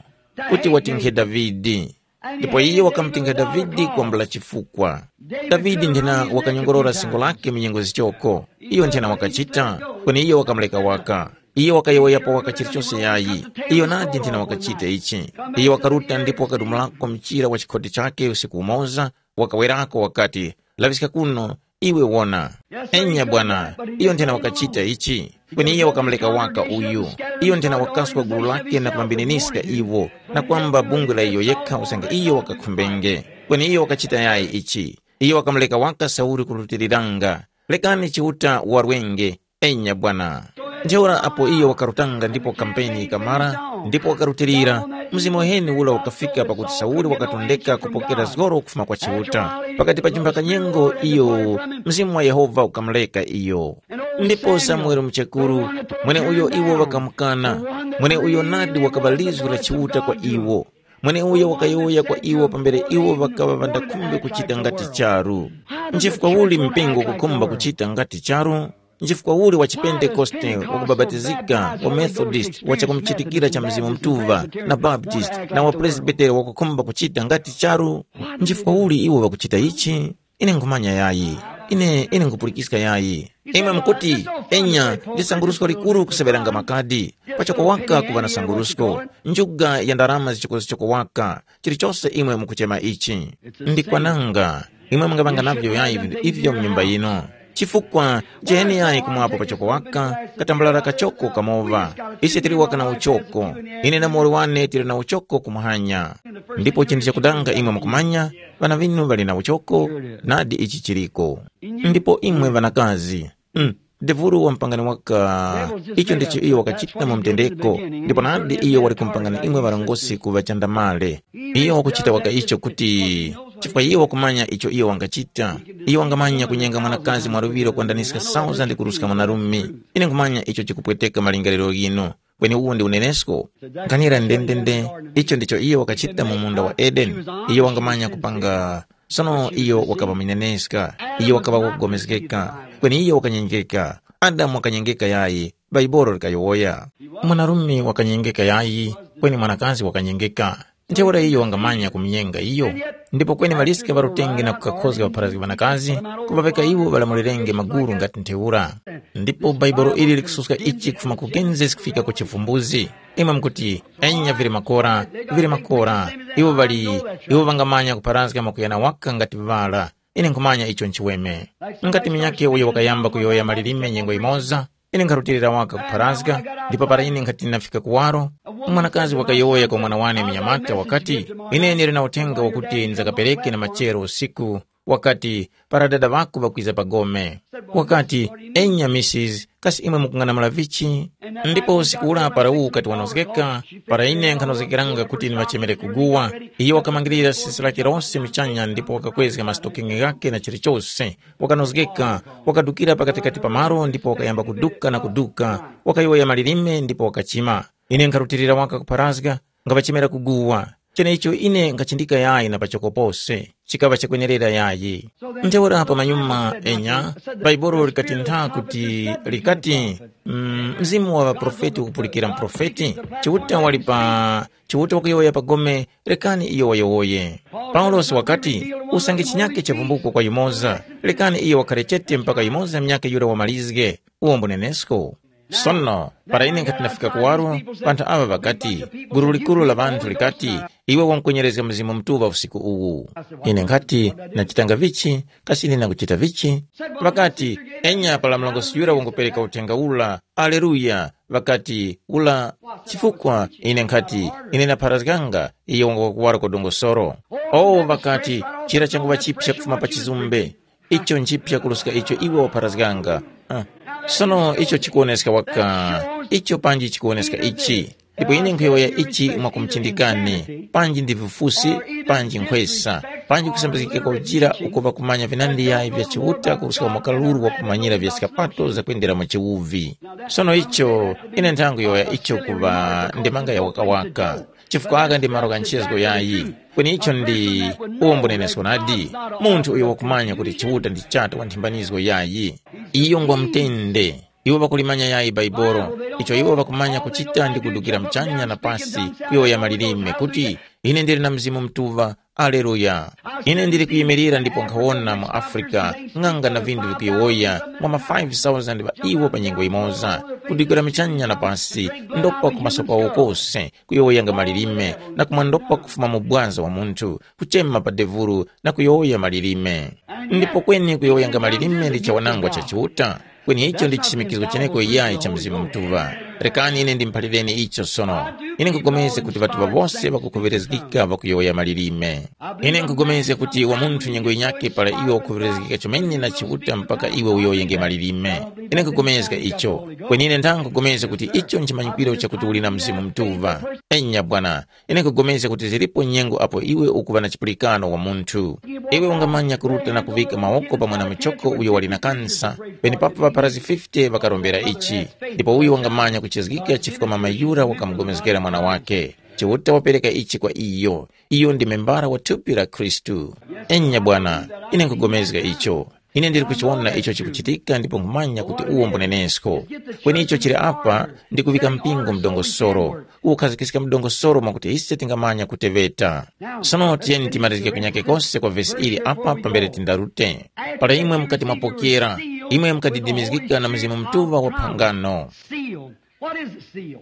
kuti watinkhe Davide. Ndipo iyo wakamutinkha Davide kwambula chifukwa. Davide nthena wakanyongorora singo lake mu nyengo zichoko. Iyo nthena wakachita, kweni iyo wakamuleka waka. Iyo wakayowoyapo waka chilichose yayi. Iyo nadi nthena wakachita ichi. Iyo wakaruta ndipo wakadumulako mchira wa chikhoti chake usiku umoza, wakawerako wakati, laŵiska kuno, iwe wona. Enya bwana, iyo nthena wakachita ichi. Kweni iyo wakamuleka waka uyu. Iyo nthena wakaswa gulu lake na kumambininiska iwo, na kwamba bungwe la iyo yekha usange iyo wakakhumbenge. Kweni iyo wakachita yayi ichi. Iyo wakamuleka waka Sauli kurutiliranga. Lekani Chiuta warwenge, enya bwana. Ntheura apo iyo wakarutanga ndipo kampeni yikamara, ndipo wakarutilira, mzimu uheni ula ukafika pakuti Sauli wakatondeka kupokera zgoro kufuma kwa Chiuta. Pakati pa chimphaka nyengo iyo, mzimu wa Yehova ukamuleka iyo. Ndipo Samuele muchekuru, mweneuyo iwo ŵakamukana, mweneuyo nadi wakaŵa lizgu la Chiuta kwa iwo. Mweneuyo wakayowoya kwa iwo pambere iwo ŵakaŵa ŵandakhumbe kuchita ngati charu. Nchifukwa uli mpingo ukukhumba kuchita ngati charu? Nchifukwa uli wa chipentekoste, wakubapatizika, wa Methodist, wa chakumuchitikira cha Mzimu Mutuŵa, na Baptist, na wa Presbiteri wakukhumba kuchita ngati charu? Nchifukwa uli iwo ŵakuchita ichi? Ine nkhumanya yayi. Ine, ine nkhupulikiska yayi. Imwe mukuti, enya, ndi sangurusko likuru kuseŵeranga makadi. Pachoko waka kuŵa na sangurusko. Njuga ya ndarama zichokozichoko waka. Chilichose imwe mukuchema ichi. Ndi kwananga. Imwe mungaŵanga navyo yayi vinthu ivyo mu nyumba yino. Chifukwa, jeheni yayi kumwapo pachoko waka, katambalala kachoko kamoŵa. Ise tili waka na uchoko. Ine na muwoli wane tili na uchoko kumuhanya. Ndipo chinthu chakudanga imwe mukumanya, ŵana ŵinu ŵali na uchoko, nadi ichi chiliko. Ndipo imwe ŵanakazi, mm, devulu wampangani waka, icho ndicho iyo wakachita mu mtendeko, ndipo nadi iyo wali kumpangani imwe ŵarongozgi kuŵa chandamale. Iyo wakuchita waka icho kuti, chifukwa iyo wakumanya icho iyo wangachita. Iyo wangamanya kunyenga mwanakazi mwaluŵiro kwandaniska sauza ndi kuruska mwanarume. Ine nkhumanya icho chikupweteka malingaliro ghinu. Kweni uwu ndi unenesko. Nkhanira ndendende, icho ndicho iyo wakachita mu munda wa Edeni. Iyo wangamanya kupanga, sono iyo wakaŵa muneneska, iyo wakaŵa wakugomezgeka, kweni iyo wakanyengeka. Adamu wakanyengeka yayi, Baibolo likayowoya. Mwanarume wakanyengeka yayi, kweni mwanakazi wakanyengeka. Ntheura iyo wangamanya kumunyenga iyo. Ndipo kweni ŵaliske ŵarutenge na kukakhozga ŵapharazgi ŵanakazi, kuŵaŵeka iwo ŵalamulirenge maguru ngati ntheura. Ndipo Baibolo ili likususka ichi kufuma ku Genesis kufika ku Chivumbuzi. Imwe mukuti, enya vili makora, vili makora. Iwo ŵali, iwo ŵangamanya kupharazga mwakuyana waka ngati ŵala. Ine nkhumanya icho nchiweme. Ngati munyakhe uyo wakayamba kuyowoya malilime nyengo yimoza, ine nkharutilira waka kupharazga, ndipo para ine nkhati ndinafika kuwaro, mwanakazi wakayowoya kwa mwana wane munyamata wakati, ine ndili na uthenga wakuti ndzakapereke na machero usiku, wakati, para dada ŵako ŵakwiza pa gome. Wakati, enya misis, kasi imwe mukung'anamula vichi? Ndipo usiku ura para uwu ukati wanozgeka, para ine nkhanozgekeranga kuti ndiŵachemere kuguwa, iyo wakamangirira sisi lake lose muchanya ndipo wakakwezga masitokenge ghake na chilichose, wakanozgeka, wakadukira pakatikati pa malo ndipo wakayamba kuduka na kuduka, wakayowoya malilime ndipo wakachima. Ine nkharutilira waka kupharazga, ngaŵachemera kuguwa. Chenecho ine nkhachindika yayi na pachoko pose, chikaŵa chakwenerera yayi. Ntheura pamanyuma enya, Baibolo likatintha kuti likati, mm, mzimu wa ŵaprofeti ukupulikira muprofeti, Chiuta wali pa, Chiuta wakuyowoya pa gome, rekani iyo wayowoye. Paulosi wakati, usange chinyake chavumbuko kwa yumoza, rekani iyo wakhare chete mpaka yumoza mnyake yura wamalizge. Uwo mbunenesko. Sono, para ine nkhati ndafika kuwaro, panthu aŵa ŵakati, gulu likuru la ŵanthu likati, iwe wankwenyerezga Mzimu Mutuŵa usiku uwu. Ine nkhati, ndachitanga vichi, kasi ine ndakuchita vichi? Ŵakati, enya para murongozgi yura wangupereka uthenga ura, aleluya, ŵakati, ula, chifukwa ine nkhati, ine ndapharazganga, iyo wangukakuwara ku dongosolo. Owo ŵakati, chira changuŵa chipsa kufuma pa chizumbe. Icho nchiphya kuruska icho iwe wapharazganga. Ah. Sono icho chikuwoneska waka, icho panji chikuwoneska ichi. Ndipo ine nkhuyowoya ichi mwakumuchindikani, panji ndi vifusi, panji nkhwesa, panji kusambizgika kwa ujira uko ŵakumanya vinandi yayi vya Chiuta kuruska mwa kaluru wakumanyira vya skapato zakwendera mu chiwuvi. Sono icho, ine nthangu yowoya icho kuŵa ndemanga ya wakawaka, chifukwa aka ndi malo gha nchezgo yayi. Kweni icho ndi uwo mbunenesko nadi, munthu uyo wakumanya kuti Chiuta ndi chata wa nthimbanizgo yayi. Iyo ngwa mutende. Iwo ŵakulimanya yayi Baibolo, icho iwo ŵakumanya kuchita ndi kudukira muchanya na pasi, kuyowoya malilime kuti, ine ndili na Mzimu Mutuŵa. Aleluya! Ine ndili kuyimirira ndipo nkhawona mu Afrika ng'anga na vinthu vikuyowoya mwa ma five thousand ŵa iwo pa nyengo yimoza, kudukira muchanya na pasi, ndopa ku maso kwawo kose, kuyowoyanga malilime, na kumwandopa kufuma mu bwaza wa munthu, kuchema pa devulu na kuyowoya malilime. Ndipo kweni kuyowoyanga malilime ndi chawanangwa cha Chiuta, kweni icho ndi chisimikizgo cheneko yayi cha Mzimu Mutuŵa. Rekani ine ndimuphalireni icho sono. Ine nkupulikana kuti ŵatuŵa wose ŵakukhuŵerezgika ŵakuyowoya malilime. Ine nkupulikana kuti wa munthu nyengo yinyakhe para iwe ukhuŵerezgika chomene na Chiuta mpaka iwe uyowoyenge malilime. Ine nkupulikana icho. Kweni ine ndanga nkupulikana kuti icho nchimanyikwiro chakuti uli na Mzimu Mutuŵa. Enya bwana, ine nkupulikana kuti zilipo nyengo apo iwe ukuŵa na chipulikano wa munthu. Iwe ungamanya kuruta na kuvika mawoko pa mwana muchoko uyo wali na kansa, penepapo ŵapharazgi fifty ŵakarombera ichi. Ndipo uyo wangamanya kuchizgika chifukwa mama yura wakamupulikana mwana wake. Chiuta wapereka ichi kwa iyo. Iyo ndi membara wa thupi la Khristu. Enya bwana, ine nkupulikana icho. Ine ndili kuchiwona icho chikuchitika ndipo nkhumanya kuti uwo mbunenesko. Kweni icho chili apa ndi kuŵika mpingo mdongosoro, kuwukhazikiska mdongosoro mwakuti ise tingamanya kuteŵeta. Sono tiyeni timalizgike kunyake kose kwa vesi ili apa pambere tindarute. Para imwe mukati mwapokera, imwe mukadidimizgika na Mzimu Mutuŵa wa phangano. Seal. What is a seal?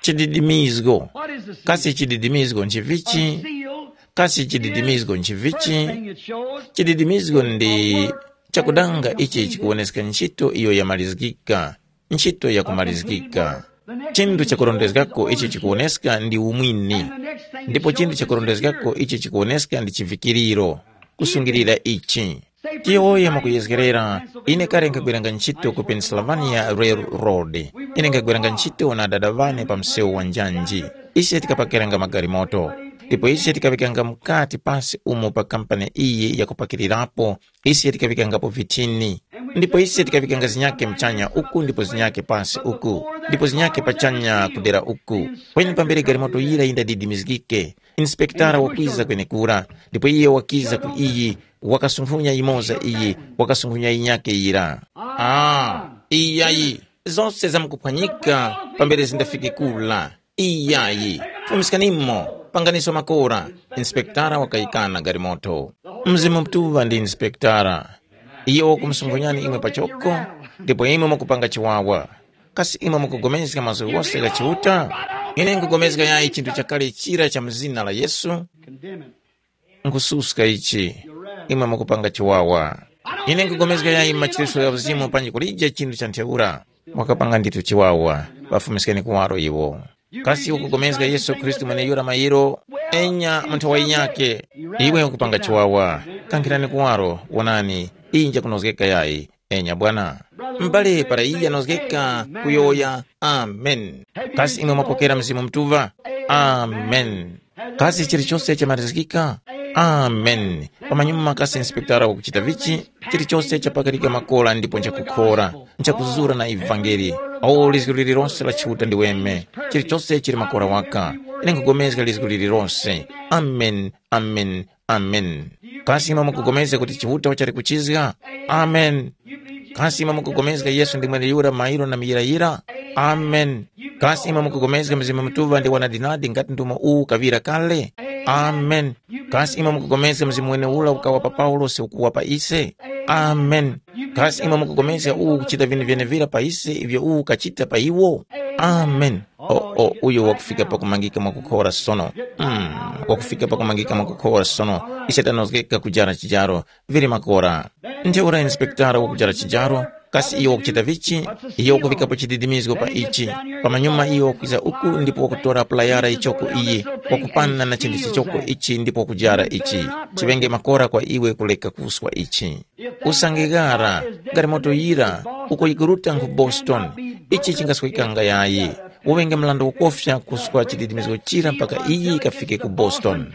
Chididimizgo. What is a seal? Kasi chididimizgo nchivichi? A seal. Kasi chididimizgo nchivichi? First thing it shows. Chididimizgo ndi chakudanga ichi chikuwoneska ntchito iyo yamalizgika, ntchito yakumalizgika. Chinthu chakurondezgako ichi chikuwoneska ndi umwini. Ndipo chinthu chakurondezgako ichi chikuwoneska ndi chivikiriro, kusungirira ichi. Tiyowoye mwakuyezgerera, ine kale nkhagwiranga ntchito ku Pennsylvania Railroad. Ine nkhagwiranga ntchito na adada ŵane pa msewu wa njanji. Ise tikapakiranga magalimoto. Ndipo ise tikaŵikanga mukati pasi umo pa kampani iyi yakupakirirapo, ise tikaŵikangapo vithini. Ndipo ise tikaŵikanga zinyake muchanya uku ndipo zinyake pasi uku, ndipo zinyake pachanya kudera uku. Kweni pambere galimoto yira yindadidimizgike, inspektara wakwiza kwenekura, ndipo iye wakiza ku iyi, wakasunkhunya yimoza iyi, wakasunkhunya yinyake yira. Ah, iyayi, zose zamkuphwanyika pambere zindafike kula. Iyayi, fumiskanimo, panganiso makora. Inspektara wakayikana galimoto. Mzimu Mutuŵa ndi inspektara. Iyo wakumusunkhunyani imwe pachoko, ndipo imwe mukupanga chiwawa. Kasi imwe mukupulikana mazgu ghose gha Chiuta? Ine nkupulikana yayi chinthu chakale chira cha mu zina la Yesu? Nkususka ichi. Imwe mukupanga chiwawa. Ine nkupulikana yayi machititso gha uzimu panji kulije chinthu cha ntheura. Mwakapanga ndithu chiwawa. Ŵafumiskeni kuwaro iwo. Kasi ukupulikana Yesu Khristu mweneyura mayiro? Enya mu nthawi yinyakhe. Iwe ukupanga chiwawa. Kankhirani kuwaro, wonani, iyi njakunozgeka yayi. Enya bwana. M'bale para iye anozgeka kuyowoya, amen. Kasi imwe mwapokera Mzimu Mutuŵa? Amen. Kasi chilichose chamarizgika? Amen. Pamanyuma kasi inspektara wakuchita vichi? Chilichose chapakarika makora ndipo nchakukhora, nchakuzura na ivangeli. O lizgu lililonse la Chiuta ndiweme. Chilichose chili makora waka. Ine nkupulikana lizgu lililonse. Amen. Amen. Amen. Kasi imwe mukupulikana kuti Chiuta wachali kuchizga? Amen. Kasi imwe mukupulikana Yesu ndi mweneyura mairo na muyirayira? Amen. Kasi imwe mukupulikana Mzimu Mutuŵa ndi wanadinadi ngati ndumo uwu kaŵira kale? Amen. Kasi imwe mukupulikana Mzimu mweneura ukawa pa Paulosi ukuwa pa ise? Amen. Kasi imwe mukupulikana uwu ukuchita vinthu vyenevira pa ise ivyo uwu ukachita pa iwo? Amen. O, o, uyo wakufika pakumangika mwakukhora sono. Mm, wakufika pakumangika mwakukhora sono. Ise tanozgeka kujara chijaro. Vili makora. Ntheura inspektara wakujara chijaro, kasi iyo wakuchita vichi? Iyo wakuvikapo chididimizgo pa ichi. Pamanyuma iyo wakwiza uku ndipo wakutora pulayara ichoko iyi, wakupana na chinthu chichoko ichi ndipo wakujara ichi. Chiŵenge makora kwa iwe kuleka kuswa ichi. Usange ghara, galimoto yira, uko yikuruta ku Boston, Ichi chingaswekanga yayi. Uŵenge mlanda wakofya kuswa chididimizgo chira mpaka iyi ikafike ku Boston.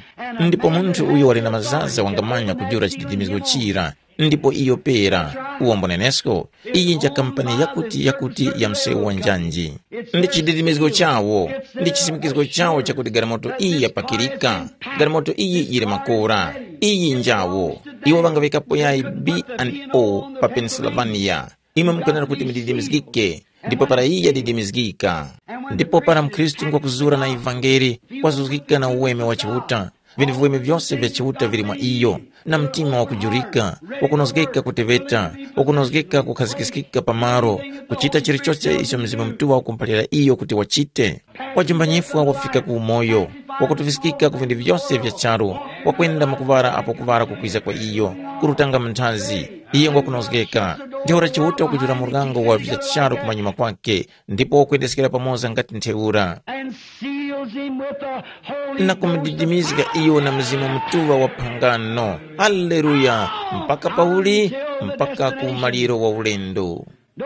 Ndipo munthu uyo wali na mazaza wangamanya kujula chididimizgo chira, ndipo iyo pera. Uwombo nenesko, iyi nja kampani yakuti yakuti ya msewu wa njanji. Ndi chididimizgo chawo, ndi chisimikizgo chawo chakuti galimoto iyi yapakirika. Galimoto iyi yili makora. Iyi njawo. Iwo ŵangaŵikapo yayi B and O pa Pennsylvania. Imwe mukwenera kuti mudidimizgike, ndipo para iyo yadidimizgika. Ndipo para mkhristu ngwakuzura na ivangeli, wazuzgika na uweme wa Chiuta, vinthu viweme vyose vya Chiuta vili mwa iyo, na mtima wakujurika, wakunozgeka kuteŵeta, wakunozgeka kukhazikiskika pamalo, kuchita chilichose icho Mzimu Mutuŵa wakumuphalira iyo kuti wachite. Wajumba nyifwa wafika ku umoyo, wakutufiskika ku vinthu vyose vya charu, wakwenda mu kuŵala apo kuŵala kukwiza kwa iyo, kurutanga mu nthazi. Iye ngwakunozgeka. Ntheura Chiuta wakujula muryango wa vya charu kumanyuma kwake, ndipo wakwendeskera pamoza ngati ntheura. And seals him with the Holy na Ghost of kumudidimizga iyo na Mzimu Mutuŵa wa phangano. Haleluya! Mpaka pauli? Mpaka ku maliro wa ulendo.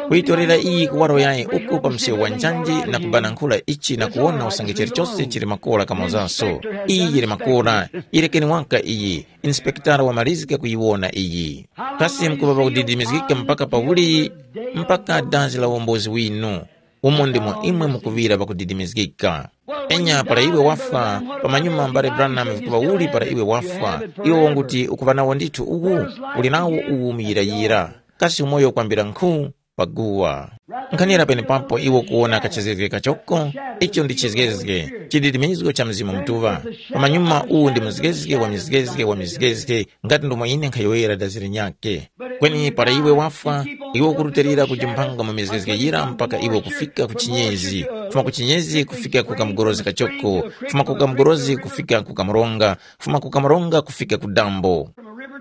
Kuyitorera iyi kuwaro yayi uku pa msewu wa njanji na kubanankhula ichi na kuwona usange chilichose chili makola kamozaso. Iyi yili makola, yerekeni waka iyi, inspektara wamalizika kuyiwona iyi. Kasi mkuŵa pakudidimizgika mpaka pauli? Mpaka dazi la uwombozi winu. Umo ndimo imwe mukuŵira pakudidimizgika. Enya para iwe wafwa, pamanyuma mbale Branham vikuŵa uli para iwe wafwa, iwe wanguti ukuŵa nawo ndithu uwu, uli nawo uwu muyirayira. Kasi umoyo ukwambira nkhu? Paguwa. Nkhanira penepapo iwe ukuwona kachezgezge kachoko, icho ndi chizgezge, chididimizgo cha Mzimu Mutuŵa. Pamanyuma uwu ndi mzgezge wa mizgezge wa mizgezge, ngati ndomwe ine nkhayowoyera dazi linyakhe. Kweni para iwe wafwa, iwe ukurutilira kujimpanga mu mizgezge yira mpaka iwe kufika ku chinyezi, fuma ku chinyezi kufika ku kamugorozi kachoko, fuma ku kamugorozi kufika ku kamronga, fuma ku kamronga kufika ku dambo,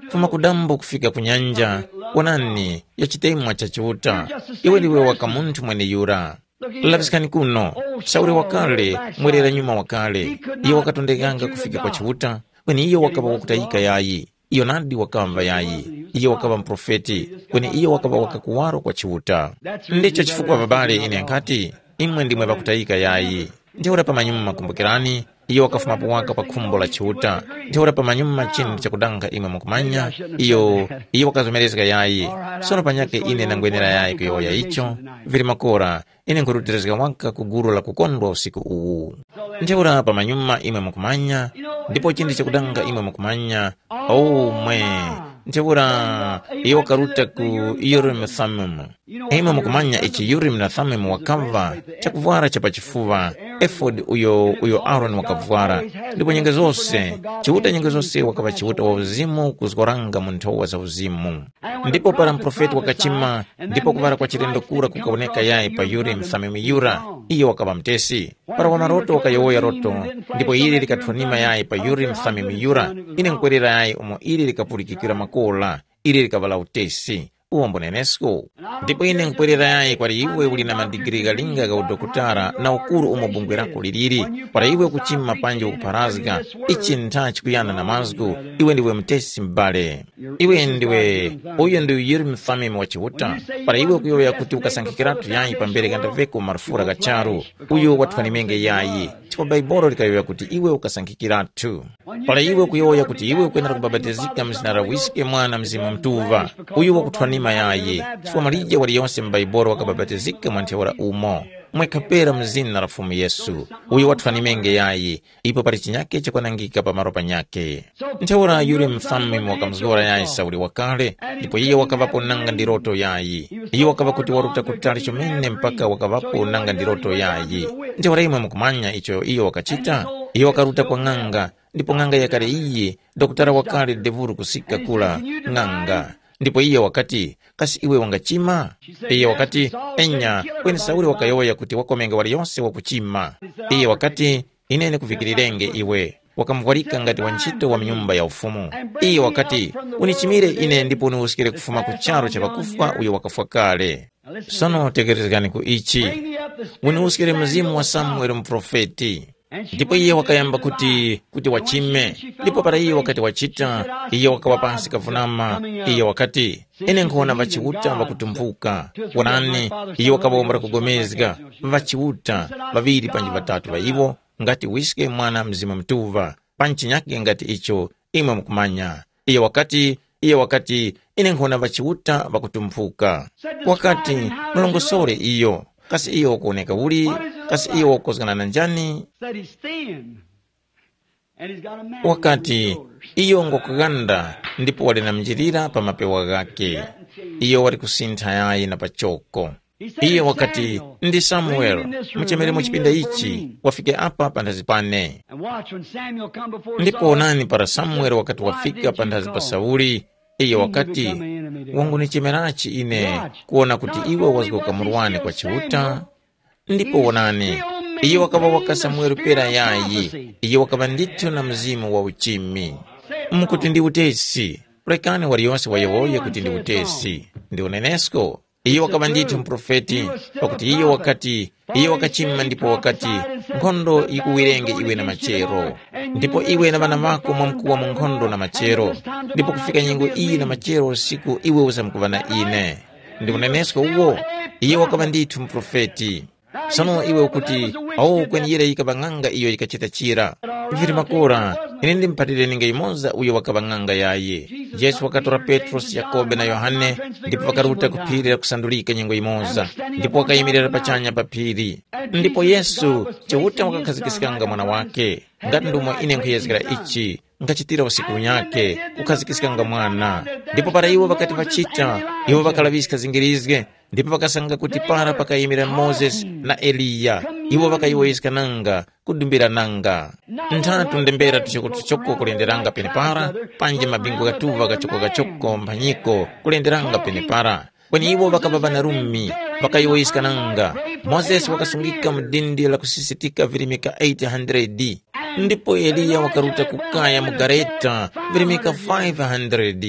fuma ku dambo kufika ku nyanja. Wonani, ya chitemwa cha Chiuta. Iwe ndiwe waka munthu mweneyura. Laŵiskani kuno, Sauli wakale, mwerera nyuma wakale. Iye wakatondekanga kufika kwa Chiuta, kweni iyo wakaŵa wakutayika yayi. Iyo nadi wakamva yayi. Iyo wakaŵa muprofeti, kweni iyo wakaŵa wakakuwaro kwa Chiuta. Ndicho chifukwa babale ine nkhati, imwe ndimwe ŵakutayika yayi. Ntheura pamanyuma kumbukirani, iyo wakafumapo waka pa khumbo la Chiuta. Ntheura pamanyuma chinthu chakudanga imwe mukumanya, iyo, iyo wakazomerezga yayi. Sono panyakhe ine ndangwenera yayi kuyowoya icho, vili makora, ine nkhurutilizga waka ku gulu la kukondwa usiku uwu. Ntheura pamanyuma imwe mukumanya, ndipo chinthu chakudanga imwe mukumanya, omwe. Ntheura iyo wakaruta ku Urim Thummim. Imwe mukumanya ichi Urim na Thummim wakamva, chakuvwara cha pachifuŵa, efodi uyo uyo Aaroni wakavwara. Ndipo nyengo zose, Chiuta nyengo zose wakaŵa Chiuta wa uzimu kuzgoranga mu nthowa za uzimu. Ndipo para muprofeti wakachima, ndipo kuŵala kwa chilendo kura kukawoneka yayi pa Urim Thummim yura, iyo wakaŵa mutesi. Para wamaroto wakayowoya roto, ndipo ili likathwanima yayi pa Urim Thummim yura, ine nkwerera yayi umo ili likapulikikira makola, ili likaŵala utesi. Uwo mbunenesko. Ndipo ine nkwerera yayi kwali iwe uli na madigiri ghalinga gha udokotala na ukuru umo bungwe lako liliri, para iwe ukuchima panji ukupharazga, ichi ntha chikuyana na mazgu, iwe ndiwe mutesi m'bale. Iwe ndiwe, uyo ndi uyuri mfamimi wa Chiuta. Para iwe ukuyowoya kuti ukasankhikiratu yayi pambere ghandaveko marufura gha charu, uyo wathwanimenge yayi. Chifukwa Baibolo likayowoya kuti iwe ukasankhikiratu. Para iwe ukuyowoya kuti iwe ukwenera kubapatizika mu zina la Wiske, Mwana, Mzimu Mutuŵa, uyu wakuthwanima yayi. Chifukwa malije waliyose mu Baibolo wakabapatizika mwa ntheura umo. Mwekha pera mu zina la Fumu Yesu, uyo wathwanimenge yayi. Ipo pali chinyake chakwanangika pa malo panyakhe. Ntheura yuli mfamimi wakamuzgora yayi Sauli wakale, ndipo iye wakaŵapo nanga ndi loto yayi. Iye wakaŵa kuti waruta kutali chomene mpaka wakaŵapo nanga ndi loto yayi. Ntheura imwe mukumanya icho iyo wakachita? Iyo wakaruta kwa ng'anga, ndipo ng'anga yakale iyi, dokotala wakale devulu kusika kula, ng'anga. Ndipo iye wakati, kasi iwe wangachima? Iye wakati, enya, kweni Sauli wakayowoya kuti wakomenga waliyose wakuchima. Iye wakati, ine ndikuvikirirenge iwe. Wakamuvwarika ngati wantchito wa mu Nyumba ya Ufumu. Iye wakati, unichimire ine ndipo uniwuskire kufuma ku charu cha ŵakufwa uyo wakafwa kale. Sono tekerezgani ku ichi. Uniwuskire mzimu wa Samuele muprofeti. Ndipo iye wakayamba kuti kuti wachime. Ndipo para iye wakati wachita, iye wakawa pansi kavunama. Iye wakati, ine nkhuwona ŵachiuta ŵakutumphuka. Wonani, iye wakaŵawombera kugomezga, ŵachiuta ŵaŵiri panji ŵatatu ŵa iwo, ngati wiske mwana mzimu mtuŵa, pa nchinyake ngati icho imwe mukumanya. Iye wakati, iye wakati, ine nkhona ŵachiuta ŵakutumphuka. Wakati, mulongosore iyo. Kasi iyo wakuwoneka uli? Kasi iyo wakukozgana na njani? Said he's thin. And he's got a man. Wakati, iyo ngwakughanda, ndipo wali na mnjilira pa mapewa ghake. Iyo wali kusintha yayi na pachoko. Iye wakati, ndi Samuel, muchemere mu chipinda ichi, wafike apa panthazi pane. And watch, when Samuel come before ndipo Saul, onani para Samueli wakati wafika panthazi pa Sauli, iye wakati, wangunichemerachi ine, kuwona kuti iwe wazgoka murwane kwa Chiuta? Ndipo wonani, iye wakaŵa waka Samueli pera yayi, iye wakaŵa ndithu na mzimu wa uchimi. Mkuti ndi utesi, rekani waliyose wayowoye kuti ndi utesi, ndi unenesko. Iyo wakaŵa ndithu muprofeti, pakuti iyo wakati, iyo wakachima ndipo wakati, nkhondo yikuwirenge iwe na machero, ndipo iwe na ŵana ŵako mwamkuwa mu nkhondo na machero, ndipo kufika nyengo iyi na machero usiku iwe uzamkuŵa na ine. Ndi unenesko uwo? Iyo wakaŵa ndithu muprofeti. Sono iwe ukuti, awo kweniyira yikaŵa ng'anga iyo yikachita chira. Vili makora, ine ndimuphalire ninga yumoza uyo wakaŵa ng'anga yayi. Yesu wakatora Petrosi, Yakobe na Yohane, ndipo ŵakaruta ku phiri la kusandulika nyengo yimoza, ndipo wakayimirira pachanya pa phiri. Ndipo Yesu Chiuta wakakhazikiskanga mwana wake, ngati ndomwe ine nkhuyezgera ichi, nkhachitira usiku unyakhe, kukhazikiskanga mwana. Ndipo para iwo ŵakati ŵachita, iwo ŵakalaŵiska zingirizge, ndipo ŵakasanga kuti para pakayimira Mozesi na Eliya, iwo ŵakayowoyeskananga kudumbirananga. Nthatu ndembera tuchokotuchoko kulenderanga penepara, panji mabingu ghatuŵa ghachokogachoko mphanyiko kulenderanga penepara. Kweni iwo ŵakaŵa ŵanarumi, ŵakayowoyeskananga. Mozesi wakasungika mu dindi lakusisitika virimika eight hundred, ndipo Eliya wakaruta ku kaya mu gareta virimika five hundred.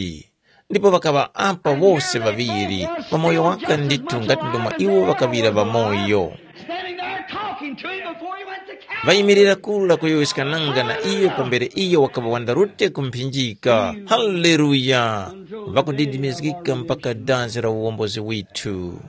Ndipo ŵakaŵa apa wose ŵaŵiri, pamoyo waka ndithu ngati ndomwe iwo ŵakaŵira ŵamoyo. Standing there talking to him before he went to Calvary. Ŵayimirira kula kuyowoyeskananga na iyo pambere iyo wakaŵa wandarute ku mphinjika. Haleluya! Ŵakudidimizgika mpaka dazi la uwombozi withu.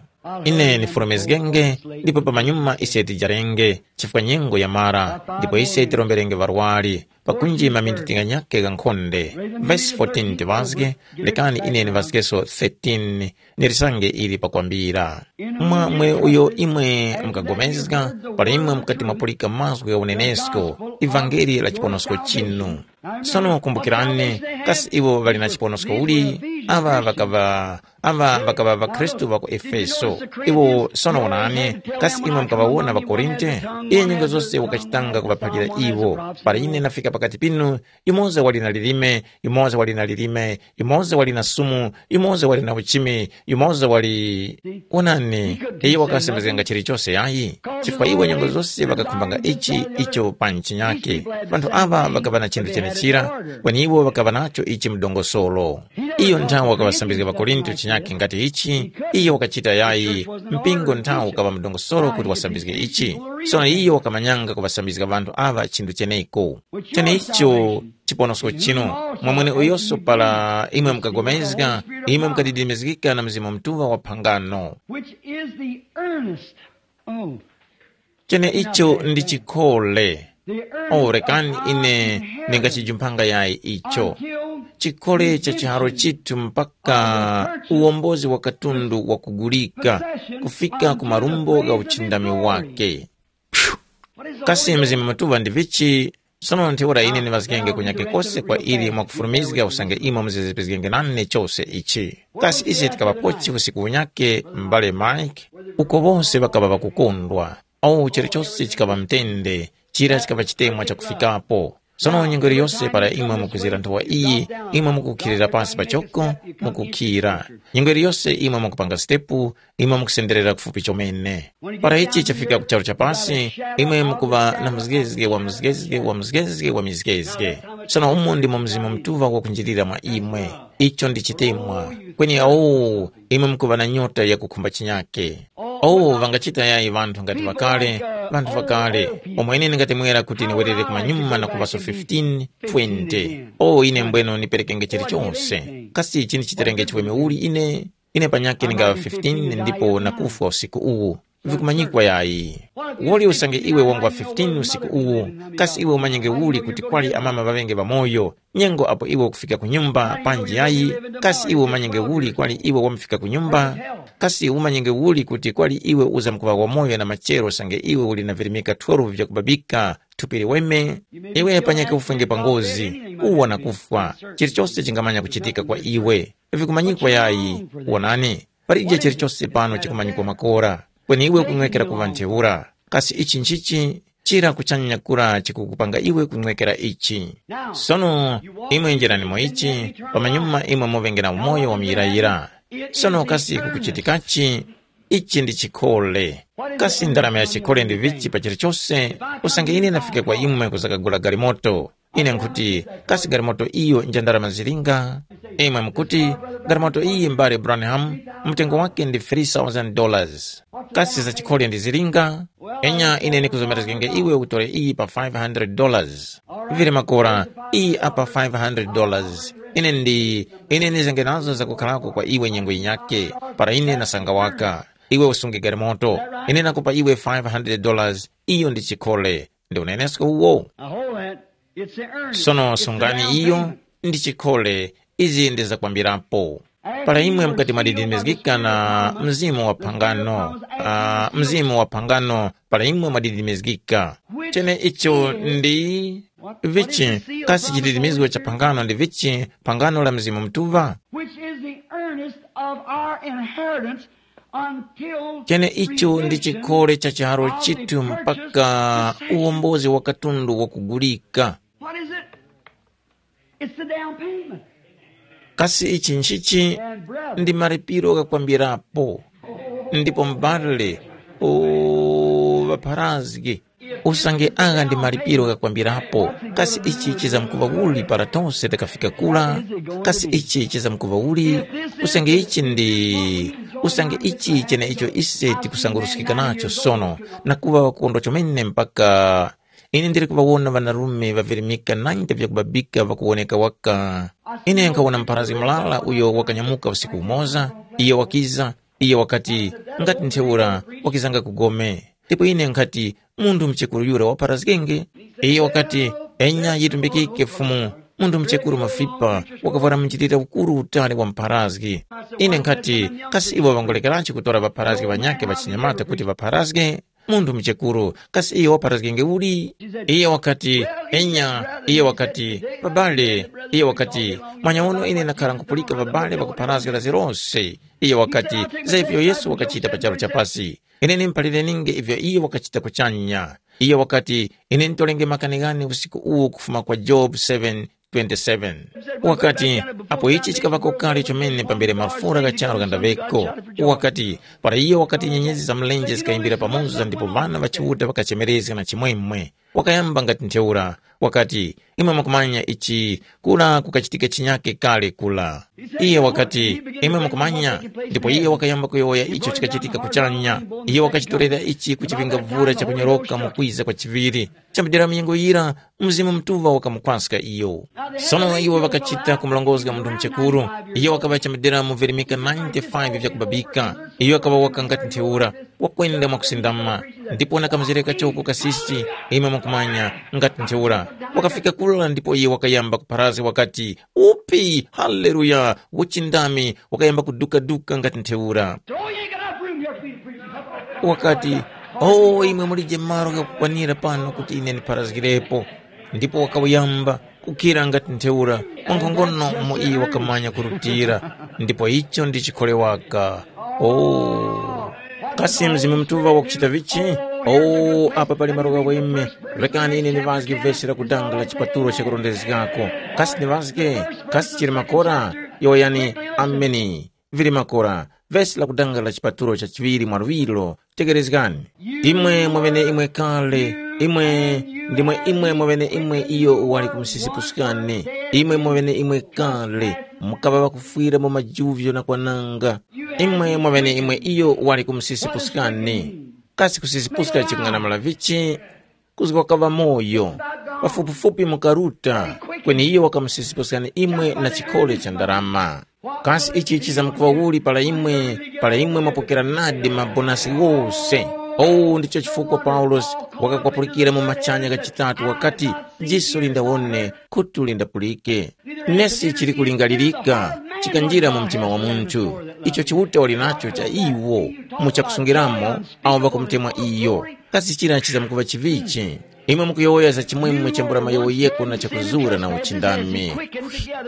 Ine nifurumizgenge, ndipo pamanyuma ise tijarenge, chifukwa nyengo yamara, ndipo ise tiromberenge ŵarwari, pakunjima minditinga nyakhe gha nkhonde. Vesi fourteen tiŵazge, lekani ine niŵazgeso thirteen, nilisange ili pakwambira. Mwamwe uyo imwe mukagomezga, para imwe mukati mwapulika mazgu gha unenesko, ivangeli la chiponosko chinu. Sono kumbukirani, kasi iwo ŵali na chiponosko uli? Aŵa ŵakaŵa aŵa ŵakaŵa ŵakhristu ŵa ku Efeso. Iwo sono wonani, kasi imwe mukaŵawona ŵaKorinte? Iye nyengo zose wakachitanga kuŵaphalira iwo. Para ine nafika pakati pinu, yumoza wali na lilime, yumoza wali na lilime, yumoza wali na sumu, yumoza wali na uchimi, yumoza wali. Wonani, iye wakasembezganga chilichose yayi, chifukwa iwo nyengo zose ŵakakhumbanga ichi icho pa nchinyake. Ŵanthu aŵa ŵakaŵa na chinthu chenechira, kweni iwo ŵakaŵa nacho ichi mdongosolo. Iyo nthawe wakaŵasambizga ŵaKorinto chinyakhe ngati ichi, iyo wakachita yayi, mpingo nthawe ukaŵa mdongosolo kuti wasambizge ichi. Sono iyo wakamanyanga kuŵasambizga ŵanthu aŵa chinthu cheneko. Cheneicho chiponosko chinu, mwamwene uyonso para imwe mukagomezga, imwe mukadidimizgika na Mzimu Mutuŵa wa phangano. Which is the earnest. Oh. Cheneicho ndi chikhole. Oh, rekani ine ndingachijumphanga yayi icho. Chikhole cha chiharo chithu mpaka uwombozi wa katundu wakugulika kufika ku marumbo gha uchindami wake. Phew! Kasi Mzimu Mutuŵa ndi vichi? Sono ntheura ine ndiŵazgenge kunyake kose kwa ili mwakufurumizga usange imwe muzizipizgenge nane chose ichi. Kasi ise tikaŵapochi usiku unyake, m'bale Mike? Uko wose ŵakaŵa ŵakukondwa. Awo chilichose chikaŵa mtende, chira chikaŵa chitemwa chakufikapo. Sono nyengo iliyose para imwe mukwizira nthowa iyi, imwe mukukhirira pasi pachoko, mukukhira. Nyengo iliyose imwe mukupanga sitepu, imwe mukusenderera kufupi chomene. Para ichi chafika ku charu cha pasi, imwe mukuŵa na mzgezge wa mzgezge wa mzgezge wa mizgezge. Sono umo ndimo Mzimu Mutuŵa wakunjirira mwa imwe. Icho ndi chitemwa. Kweni awo, imwe mukuŵa na nyota yakukhumba chinyake. Oh, ŵangachita yayi ŵanthu ngati ŵakale, ŵanthu ŵakale, omwe ine ndingatemwera kuti niwerere kumanyuma na kuŵaso fifteen, twenty. Oh, ine mbweno niperekenge chilichose. Kasi ichi ndichiterenge chiweme uli ine? Ine panyakhe ndingaŵa fifteen ndipo nakufwa usiku uwu. Vikumanyikwa yayi. Woli usange iwe wangwa fifteen usiku uwu, kasi iwe umanyenge uli kuti kwali amama ŵaŵenge ŵamoyo? Nyengo apo iwe ukufika ku nyumba panji yayi, kasi iwe umanyenge uli kwali iwe wamufika ku nyumba? Kasi umanyenge uli kuti kwali iwe uzamkuŵa wamoyo na machero sange iwe uli na virimika twelve vyakubabika thupi liweme? Iwe panyakhe ufwenge pa ngozi, kuwa na kufwa, chilichose chingamanya kuchitika kwa iwe. Vikumanyikwa yayi. Wonani, palije chilichose pano chikumanyikwa makora, kweni iwe ukunwekera kuŵa ntheura. Kasi ichi nchichi? Chira kuchanya kura chikukupanga iwe kunwekera ichi. Sono imwe njirani mu ichi, pamanyuma imwe muŵenge na umoyo wa muyirayira. Sono kasi kukuchitikachi? Ichi ndi chikhole. Kasi ndarama ya chikhole ndi vichi pa chilichose? Usange ine nafike kwa imwe kuzakagula galimoto, ine nkhuti, kasi galimoto iyo nja ndarama zilinga? Imwe mukuti, galimoto iyi mbale Branham, mtengo wake ndi three thousand dollars. Kasi za chikhole ndi zilinga? Enya ine nikuzomerezgenge iwe utore iyi pa five hundred dollars. Vili makora, iyi apa five hundred dollars. Ine ndi, ine nizenge nazo zakukhalako kwa iwe nyengo yinyake, para ine nasanga waka. Iwe usunge galimoto, ine nakupa iwe five hundred dollars, iyo ndi chikhole. Ndi unenesko uwo. Now hold that. It's the earnest. Sono It's the sungani down iyo payment. Ndi chikhole, izi ndi zakwambirapo. Para imwe mukati mwadidimizgika na mzimu wa phangano, ah, mzimu wa phangano, para imwe mwadidimizgika. Chene icho ndi vichi? Kasi chididimizgo cha phangano ndi vichi? Phangano la Mzimu Mutuŵa. Which is the earnest of our inheritance until chene icho ndi redemption chikhole cha chiharo of the chithu purchase mpaka possession. Uwombozi wa katundu wakugulika. What is it? It's the down payment. Kasi ichi nchichi? And brother, ndi malipiro ghakwambirapo. Ndipo mbale, o ŵapharazgi, usange agha ndi malipiro ghakwambirapo, kasi ichi chizamkuŵa uli para tose tikafika kura? Kasi ichi chizamkuŵa uli? Usange ichi ndi usange ichi cheneicho ise tikusanguruskika nacho sono, na kuŵa ŵakondwa chomene mpaka ine ndili kuŵawona ŵanarume ŵavirimika ninety vyakubabika ŵakuwoneka waka. Ine nkhawona mpharazgi mulala uyo wakanyamuka usiku umoza, iyo wakiza, iyo wakati, ngati ntheura, wakizanga ku gome. Ndipo ine nkhati, munthu muchekuru yura wapharazgenge? Iyo wakati, enya yitumbikike Fumu, munthu muchekuru mafipa, wakavwara munjilira ukuru utali wa mpharazgi. Ine nkhati, kasi iwo ŵangolekeranji kutora ŵapharazgi ŵanyakhe ŵachinyamata kuti ŵapharazge? Munthu muchekuru, kasi iyo wapharazgenge uli? Iye wakati, enya. Iye wakati, babale. Iye wakati, mwanyawono ine ndakhara nkupulika babale ŵakupharazga la zilose. Iye wakati, za ivyo Yesu wakachita pa charu cha pasi. Ine nimuphalireni'nge ivyo iyo wakachita kuchanya. Iyo wakati, ine ntolenge makani ghane usiku uwu kufuma kwa Job seven twenty-seven. Wakati, apo ichi chikaŵako kale chomene pambere mafura gha charu ghandaŵeko. Wakati, para iyo wakati nyenyezi za mlenje zikayimbira pamoza ndipo ŵana ŵa Chiuta ŵakachemerezga na chimwemwe. Wakayamba ngati ntheura, wakati, imwe mukumanya ichi, kura kukachitika chinyake kale kura. Iye wakati, imwe mukumanya, ndipo iye wakayamba kuyowoya icho chikachitika kuchanya. Iye wakachitorera ichi ku chiŵingavura chakunyoroka mu kwiza kwa chiŵiri. Chambidira munyengo yira, Mzimu Mutuŵa wakamukwaska iyo. Sono iwo ŵakachita kumurongozga munthu muchekuru. Iyo wakaŵa chambidira mu virimika ninety-five vyakubabika. Iyo wakaŵa waka ngati ntheura, wakwenda mwakusindama. Ndipo na kamzere kachoko kasisi, imwe mukumanya, ngati ntheura. Wakafika kura ndipo iye wakayamba kupharazga wakati, upi, haleluya, uchindami, wakayamba kudukaduka ngati ntheura. Throw ye got enough room here for you to preach. Wakati, o imwe mulije malo ghakukwanira pano kuti ine ndipharazgirepo. Ndipo wakawuyamba kukhira ngati ntheura, mwankhongono umo iye wakamanya kurutira. Ndipo icho ndi chikhole waka. O kasi Mzimu Mutuŵa wakuchita vichi? O apa pali malo ghaweme. Rekani ine ndiŵazge vesi la kudanga la chipatulo chakurondezgako. Kasi ndiŵazge? Kasi chili makora? Yowoyani, ameni. Vili makora, vesi la kudanga la chipatulo cha chiŵiri mwa luŵiro, tekerezgani. Imwe mwaŵeneimwe kale, imwe ndimwe imwe mwaŵeneimwe iyo wali kumusisipuskani. Imwe mwaŵeneimwe kale, mukaŵa ŵakufwira mu majuvyo na kwananga. Imwe mwaŵeneimwe iyo wali kumusisipuskani. Kasi kusisipuska chikung'anamula vichi? Kuzgwa kaŵa moyo. Pafupifupi mukaruta, kweni iyo wakamusisipuskani imwe na chikhole cha ndarama. Kasi ichi chizamkuŵa uli para imwe, para imwe mwapokera nadi mabonasi ghose? Owu ndicho chifukwa Paulosi wakakwapulikira mu machanya ghachitatu wakati, jiso lindawone, khutu lindapulike. Nesi chili kulingalirika, chikanjira mu mtima wa munthu, icho Chiuta wali nacho cha iwo, mu chakusungiramo, awo ŵakumutemwa iyo. Kasi chira chizamkuŵa chivichi? Imwe mukuyowoya za chimwemwe chambula mayowoyeko na chakuzura na uchindami.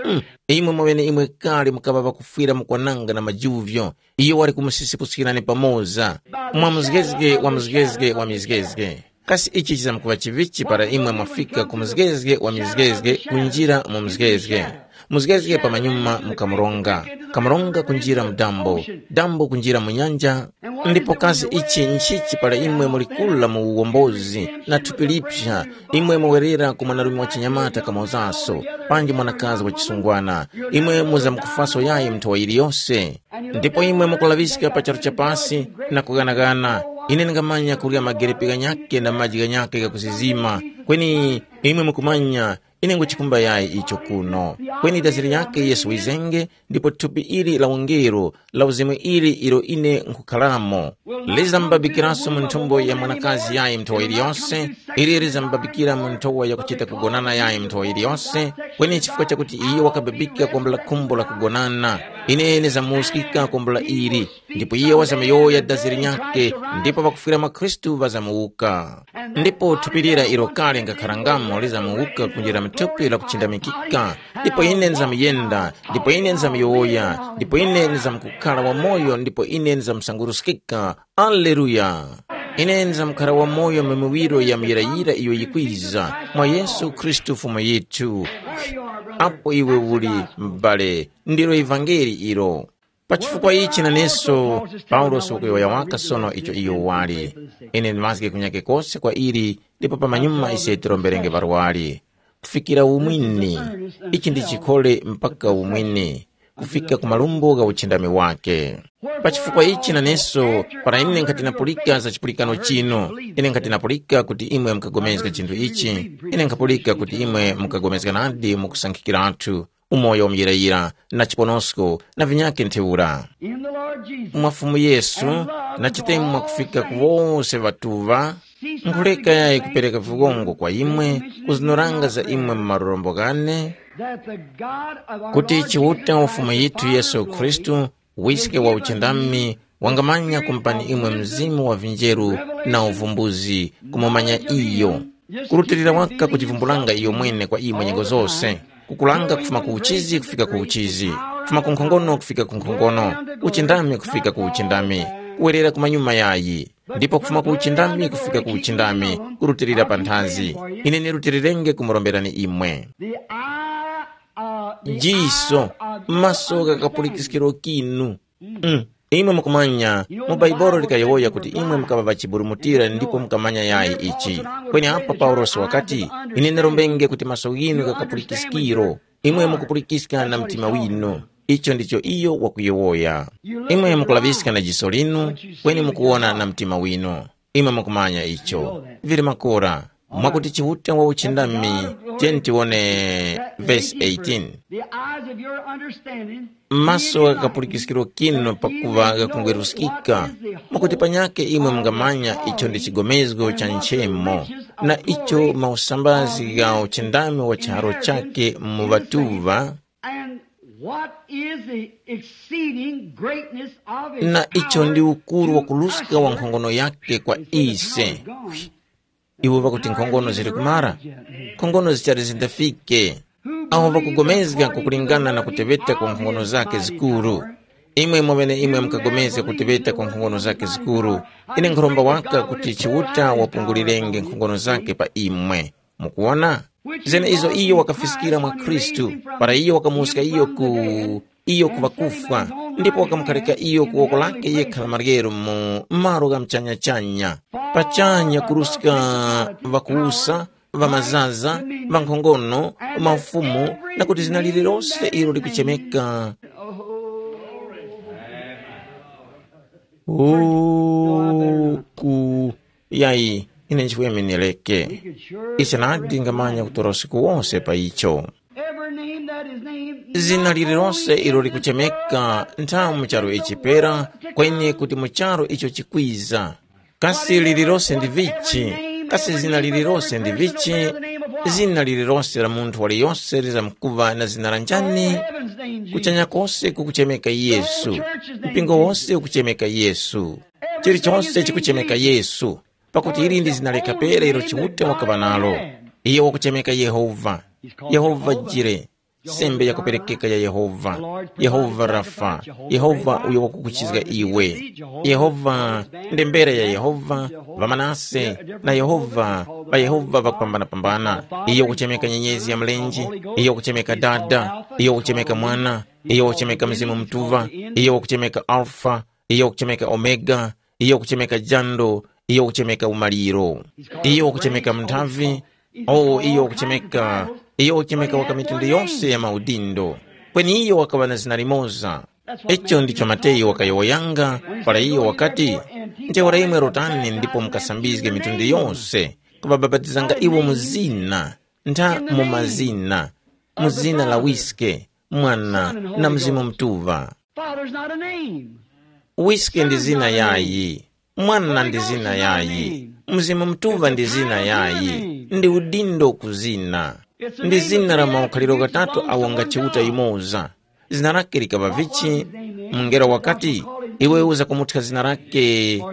Mm, imwe mwaŵeneimwe kale mukaŵa ŵakufwira mu kwananga na majuvyo, iyo wali kumusisipuskirani pamoza, mwa mzgezge wa mzgezge wa mizgezge. Kasi ichi chizamkuŵa chivichi para imwe mwafika ku mzgezge wa mizgezge kunjira mu mzgezge, mzgezge pamanyuma mu kamuronga, kamuronga kunjira mu dambo, dambo kunjira mu nyanja? Ndipo kasi ichi nchichi para imwe muli kula mu uwombozi na thupi lipsa, imwe muwerera ku mwanarume wa chinyamata kamozaso, panji mwanakazi wa chisungwana, imwe muzamkufaso yayi nthowa yiliyose? Ndipo imwe mukulaŵiska pa charu cha pasi na kughanaghana, ine ndingamanya kurya magerepe ghanyakhe na maji ghanyakhe ghakusizima, kweni imwe mukumanya, ine nguchikumba yayi icho kuno. Kweni dazi linyakhe Yesu wizenge, ndipo thupi ili la ungelo, la uzimu ili ilo ine nkhukharamo, lizambabikiranso mu nthumbo ya mwanakazi yayi nthowa iliyonse, ili lizambabikira mu nthowa yakuchita kugonana yayi nthowa iliyonse, kweni chifukwa chakuti iye wakababika kwambula khumbo la kugonana, ine nizamuwuskika kwambula ili, ndipo iye wazamuyowoya dazi linyakhe, ndipo ŵakufwira mwa Khristu ŵazamuwuka. Ndipo thupi lira ilo kale ngakharangamo lizamuwuka kunjira mu thupi lakuchindamikika, ndipo ine nizamuyenda, ndipo ine nizamuyowoya, ndipo ine nizamkukhala wamoyo, ndipo ine nizamusanguruskika. Aleluya! Ine nizamkhara wamoyo mu miwiro ya muyirayira iyo yikwiza, mwa Yesu Khristu Fumu yithu. Apo iwe uli, m'bale, ndilo ivangeli ilo. Pa chifukwa ichi naneso, Paulosi wakuyowoya waka sono icho iyo wali. Ine ndimazge kunyake kose kwa ili, ndipo pamanyuma ise tiromberenge ŵarwari. Kufikira umwini, ichi ndi chikhole mpaka umwini, kufika ku malumbo gha uchindami wake. Pa chifukwa ichi naneso, para ine nkhati napulika za chipulikano chino, ine nkhati napulika kuti imwe mukagomezga chinthu ichi, ine nkhapulika kuti imwe mukagomezga nadi mu kusankhikiratu, umoyo wamuyirayira, na chiponosko, na vinyakhe ntheura. In the Lord Jesus. Mwa Fumu Yesu, na chitemwa kufika ku wose ŵatuŵa, nkhuleka yayi kupereka viwongo kwa imwe, kuzinoranga za imwe mu marorombo ghane, that the God of our kuti Lord Chiuta Jesus wa Fumu Christ, the yithu Father Yesu of glory, Khristu, wiske wa uchindami, wangamanya kumpani imwe mzimu wa vinjeru na uvumbuzi, kumumanya iyo, kurutilira waka kuchivumbulanga iyo mwene kwa imwe nyengo zose, kukulanga kufuma ku uchizi kufika ku uchizi, kufuma ku nkhongono kufika ku nkhongono, uchindami kufika ku uchindami, kuwerera ku manyuma yayi, ndipo kufuma ku uchindami kufika ku uchindami, kurutilira panthazi. Ine nirutirirenge kumuromberani imwe. The eye, uh, the jiso, eye of your maso understanding. Gha kapulikiskiro kinu. Mm. Imwe mukumanya, mu Baibolo likayowoya kuti imwe mukaŵa ŵachiburumutira ndipo mukamanya yayi ichi. Kweni apa Paulosi wakati, ine ndarombenge kuti maso ghinu ghapulikiskiro, imwe mukupulikiska na mtima winu. Icho ndicho iyo wakuyowoya. Imwe mukulaŵiska na jiso linu, kweni mukuwona na mtima winu. Imwe mukumanya icho. Vili makora, mwakuti Chiuta wa uchindami, tiyeni tiwone vesi eighteen. The eyes of your understanding, maso gha kapulikiskiro kinu pakuva ghakungweruskika, mwakuti panyakhe imwe mungamanya icho ndi chigomezgo cha nchemo, na icho mausambazi gha uchindami wa chiharo chake mu ŵatuŵa, and what is the exceeding greatness of his na icho ndi power ukuru wa to kuluska wa usward nkhongono yake kwa ise. Iwo ŵakuti nkhongono zili kumara, nkhongono zichali zindafike. Awo ŵakugomezga kukulingana na kuteŵeta kwa nkhongono zake zikuru. Imwe mweŵene imwe mukagomezga kuteŵeta kwa nkhongono zake zikuru. Ine nkhuromba waka kuti Chiuta wapungulirenge nkhongono zake pa imwe. Mukuwona? Zene izo iyo wakafiskira mwa Khristu, para iyo wakamuwuska iyo ku iyo ku ŵakufwa, ndipo wakamukharika iyo ku woko lake yekha la maryero mu malo gha muchanyachanya, pachanya kuruska ŵakuwusa, ŵamazaza, ŵankhongono, maufumu, na kuti zina lililose ilo likuchemeka. Uku yayi, ine nchifukwa ine nileke. Ise nadi ngamanya kutora usiku wonse pa icho. Every name that is named, zina not lililonse only ilo in this likuchemeka world, nthamu mu charu ichi pera, kweni kuti mu charu icho chikwiza. Kasi lililonse ndi vichi? Kasi zina lililonse ndi vichi? Zina lililonse la munthu waliyonse lizamkuva na zina la njani? Kuchanya kose kukuchemeka Yesu. Mpingo wose ukuchemeka Yesu. Chilichonse chikuchemeka Yesu. Pakuti ili ndi zina lekha pera ilo Chiuta wakaŵa nalo. Iye wakuchemeka Yehova. Yehova Jire, sembe yakuperekeka ya Yehova. Yehova Rafa, Yehova uyo wakukuchizga iwe. Yehova, ndembere ya Yehova, ŵamanase, na Yehova, ŵaYehova ŵakupambanapambana. Iyo wakuchemeka nyenyezi ya mlenje, iyo wakuchemeka Dada, iyo wakuchemeka Mwana, iyo wakuchemeka Mzimu Mutuŵa, iyo wakuchemeka Alfa, iyo wakuchemeka Omega, iyo wakuchemeka jando, iyo wakuchemeka umaliro, iyo wakuchemeka munthavi, o iyo wakuchemeka, iyo wakuchemeka waka mitundu yose ya maudindo. Kweni iyo wakaŵa na zina limoza. Icho ndicho Mateyu wakayowoyanga, para iyo wakati, ntheura imwe rotani ndipo mukasambizge mitundu yose, kubabapatizanga iwo mu zina, ntha mu mazina, mu zina la Wiske, Mwana, na Mzimu Mutuŵa. Father's not a name. Wiske ndi zina yayi, Mwana ndi zina yayi, Mzimu Mutuŵa ndi zina yayi, ndi udindo ku zina. Ndi zina la maukhaliro ghatatu awo nga Chiuta yumoza. Zina lake likaŵa vichi? Mungelo wakati, iwe uzakumuthya zina lake,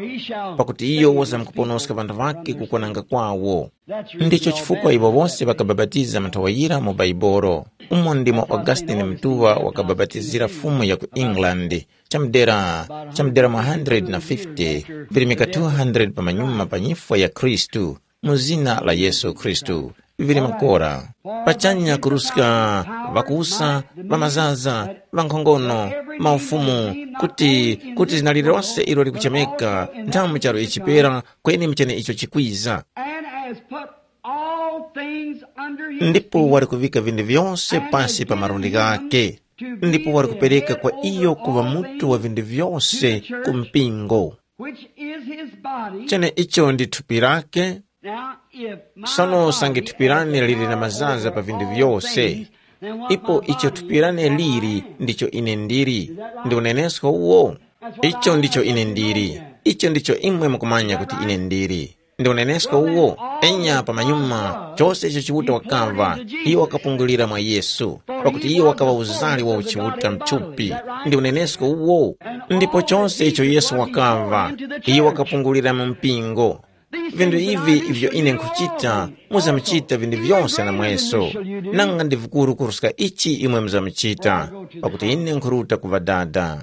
pakuti iyo wazamkuponoska ŵanthu ŵake kukwananga kwawo. Ndicho chifukwa iwo wose ŵakabapatiza manthawa yira mu Baibolo, umo ndimo Augustine Mutuŵa wakabapatizira Fumu ya ku England, chamudera, chamudera mwa hundred na fifty, virimika two hundred pamanyuma pa nyifwa ya Khristu, mu zina la Yesu Khristu, vili makora. Pachanya kuruska ŵakusa, ŵamazaza, ŵankhongono, maufumu, kuti, kuti zina lililose ilo likuchemeka, nthamu charo ichipera, kweni muchene icho chikwiza. And has put all things under his Ndipo feet, wali kuvika vinthu vyose and pasi has pa given malundi him ghake, to be ndipo the wali kupereka head kwa over iyo kuŵa all mutu wa things vinthu vyose to the ku church, mpingo, which is his body. Chene icho ndi thupi lake. Now, if my Sono usange body thupi lane has the lili na power mazaza over pa vinthu all vyose, things, then what ipo my icho body thupi is, lane what I lili am. Ndicho ine ndili. Is that right? Ndi unenesko uwo? Icho ndicho ine ndili. Icho ndicho imwe mukumanya kuti ine ndili. Ndi unenesko uwo? Enya pamanyuma, chose icho Chiuta wakava, iyo wakapungulira mwa Yesu, pakuti iyo wakaŵa uzali wa uchiuta mthupi. Ndi unenesko uwo? Ndipo chose icho Yesu wakava, iyo wakapungulira mu mpingo. Vinthu ivi ivyo ine nkhuchita, muzamuchita vinthu vyose namweso. Nanga ndi vikuru kuruska ichi imwe muzamuchita, pakuti ine nkhuruta ku Ŵadada.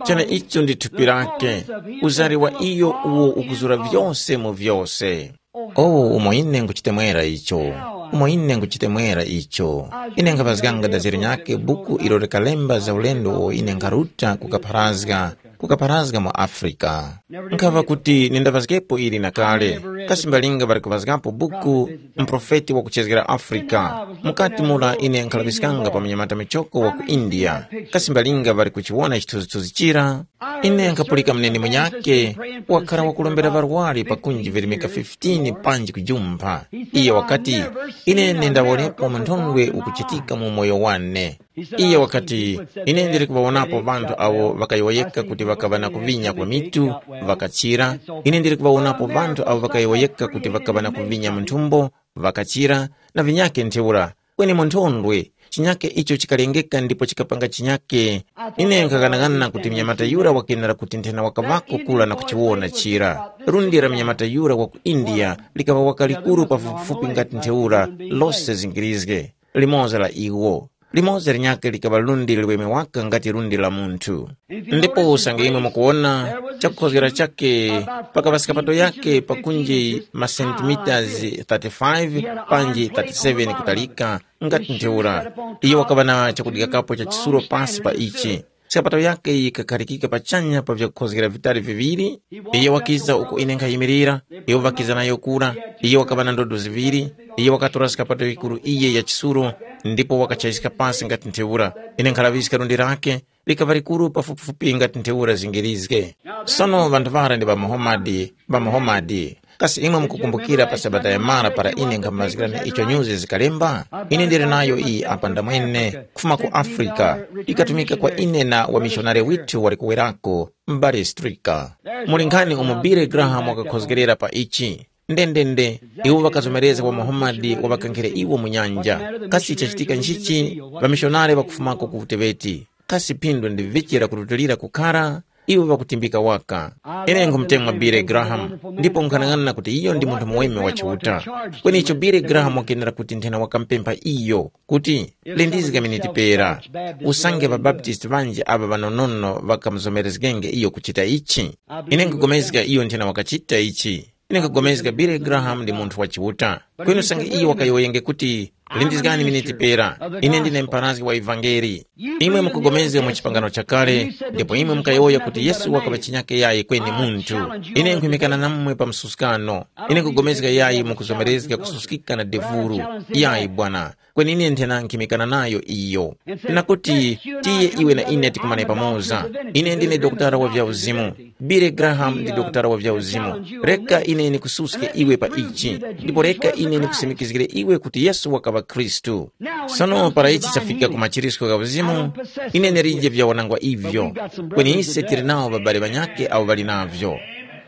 Chene icho ndi thupi lake, uzari wa iyo uwo ukuzura vyose mu vyose. Oh, umo ine nkhuchitemwera icho. Umo ine nkhuchitemwera icho. Ine nkhaŵazganga daziri nyakhe buku ilo likalemba za ulendo uwo ine nkharuta kukapharazga, kukapharazga mu Afrika. Nkhaŵa kuti nindaŵazgepo ili na kale, kasi mbalinga ŵali kuŵazgapo buku, muprofeti wakuchezgera Afrika. Mukati mura ine nkhalaŵiskanga pa munyamata michoko wa ku India, kasi mbalinga ŵali kuchiwona chithunzithunzi chira? Ine nkhapulika muneni munyakhe, wakhala wakurombera ŵarwari pakunji virimika fifteen panji kujumpha. Iye wakati, ine nindawonepo munthondwe ukuchitika mu umoyo wane. Iye wakati, ine ndili kuŵawonapo ŵanthu awo ŵakayowoyeka kuti ŵakaŵa na kuvinya kwa mitu, ŵakachira. Ine ndili kuŵawonapo ŵanthu awo ŵakayowoyeka kuti ŵakaŵa na kuvinya mu nthumbo, ŵakachira, na vinyakhe ntheura. Kweni munthondwe, chinyakhe icho chikalengeka ndipo chikapanga chinyakhe. Ine nkhaghanaghana kuti mnyamata yura wakenera kuti nthena wakaŵako kura na kuchiwona chira. Lundi la mnyamata yura wa ku India likaŵa waka likuru pafupifupi ngati ntheura, lose zingirizge. Limoza la iwo. Limoza linyakhe likaŵa lundi liweme waka ngati lundi la munthu. Ndipo usange imwe mukuwona, chakukhozgera chakhe pakaŵa skapato yakhe pakunji masentimitasi thirty-five panji thirty-seven kutalika, ngati ntheura. Iyo wakaŵa na chakudyakapo cha chisulo pasi pa ichi. Skapato yakhe yikakharikika pachanya pa vyakukhozgera vitali viŵiri. Iyo wakiza uko ine nkhayimirira, iwo ŵakiza nayo kura. Iyo wakaŵa na ndodo ziŵiri. Iyo wakatora skapato yikuru iye ya chisulo, ndipo wakachayiska pasi ngati ntheura. Ine nkhalaŵiska lundi lake likaŵa likuru pafupifupi ngati ntheura zingirizge. Sono ŵanthu ŵara ndi ŵamuhomadi ŵamuhomadi. Kasi imwe mukukumbukira pa sabata yamara para ine nkhamazgirani icho nyuzi zikalemba? Ine ndili nayo iyi apa ndamwene, kufuma ku Afrika, ikatumika kwa ine na wamishonari withu wali kuwerako, m'bale Strika. Muli nkhani umo Billy Graham wakakhozgerera pa ichi. Ndendende, iwo ŵakazomerezga wa Muhammad waŵakankhire iwo mu nyanja. Kasi chachitika nchichi? Ŵamishonari ŵakufumako ku uteŵeti. Kasi phindu ndi vichi lakurutilira kukhara? Iwo ŵakutimbika waka. Ine nkhumutemwa Billy Graham, ndipo nkhanang'ana kuti iyo ndi munthu muweme wa Chiuta. Kweni icho Billy Graham wakenera kuti nthena wakampempha iyo kuti, lindizga miniti pera. Usange ŵabaptisti ŵanji aŵa ŵanonono ŵakamuzomerezgenge iyo kuchita ichi. Ine nkugomezga iyo nthena wakachita ichi. Ine nkugomezga Billy Graham ndi munthu wa Chiuta. Kweni usange iyo wakayowoyenge kuti, lindizgani miniti pera, ine ndine mpharazgi wa ivangeli. Imwe mukugomezga mu chipangano chakale, ndipo imwe mukayowoya kuti Yesu wakaŵa chinyake yayi kweni munthu. Ine nkhwimikana namwe pa msuskano. Ine nkugomezga yayi mukuzomerezga kususkika na devuru. Yayi bwana. Kweni ine nthena nkhimikana nayo iyo. Na kuti, tiye iwe na ine tikumane pamoza. Ine ndine dokotala wa vyauzimu. Billy Graham ndi dokotala wa vyauzimu. Reka ine ndikususke iwe pa ichi, ndipo reka ine ndikusimikizgire iwe kuti Yesu wakaŵa Khristu. Sono para ichi chafika ku machirisko gha uzimu, ine ndilije vyawanangwa ivyo. Kweni ise tili nawo ŵabale ŵanyakhe awo ŵali navyo.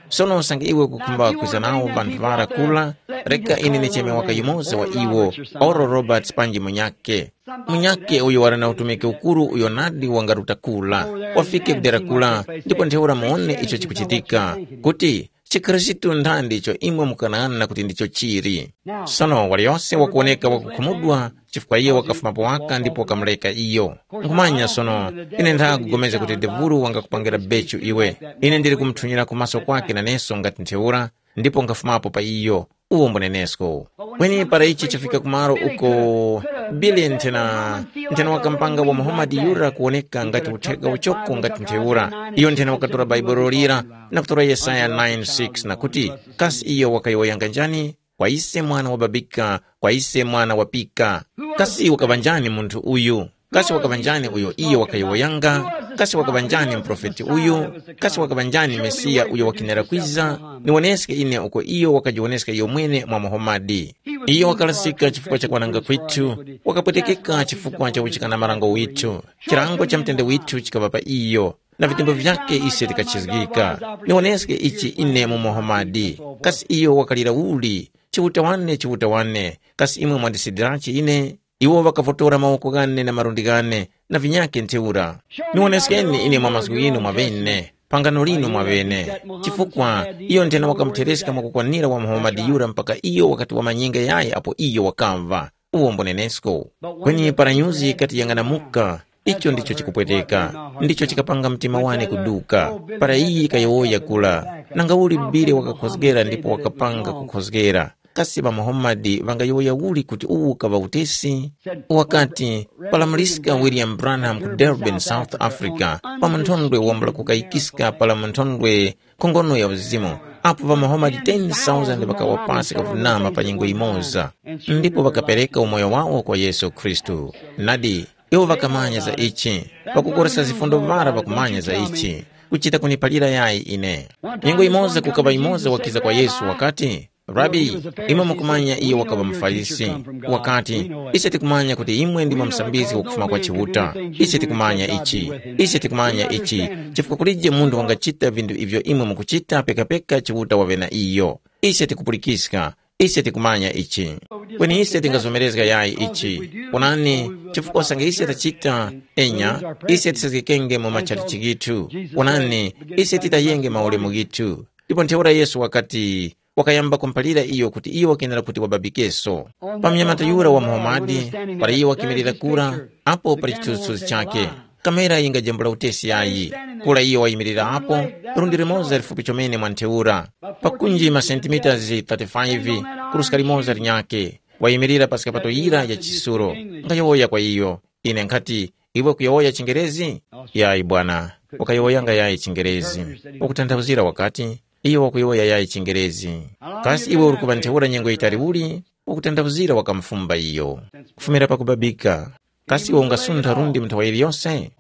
Sono usange iwe ukukhumba kwiza nawo ŵanthu ŵara kula, reka ine ndicheme waka yumoza wa iwo, Oral Roberts panji munyakhe. Munyakhe uyo wali na utumiki ukuru uyo nadi wangaruta kula, wafike ku dera kula, ndipo ntheura muwone icho chikuchitika, kuti chikhristu nthandi icho imwe mukanang'ana kuti ndicho chili. Sono waliyose wakuwoneka wakukhumudwa chifukwa iye wakafumapo waka ndipo wakamureka iyo. Nkhumanya sono, ine nthakugomeza kuti devulu wangakupangira bechu iwe. Ine ndili kumuthunyira kumaso kwake naneso ngati ntheura, ndipo nkhafumapo pa iyo. Uwo mbunenesko. Kweni para ichi chafika kumalo uko Billy nthena nthena wakampanga wa Muhammad yura kuwoneka ngati utheka uchoko ngati ntheura, iyo nthena wakatora Bhaibuli lira na kutora Yesaya nine six na kuti, kasi iyo wakayowoyanga njani? Kwa ise mwana wababika, kwa ise mwana wapika. Kasi wakaŵa njani munthu uyu? Kasi wakaŵa njani uyo iyo wakayowoyanga? Kasi wakaŵa njani muprofeti uyu? Kasi wakaŵa njani Mesiya uyo wakinera kwiza? Niwoneske ine uko iyo wakajiwoneska iyo mwene mwa Muhamadi. Iyo wakalasika chifukwa cha kwananga kwithu, wakapwetekeka chifukwa cha uchikana marango withu. Chilango cha mtende withu chikaŵa pa iyo, na vitembo vyakhe ise tikachizgika. Niwoneske ichi ine mu Muhamadi. Kasi iyo wakalira uli? Chiuta wane, Chiuta wane, kasi imwe mwandisidirachi ine? Iwo ŵakavotora mawoko ghane na malundi ghane na vinyakhe ntheura. Niwoneskeni ine mwa mazgu ghinu mwaŵene, phangano linu mwaŵene. Chifukwa iyo nthena wakamuthereska mwakukwanira wa Muhamadi yura mpaka iyo wakati wamanyenge yayi apo iyo wakamva. Uwo mbunenesko. Kweni para nyuzi yikati yang'anamuka, icho ndicho chikupweteka, ndicho chikapanga mtima wane kuduka. Para iyi kayowoya kula, nanga uli Billy wakakhozgera ndipo wakapanga kukhozgera. Kasi ŵa Muhammad ŵangayowoya uli kuti uwu kaŵa utesi? Wakati, palamuliska William Branham ku Durban, South Africa, pa munthondwe wambula kukayikiska pala munthondwe nkhongono ya uzimu, apo ŵa Muhammad ten thousand ŵakawa pasi kavunama pa nyengo yimoza, ndipo ŵakapereka umoyo wawo kwa Yesu Khristu. Nadi, iwo ŵakamanya za ichi, ŵakukoresa zifundo ŵara ŵakumanya za ichi, kuchita kuniphalira yayi ine. Nyengo yimoza kukaŵa yumoza wakiza kwa Yesu wakati, Rabi, imwe mukumanya iyo wakaŵa muFarisi. Wakati, ise tikumanya kuti imwe ndimwe musambizgi wakufuma kwa Chiuta. Ise tikumanya ichi. Ise tikumanya ichi. Chifukwa kulije munthu wangachita vinthu ivyo imwe mukuchita pekapeka Chiuta waŵe na iyo. Ise tikupulikiska. Ise tikumanya ichi. Kweni ise tingazomerezga yayi ichi. Onani, chifukwa usange ise tachita, enya, ise tisazgikenge mu matchalichi ghithu. Onani, ise titayenge maulemu ghithu. Ndipo ntheura Yesu wakati, wakayamba kumphalira iyo kuti iyo wakenera kuti wababikeso. Pa mnyamata yura wa Muhamadi, para iyo wakimirira kura, apo pali chithunzithunzi chakhe. Kamera yingajambula utesi yayi. Kura iyo wayimirira apo, lundi limoza lifupi chomene mwa ntheura, pakunji masentimita thirty-five, kuruska limoza linyakhe. Wayimirira pa skapato yira ya chisuro. Ngayowoya kwa iyo. Ine nkhati, iwe kuyowoya chingerezi? Yayi bwana, wakayowoyanga yayi chingerezi. Wakutanthauzira wakati, iyo wakuyowoya yayi chingerezi. Kasi iwe uri kuŵa ntheura nyengo yitali uli? wakutanthauzira wakamufumba iyo. Kufumira pakubabika, kasi iwe ungasuntha lundi mu nthawa yiliyose?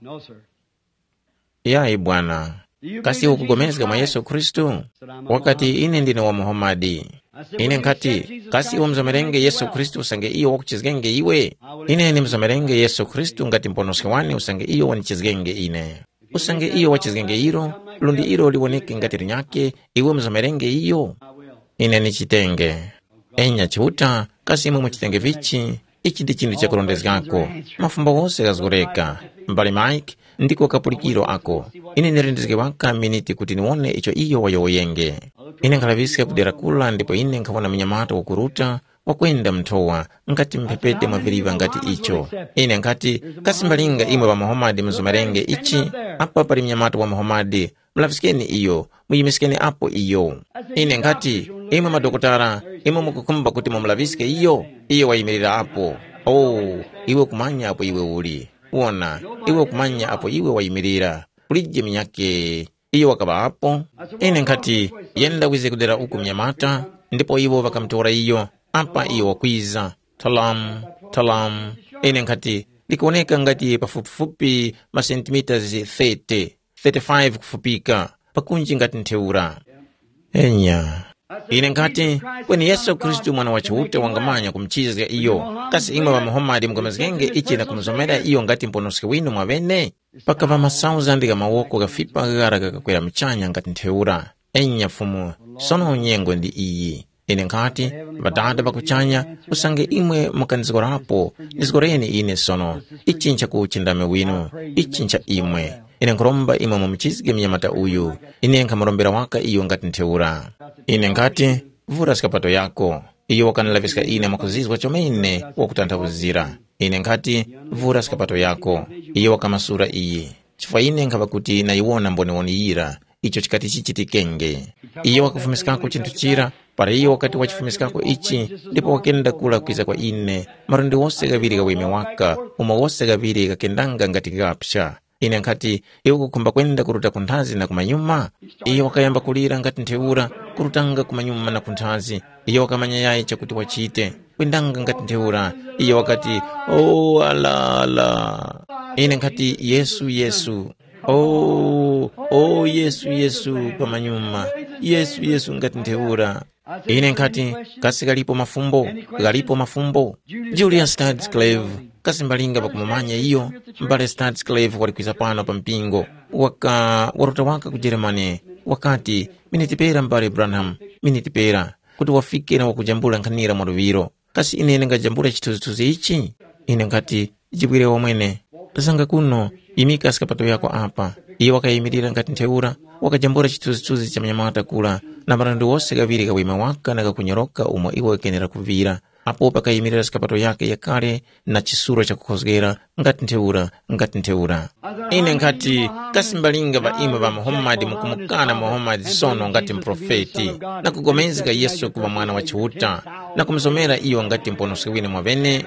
Yayi bwana. Kasi iwe ukugomezga mwa Yesu Khristu? Wakati, ine ndine wa Muhamadi. Ine nkhati, kasi iwe mzomerenge Yesu Khristu usange iyo wakuchizgenge iwe? Ine ndimzomerenge Yesu Khristu ngati mponoski wane usange iyo wanichizgenge ine. Usange iyo wachizgenge ilo, lundi ilo liwoneke ngati linyakhe, iwe mzomerenge iyo? Ine nichitenge. Enya Chiuta, kasi imwe muchitenge vichi? Ichi ndi chinthu chakurondezgako. Mafumbo wose ghazgoreka. M'bale Mike, ndiko kapulikiro ako. Ine nilindizge waka miniti kuti niwone icho iyo wayowoyenge. Ine nkhalaŵiska kudera kula ndipo ine nkhawona munyamata wakuruta, wakwenda mnthowa, ngati mphepete mwa viliva ngati icho. Ine nkhati, kasi mbalinga imwe ŵa Muhamadi muzumerenge ichi? Apa pali munyamata wa Muhamadi, mulaŵiskeni iyo, muyimiskeni apo iyo. Ine nkhati, imwe madokotala, imwe mukukhumba kuti mumulaŵiske iyo? Iyo wayimirira apo. Oh, iwe kumanya apo iwe uli. Wona, iwe kumanya apo iwe wayimirira. Kulije munyakhe. Iyo wakaŵa apo. Ine nkhati, yenda wize kudera uku mnyamata, ndipo iwo ŵakamutora iyo. Apa iyo wakwiza. Talamu, talamu. Ine nkhati, likuwoneka ngati pafupifupi masentimitasi thirty, thirty-five kufupika, pakunji ngati ntheura. Enya. Ine nkhati, kweni Yesu Khristu Mwana wa Chiuta wangamanya kumuchizga iyo. Kasi imwe ŵa Muhamadi mukamazgenge ichi na kumuzomera iyo ngati mponoski winu mwaŵene? Pakaŵa masauzandi gha mawoko ghafipa ghara ghakakwera muchanya ngati ntheura. Enya Fumu, sono nyengo ndi iyi. Ine nkhati, Ŵadada ŵa kuchanya, usange imwe mukanizgorapo, nizgoreni ine sono. Ichi nchakuchindami winu, ichi ncha imwe. Ine nkhuromba imwe mumuchizge mnyamata uyu. Ine nkhamurombera waka iyo ngati ntheura. Ine nkhati, vura skapato yako. Iyo wakandilaŵiska ine mwakuzizwa chomene wakutanthauzira. Ine nkhati, vura skapato yako. Iyo wakamasura iyi. Chifukwa ine nkhaŵa kuti nayiwona mboniwoni yira, icho chikati chichitikenge. Iyo wakafumiskako chinthu chira, para iyo wakati wachifumiskako ichi, ndipo wakenda kula kwiza kwa ine, malundi wose ghaŵiri gha weme waka, umo wose ghaŵiri ghakendanga ngati ghapsa. Ine nkhati, iwe ukukhumba kwenda kuruta kunthazi na kumanyuma? Iyo wakayamba kulira ngati ntheura, kurutanga kumanyuma na kunthazi. Iyo wakamanya yayi chakuti wachite. Kwendanga ngati ntheura, iyo wakati, "Oh, ala, ala." Ine nkhati, "Yesu, Yesu." "Oh, oh, Yesu, Yesu," pamanyuma. "Yesu, Yesu," ngati ntheura. Ine nkhati, "Kasi ghalipo mafumbo? Ghalipo mafumbo?" Julius Stadsklev, kasi mbalinga pakumumanya iyo? M'bale Stadsklev wali kwiza pano pa mpingo. Waka, waruta waka ku Germany. Wakati, "Miniti pera, M'bale Branham, miniti pera, kuti wafike na wakujambula nkhanira mwaluŵiro. Kasi ine ndingajambula chithunzithunzi ichi?" Ine nkhati, "Jibwire wamwene. Zanga kuno, yimika skapato yako apa." Iyo wakayimirira ngati ntheura, wakajambula chithunzithunzi cha mnyamata kura, na marandu wose ghaŵiri gha wima waka na ghakunyoroka umo iwo ghakenera kuŵira. Apo pakayimirira skapato yakhe yakale na chisuro chakukhozgera, ngati ntheura, ngati ntheura. Ine nkhati, kasi mbalinga ŵa imwe ŵa Muhammadi mukumukana Muhammadi sono ngati muprofeti, na kugomezga Yesu kuŵa Mwana wa Chiuta, na kumuzomera iyo ngati Muponoski winu mwaŵene?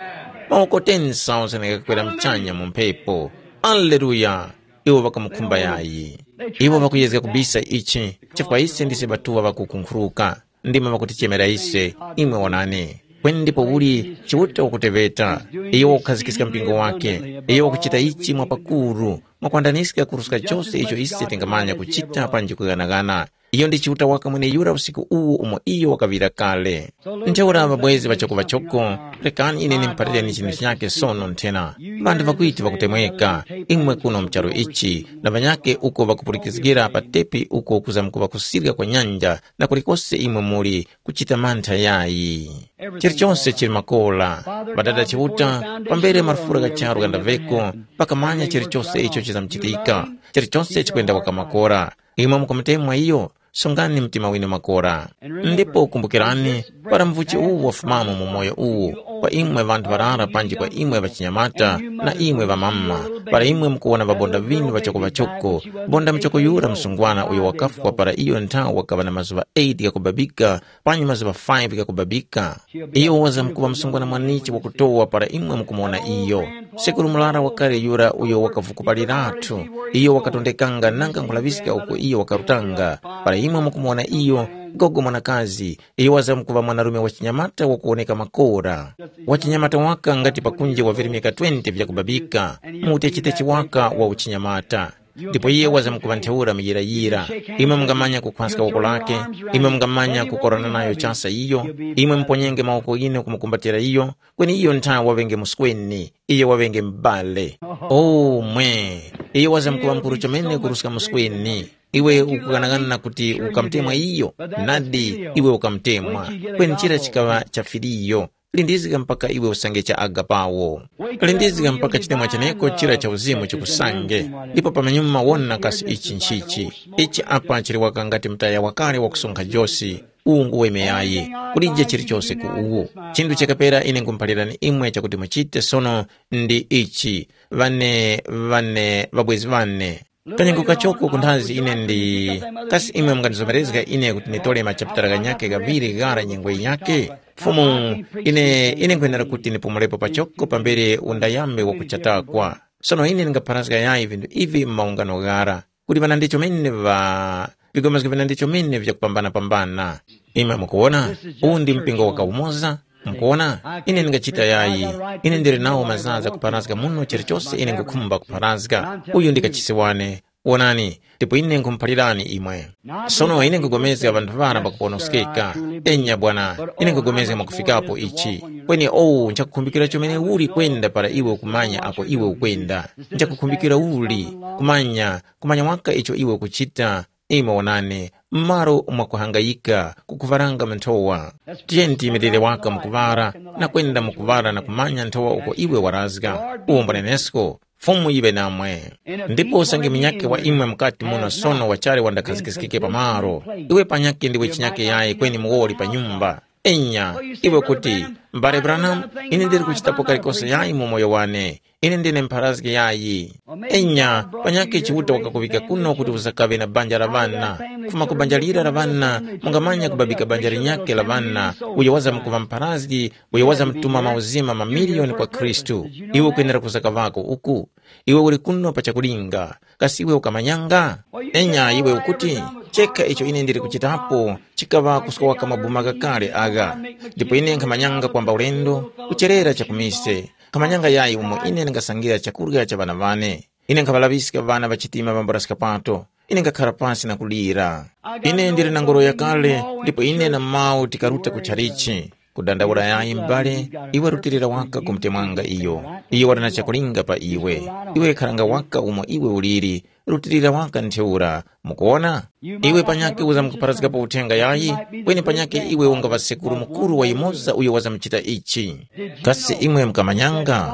Mawoko ten thousand ghakakwera muchanya mu mphepo. Aleluya! Iwo ŵakamukhumba yayi. Iwo ŵakuyezga kubisa ichi, chifukwa ise ndise ŵatuŵa ŵakukunkhuruka. Ndimwe ŵakutichemera ise, imwe wonani. Kweni ndipo uli Chiuta wakuteŵeta, iyo wakukhazikiska mpingo wake, iyo wakuchita ichi mwa pakuru, mwakwandaniska kuruska chose icho ise tingamanya kuchita panji kughanaghana. Iyo ndi Chiuta waka mweneyura usiku uwu umo iyo wakaŵira kale. Ntheura ŵabwezi ŵachoko ŵachoko, rekani ine ndimuphalireni chinthu chinyakhe sono nthena. Ŵanthu ŵakwiti ŵakutemweka, imwe kuno mu charu ichi, na ŵanyakhe uko ŵakupulikizgira pa tepi uko kuzamkuŵa kusirya kwa nyanja, na kulikose imwe muli, kuchita mantha yayi. Chilichonse chili makora. Ŵadada Chiuta, pambere marufura gha charu ghandaŵeko, pakamanya chilichonse icho chizamuchitika. Chilichonse chikwenda waka makora. Imwe mukamutemwa iyo, sungani mtima winu makora. Ndipo kumbukirani, para mvuchi uwu wafumamo mu moyo uwu, kwa imwe ŵanthu ŵarara panji kwa imwe ŵachinyamata, na imwe ŵamama, para imwe mukuwona ŵabonda ŵinu ŵachoko-ŵachoko, bonda muchoko yura msungwana uyo wakafwa para iyo nthawe wakaŵa na mazuŵa eight ghakubabika, panyi mazuŵa five ghakubabika. Iyo wazamkuŵa msungwana mwanichi wakutowa para imwe mukumuwona iyo. Sekuru murara wakale yura uyo wakavukupalirathu, iyo wakatondekanga nanga nkulaŵiska uko iyo wakarutanga. Para imwe mukumuwona iyo, gogo mwanakazi, iyo wazamkuŵa mwanarume wa chinyamata wakuwoneka makora. Wa chinyamata waka ngati pakunje wa virimika twenty vyakubabika, mu utecheteche waka wa uchinyamata. Ndipo iye wazamkuŵa ntheura muyirayira. Imwe mungamanya kukhwaska woko lake, imwe mungamanya kukorana nayo chasa iyo, imwe muponyenge mawoko ghinu kumukumbatira iyo, kweni iyo ntha waŵenge musweni, iyo waŵenge m'bale. O mwe! Iyo wazamkuŵa mukuru chomene kuruska musweni. Iwe ukughanaghana kuti ukamutemwa iyo? Nadi, iwe ukamutemwa. Kweni chira chikaŵa cha filiyo. Lindizga mpaka iwe usange cha agapawo. Lindizga mpaka chitemwa cheneko chira cha uzimu chikusange, ndipo pamanyuma wona kasi ichi nchichi. Ichi apa chili waka ngati mtaya wakale wakusonkha josi, uwu nguwemeyayi, kulije chilichose ku uwu. Chinthu chakapera ine nkhumuphalirani imwe chakuti muchite sono ndi ichi, ŵane, ŵane, ŵabwezi ŵane. Kanyengo kachoko kunthazi ine ndi, kasi imwe mungandizomerezga ine kuti nditole machapitala ghanyakhe ghaŵiri ghara nyengo yinyakhe? Fumu, ine, ine nkhwenera kuti ndipumulepo pachoko pambere undayambe wakuchatakwa. Sono ine ndingapharazga yayi vinthu ivi mu maungano ghara, kuti ŵanandi chomene ŵa, vigomezo vinandi chomene vyakupambana-pambana. Imwe mukuwona, uwu ndi mpingo wakawumoza. Mukuwona, ine ndingachita yayi. Ine ndili nawo mazaza kupharazga muno chilichose ine nkhukhumba kupharazga. Uyu ndi kachisi wane. Wonani, ndipo ine nkhumuphalirani imwe. Sono ine nkhupulikana ŵanthu ŵara pakuponoskeka. Enya bwana, ine nkhupulikana mwakufikapo ichi. Kweni owu nchakukhumbikira chomene uli kwenda para iwe ukumanya apo iwe ukwenda. Nchakukhumbikira uli, kumanya, kumanya waka icho iwe ukuchita. Imwe wonani, m'malo mwakuhangayika kukuvaranga manthowa. Tiyeni tiyimirire waka mukuŵara na kwenda mukuŵara na kumanya nthowa uko iwe warazga. Uwo mbunenesko, Fumu yiŵe namwe. Ndipo usange munyakhe wa imwe mukati muno sono wachali wandakhazikikike pamaro, iwe panyakhe ndiwe chinyakhe yayi kweni muwoli pa nyumba. Enya, iwe kuti, mbale Branham, ine ndili kuchitapo kalikose yayi mu moyo wane. Ine ndine mpharazgi yayi. Enya, panyakhe Chiuta wakakuŵika kuno kuti uzakaŵe na banja la ŵana. Kufuma ku banja lira la ŵana, mungamanya kubabika banja linyakhe la ŵana, uyo wazamkuŵa mpharazgi, uyo wazamtuma mauzima mamiliyoni kwa Khristu. Iwe ukwenera kuzakaŵako uku. Iwe uli kuno pa chakulinga. Kasi iwe ukamanyanga? Enya iwe ukuti, chekha icho ine ndili kuchitapo chikaŵa kuskowaka mabuma ghakale agha. Ndipo ine nkhamanyanga kwamba ulendo, kucherera chakumise. Nkhamanyanga yayi umo ine ndingasangira chakurya cha ŵana ŵane. Ine nkhaŵalaŵiska ŵana ŵa chitima ŵambula skapato. Ine ngakhara pasi na kulira. Ine ndili na ngoro yakale, ndipo ine na mawu tikaruta ku chalichi. Kudandaula yayi m'bale, iwe rutilira waka kumutemwanga iyo. Iyo wali na chakulinga pa iwe. Iwe kharanga waka umo iwe uliri, rutilira waka ntheura. Mukuwona? Iwe panyakhe uzamkupharazgapo uthenga yayi, kweni panyakhe iwe ungaŵa sekuru mukuru wa yumoza uyo wazamuchita ichi. Kasi imwe mukamanyanga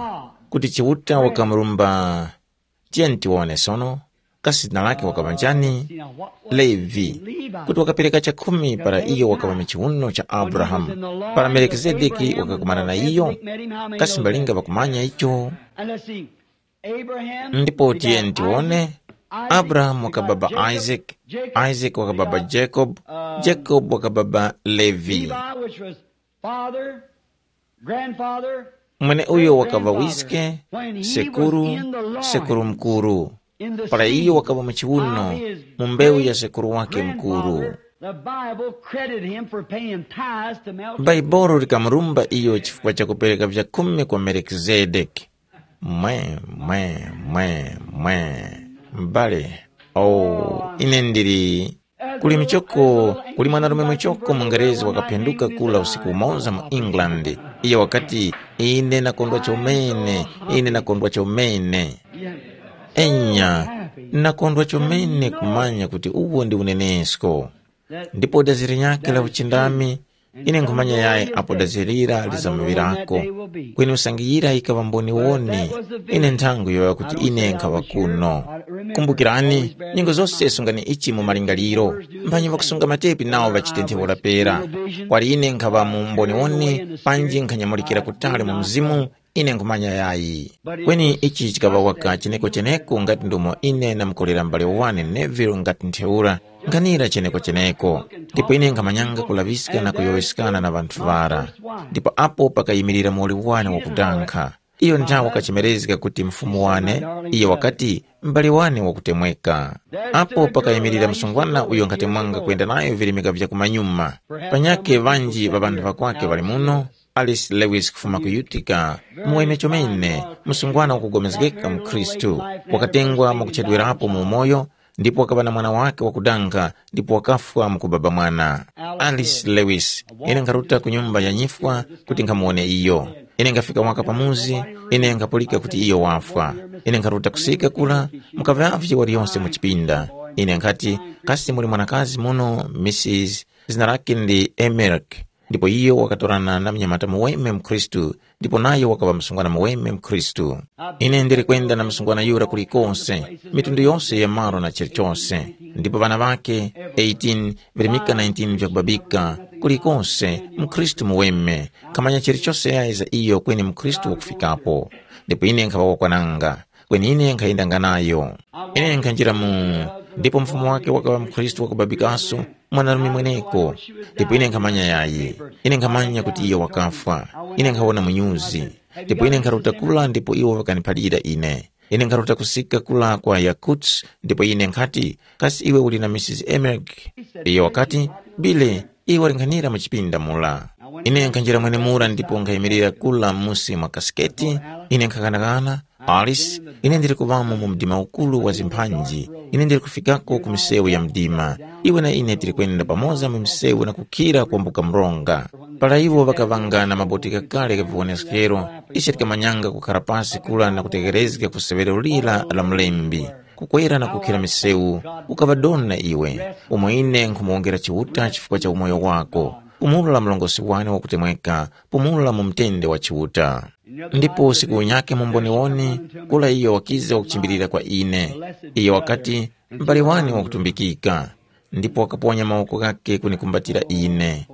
kuti Chiuta wakamurumba? Tiyeni tiwone sono, kasi zina lake wakaŵa njani? Levi. Kuti wakapereka chakhumi para iyo wakaŵa mu chiwuno cha Abrahamu, para Melikizedeki wakakumana na iyo? Kasi mbalinga ŵakumanya icho? Ndipo tiyeni tiwone, Abrahamu wakababa Isaac, Isaac wakababa Jacob, Jacob wakababa Levi. Father, grandfather, mwene uyo wakaŵa wiske, sekuru, sekuru mukuru, para iyo wakaŵa mu chiwuno, mu mbewu ya sekuru wake mukuru. The Bible credited him for paying tithes to Melchizedek. Bhaibuli likamurumba iyo chifukwa cha kupereka vyakhumi kwa Melikizedeki. Mwe, mwe, mwe, mwe. M'bale, oh, ine ndili. Kuli michoko, kuli mwanarume muchoko mungerezi wakaphenduka kula usiku umoza mu England. Iyo wakati, ine nakondwa chomene, ine nakondwa chomene. Enya, nakondwa chomene kumanya kuti uwo ndi unenesko. Ndipo dazi linyakhe la uchindami, ine nkhumanya yayi apo dazi lira lizamuŵirako. Kweni usange yira yikaŵa mboniwoni, ine nthango yoyoya kuti ine nkhaŵa kuno. Kumbukirani, nyengo zose sungani ichi mu malingaliro. Mphanyi ŵakusunga matepi nawo ŵachite ntheura pera. Kwali ine nkhaŵa mu mboniwoni, panji nkhanyamulikira kutali mu mzimu, ine nkhumanya yayi. Kweni ichi chikaŵa waka cheneko-cheneko ngati ndomo ine namukolera m'bale wane Neville ngati ntheura, nkhanira cheneko-cheneko. Ndipo ine nkhamanyanga kulaŵiska na kuyowoyeskana na ŵanthu ŵara. Ndipo apo pakayimirira muwoli wane wakudankha. Iyo nthawe wakachemerezga kuti mfumu wane, iyo wakati, mubali wane wakutemweka. Apo pakayimirira msungwana uyo nkhatemwanga kwenda nayo virimika vya kumanyuma. Panyakhe ŵanji ŵa ŵanthu ŵakwakhe ŵali muno, Alice Lewis kufuma ku Utica, muweme chomene, msungwana wakugomezgeka mu Khristu, wakatengwa mwakuchedwerapo mu umoyo, ndipo wakaŵa na mwana wake wakudanga ndipo wakafwa mu kubaba mwana. Alice Lewis, ine nkharuta ku nyumba ya nyifwa kuti nkhamuwone iyo. Ine nkhafika waka pamuzi, ine nkhapulika kuti iyo wafwa. Ine nkharuta kusika kura, mukaŵavye waliyonse mu chipinda. Ine nkhati, kasi muli mwanakazi muno, Missis, zina lake ndi Emerk. Ndipo iyo wakatorana na mnyamata muweme mkhristu, ndipo nayo wakaŵa msungwana muweme mkhristu. Ine ndili kwenda na msungwana yura kulikose, mitundu yose ya malo na chilichose. Ndipo ŵana ŵake eighteen, virimika nineteen vyakubabika, kulikose, mkhristu muweme, khamanya chilichose yayi za iyo kweni mkhristu wakufikapo. Ndipo ine nkhaŵa wakwananga, kweni ine nkhayendanga nayo. Ine nkhanjira mu, ndipo mfumu wake wakaŵa mkhristu wakubabikaso, mwanarume mweneko. Ndipo ine nkhamanya yayi. Ine nkhamanya kuti iyo wakafwa. Ine nkhawona munyuzi. Ndipo ine nkharuta kula ndipo iwo ŵakaniphalira ine. Ine nkharuta kusika kula kwa Yakutsk ndipo ine nkhati, kasi iwe uli na Missis Emerk? Iyo wakati, Bile, iwe walinghanira mu chipinda mura. Ine nkhanjira mwenemura ndipo nkhayimirira kula musi mwa kasiketi. Ine nkhakanakana, Alice, ine ndili kuŵamo mu mdima ukuru wa zimphanji. Ine ndili kufikako ku misewu ya mdima. Iwe na ine tili kwenda pamoza mu misewu na kukhira kwambuka mronga. Para iwo ŵakaŵanga na maboteka kale gha viwoneskero, ise tikamanyanga kukhara pasi kura na kutegherezga ku seŵero lira la mlembi, kukwera na kukhira misewu. Ukaŵa doni na iwe, umo ine nkhumuwongera Chiuta chifukwa cha umoyo wako. Pumula mlongosi wane wakutemweka, pumula mu mtende wa Chiuta. Ndipo usiku unyakhe mumboniwoni, kula iyo wakiza wakuchimbilira kwa ine. Iyo wakati, m'bale wane wakutumbikika. Ndipo wakaponya mawoko ghakhe kunikumbatira ine.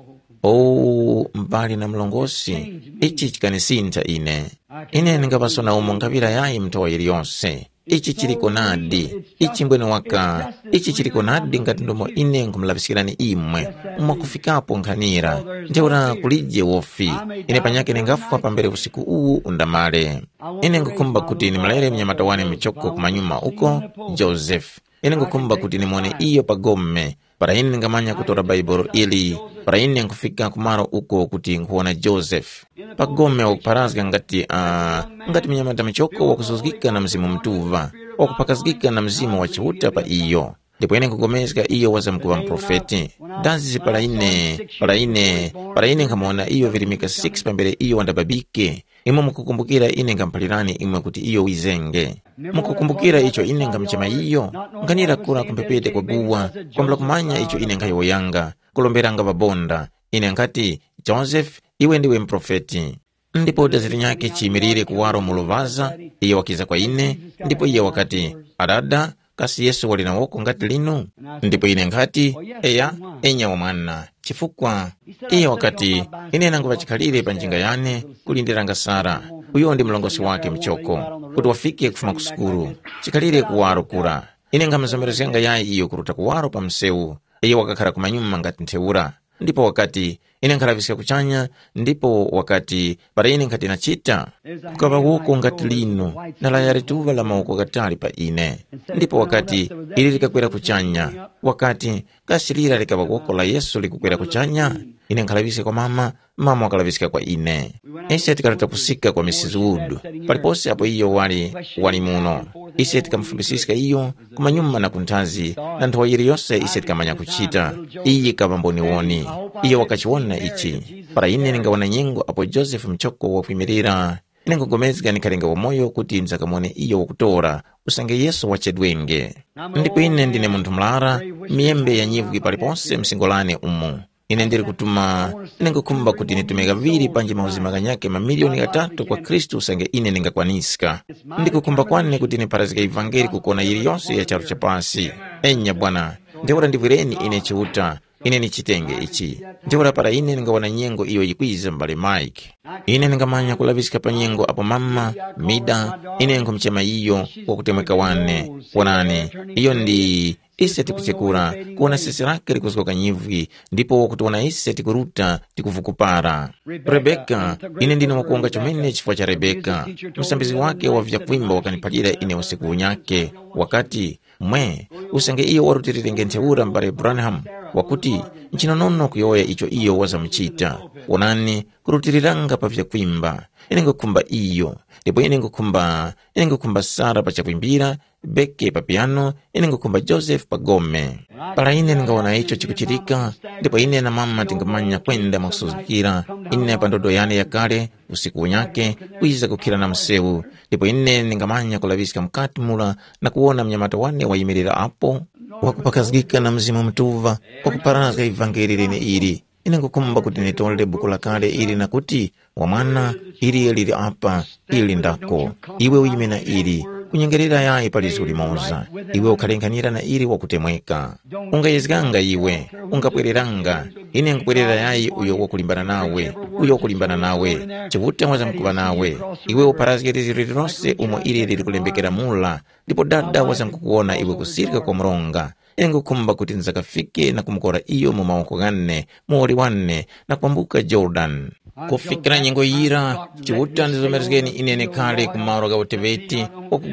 O, m'bale na mlongosi, ichi chikanisintha ine. Ine ndingaŵaso na umo nkhaŵira yayi mu nthowa yiliyose. Ichi chiliko nadi. Ichi mbwene waka. Ichi chiliko nadi ngati ndomo ine nkhumulaŵiskirani imwe. Mwakufikapo nkhanira. Ntheura kulije wofi. Ine panyakhe ndingafwa pambere usiku uwu undamale. Ine nkhukhumba kuti ndimulere mnyamata wane muchoko kumanyuma uko, Joseph. Ine nkhukhumba kuti ndimone iyo pa gome. Para ine ndingamanya kutora Baibolo ili, para ine nkufika ku malo uko kuti nkhuwona Joseph. Pa gome wakupharazga ngati, uh, ngati mnyamata muchoko wakuzuzgika na Mzimu Mutuŵa, wakuphakazgika na Mzimu wa Chiuta pa iyo. Ndipo ine nkugomezga iyo wazamkuŵa muprofeti. Dazi para ine, para ine, para ine nkhamuwona iyo virimika six pambere iyo wandababike. Imwe mukukumbukira ine ngamuphalirani imwe kuti iyo wizenge. Mukukumbukira icho ine ngamchema iyo? Nkhanira kura ku mphepete kwa guwa, kwambula kumanya icho ine nkhayowoyanga, kulomberanga ŵabonda. Ine nkhati, Joseph, iwe ndiwe muprofeti. Ndipo dazi linyakhe chiyimirire kuwaro mu luŵaza, iyo wakiza kwa ine, ndipo iyo wakati, Adada, kasi Yesu wali na woko ngati linu? Ndipo ine nkhati, eya, enya wa mwana, chifukwa iyo wakati, ine nanguŵa chikhalire pa njinga yane, kulindiranga Sara, uyo ndi mlongosi wake muchoko, kuti wafike kufuma ku sukulu, chikhalire kuwaro kura. Ine nkhamuzomerezganga yayi iyo kuruta kuwaro pa msewu, iyo wakakhara kumanyuma ngati ntheura. Ndipo wakati, ine nkhalaŵiska kuchanya, ndipo wakati, para ine nkhati nachita, kukaŵa woko ngati lino, na laya lituŵa la mawoko ghatali pa ine. Ndipo wakati, ili likakwera kuchanya. Wakati, kasi lira likaŵa woko la Yesu likukwera kuchanya? Ine nkhalaŵiska kwa mama, mama wakalaŵiska kwa ine. Ise tikaruta kusika kwa Missus Wood, palipose apo iyo wali, wali muno. Ise tikamufumbisiska iyo kumanyuma na kunthazi, na nthowa yiliyose ise tikamanya kuchita. Iyi yikaŵa mboniwoni. Iyo wakachiwona ichi. Para ine ndingawona nyengo apo Josefe muchoko wakwimirira, ine nkugomezga ndikhalenga wamoyo kuti ndizakamuwone iyo wakutora, usange Yesu wachedwenge. Ndipo ine ndine munthu murara, miyembe ya nyivwi palipose msingo lane umu. Ine ndili kutuma, ine nkhukhumba kuti nditume ghaŵiri panji mauzima ghanyakhe mamiliyoni ghatatu kwa Khristu usange ine ndingakwaniska. Ndikukhumba kwane kuti ndipharazge ivangeli ku kona yiliyose ya charu cha pasi. Enya Bwana, ntheura ndivwireni ine Chiuta, ine ndichitenge ichi. Ntheura para ine ndingawona nyengo iyo yikwiza m'bale Mike. Ine ndingamanya kulaŵiska pa nyengo apo mama, Mida, ine nkhumuchema iyo wakutemweka wane. Wonani, iyo ndi, Ise tikuchekura, kuwona sesi lake likuzgoka nyivwi, ndipo wakutiwona ise tikuruta, tikuvukupara. Rebeka, ine ndine wakuwonga chomene chifukwa cha Rebeka. Msambizgi wake wa vyakwimba wakaniphalira ine usiku unyake, wakati, mwe, usange iyo warutilirenge ntheura m'bale Branham, wakuti, nchinonono kuyowoya icho iyo wazamuchita. Wonani, kurutiliranga pa vyakwimba. Ine ngukhumba iyo, ndipo ine ngukhumba, ine ngukhumba Sara pa chakwimbira, Beke pa piano, ine ngukhumba Joseph pa gome. Para ine ndingawona icho chikuchitika, ndipo ine na mama tingamanya kwenda mwakusuzgikira, ine pa ndodo yane yakale, usiku unyake, kwiza kukhira na msewu, ndipo ine ndingamanya kulaŵiska mukati mura na kuwona mnyamata wane wayimirira apo, wakuparazgika na Mzimu Mutuŵa, wakuparazga ivangeli leneili. Ine ngukhumba kuti nditole buku lakale ili na kuti, wa mwana, ili lili apa, ili ndako. Iwe uyime na ili, kunyengerera yayi pa lizgu limoza. Iwe ukhalenganyira na ili wakutemweka. Ungayezganga iwe, ungapwereranga. Ine nkupwerera yayi uyo wakulimbana nawe, uyo wakulimbana nawe. Chiuta wazamkuŵa nawe. Iwe uparazge lizgu lililose umo ili lili kulembekera mula, ndipo Dada wazamkukuwona iwe kusirika kwa mronga. Ine ngukhumba kuti ndizakafike na kumukora iyo mu mawoko ghane, muwoli wane, na kwambuka Jorodani. Kufikira nyengo yira, Chiuta ndizomerezgeni ine nekhale ku malo gha uteŵeti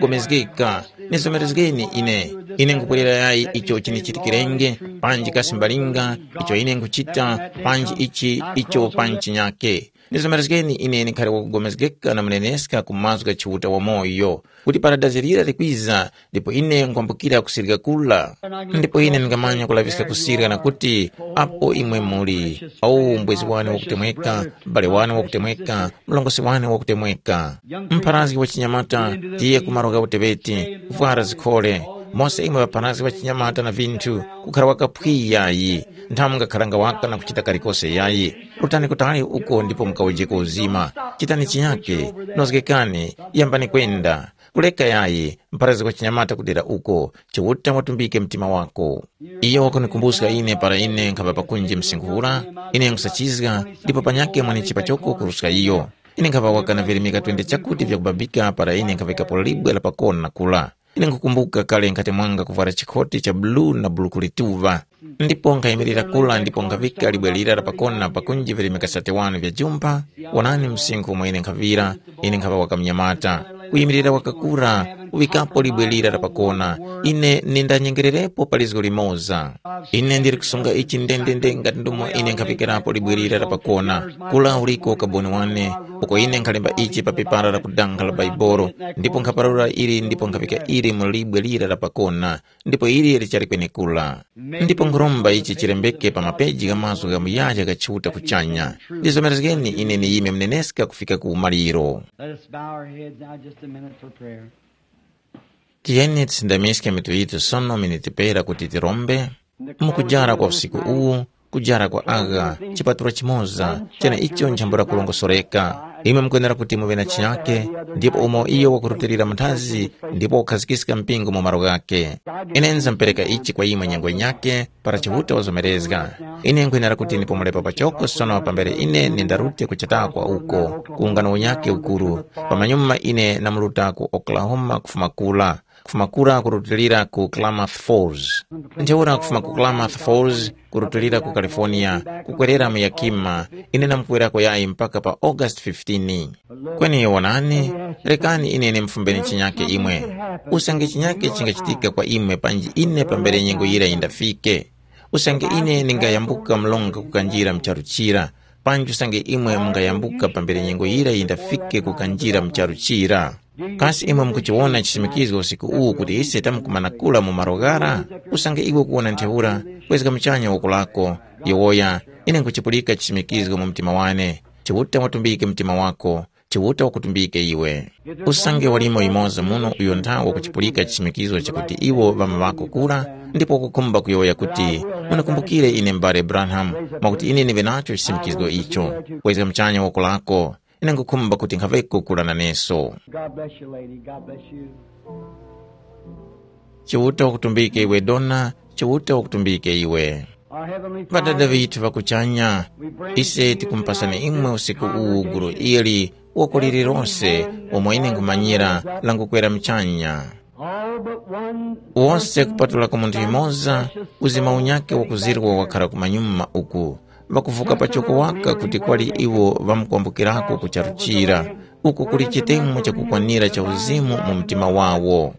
wakugomezgeka. Nizomerezgeni ine. Ine nkupwerera yayi icho chinichitikirenge, panji kasi mbalinga, icho ine nkuchita, panji ichi icho panji chinyake. Nizomerezgeni ine nikhale wakugomezgeka na muneneska ku mazgu gha Chiuta wamoyo, kuti para dazi lira likwiza, ndipo ine nkwambukira kusirika kula. Ndipo ine ndingamanya kulaŵiska kusirika na kuti, apo imwe muli, awu mbwezi wane wakutemweka, m'bale wane wakutemweka, mlongosi wane wakutemweka. Mpharazgi wa chinyamata, tiye ku malo gha uteŵeti, vwara zikhole. Mose imwe ŵapharazgi ŵa chinyamata na vinthu, kukhara wakaphwi yayi, nthamu mungakharanga waka na kuchita kalikose yayi. Rutani kutali uko ndipo mukawujeko uzima. Chitani chinyake, nozgekani, yambani kwenda. Kuleka yayi, mpharazgi wa chinyamata kudera uko, Chiuta watumbike mtima wako. Iyo wakunikumbuska ine para ine nkhaŵa pakunji msinkhu ura, ine nkusachizga, ndipo panyakhe mwanichi pachoko kuruska iyo. Ine nkhaŵa waka na virimika twenty chakuti vyakubabika para ine nkhavikapo libwe la pakona kula. Ine nkukumbuka kale nkhati mwanga kuvwara chikhoti cha bulu na buluku lituŵa. Ndipo nkhayimirira kula ndipo nkhavika libwe lira la pakona pakunji virimika sate wanu vya jumpa, wonani msinkhu umo ine nkhavira, ine nkhaŵa waka mnyamata. Kuyimirira wakakura, kuŵikapo libwe lira la pakona, ine nindanyengererepo pa lizgo limoza. Ine ndili kusunga ichi ndendende ngati ndumo ine nkhaŵikirapo libwe lira la pakona. Kula uliko ukaboni wane, uko ine nkhalemba ichi pa pepara la kudanga la Baibolo, ndipo nkhaparura ili ndipo nkhaŵika ili mu libwe lira la pakona, ndipo ili lichali kwenekura. Ndipo nkhuromba ichi chilembeke pa mapeji gha mazgu gha muyaya gha Chiuta kuchanya. Ndizomerezgeni ine niyime mneneska kufika ku umaliro. Let us bow our heads now just a minute for prayer. Tiyeni tisindamiske mitu yitu sono miniti pera kuti tirombe. Mukujara kwa usiku uwu, kujara kwa agha, chipatula chimoza, chene icho nchambula kulongosoreka. Imwe mukwenera kuti muŵe na chinyake, ndipo umo iyo wakurutilira muthazi, ndipo wakukhazikiska mpingo mu malo ghakhe. Ine nizampereka ichi kwa imwe nyengo yinyakhe, para Chiuta wazomerezga. Ine nkhwenera kuti ndipomulepa pachoko sono pambere ine nindarute kuchata kwa uko, ku ungano unyakhe ukuru. Pamanyuma ine namuruta ku Oklahoma kufuma kura. Kufuma kura kurutilira ku Klamath Falls. Ntheura kufuma ku Klamath Falls kurutilira ku California, kukwerera mu Yakima, ine namkwerako yayi mpaka pa August fifteen. Kweni wonani, rekani ine ndimfumbeni chinyake imwe. Usange chinyake chingachitika kwa imwe panji ine pambere nyengo yira yindafike. Usange ine ndingayambuka mlonga kukanjira mu charu chira, panji usange imwe mungayambuka pambere nyengo yira yindafike kukanjira mu charu chira. Kasi imwe mukuchiwona chisimikizgo usiku uwu kuti ise tamkumanakula mu malo ghara? Usange iwe ukuwona ntheura, kwezga muchanya woko lako, yowoya, ine nkuchipulika chisimikizgo mu mtima wane. Chiuta watumbike mtima wako, Chiuta wakutumbike iwe. Usange walimo yumoza muno uyo ntha wakuchipulika chisimikizgo chakuti iwo ŵama ŵako kura, ndipo wakukhumba kuyowoya kuti, munikumbukire ine m'bale Branham, mwakuti ine ndive nacho chisimikizgo icho. Kwezga muchanya woko lako, ine nkhukhumba kuti nkhaŵeko kura naneso. God bless you, lady. God bless you. Chiuta wakutumbike iwe dona, Chiuta wakutumbike iwe. Our Heavenly Ŵadada Father, vithu ŵakuchanya, we bring ise you tikumpasani tonight imwe this usiku uwu gulu congregation ili woko lililonse umo ine nkhumanyira langukwera mchanya. All but one Wose kupatulako munthu yumoza, uzima unyakhe wakuzirwa wakhala kumanyuma uku, ŵakuvuka pachoko waka kuti kwali iwo ŵamkwambukirako ku charu chira, uko kuli chitemo chakukwanira cha uzimu mu mtima wawo.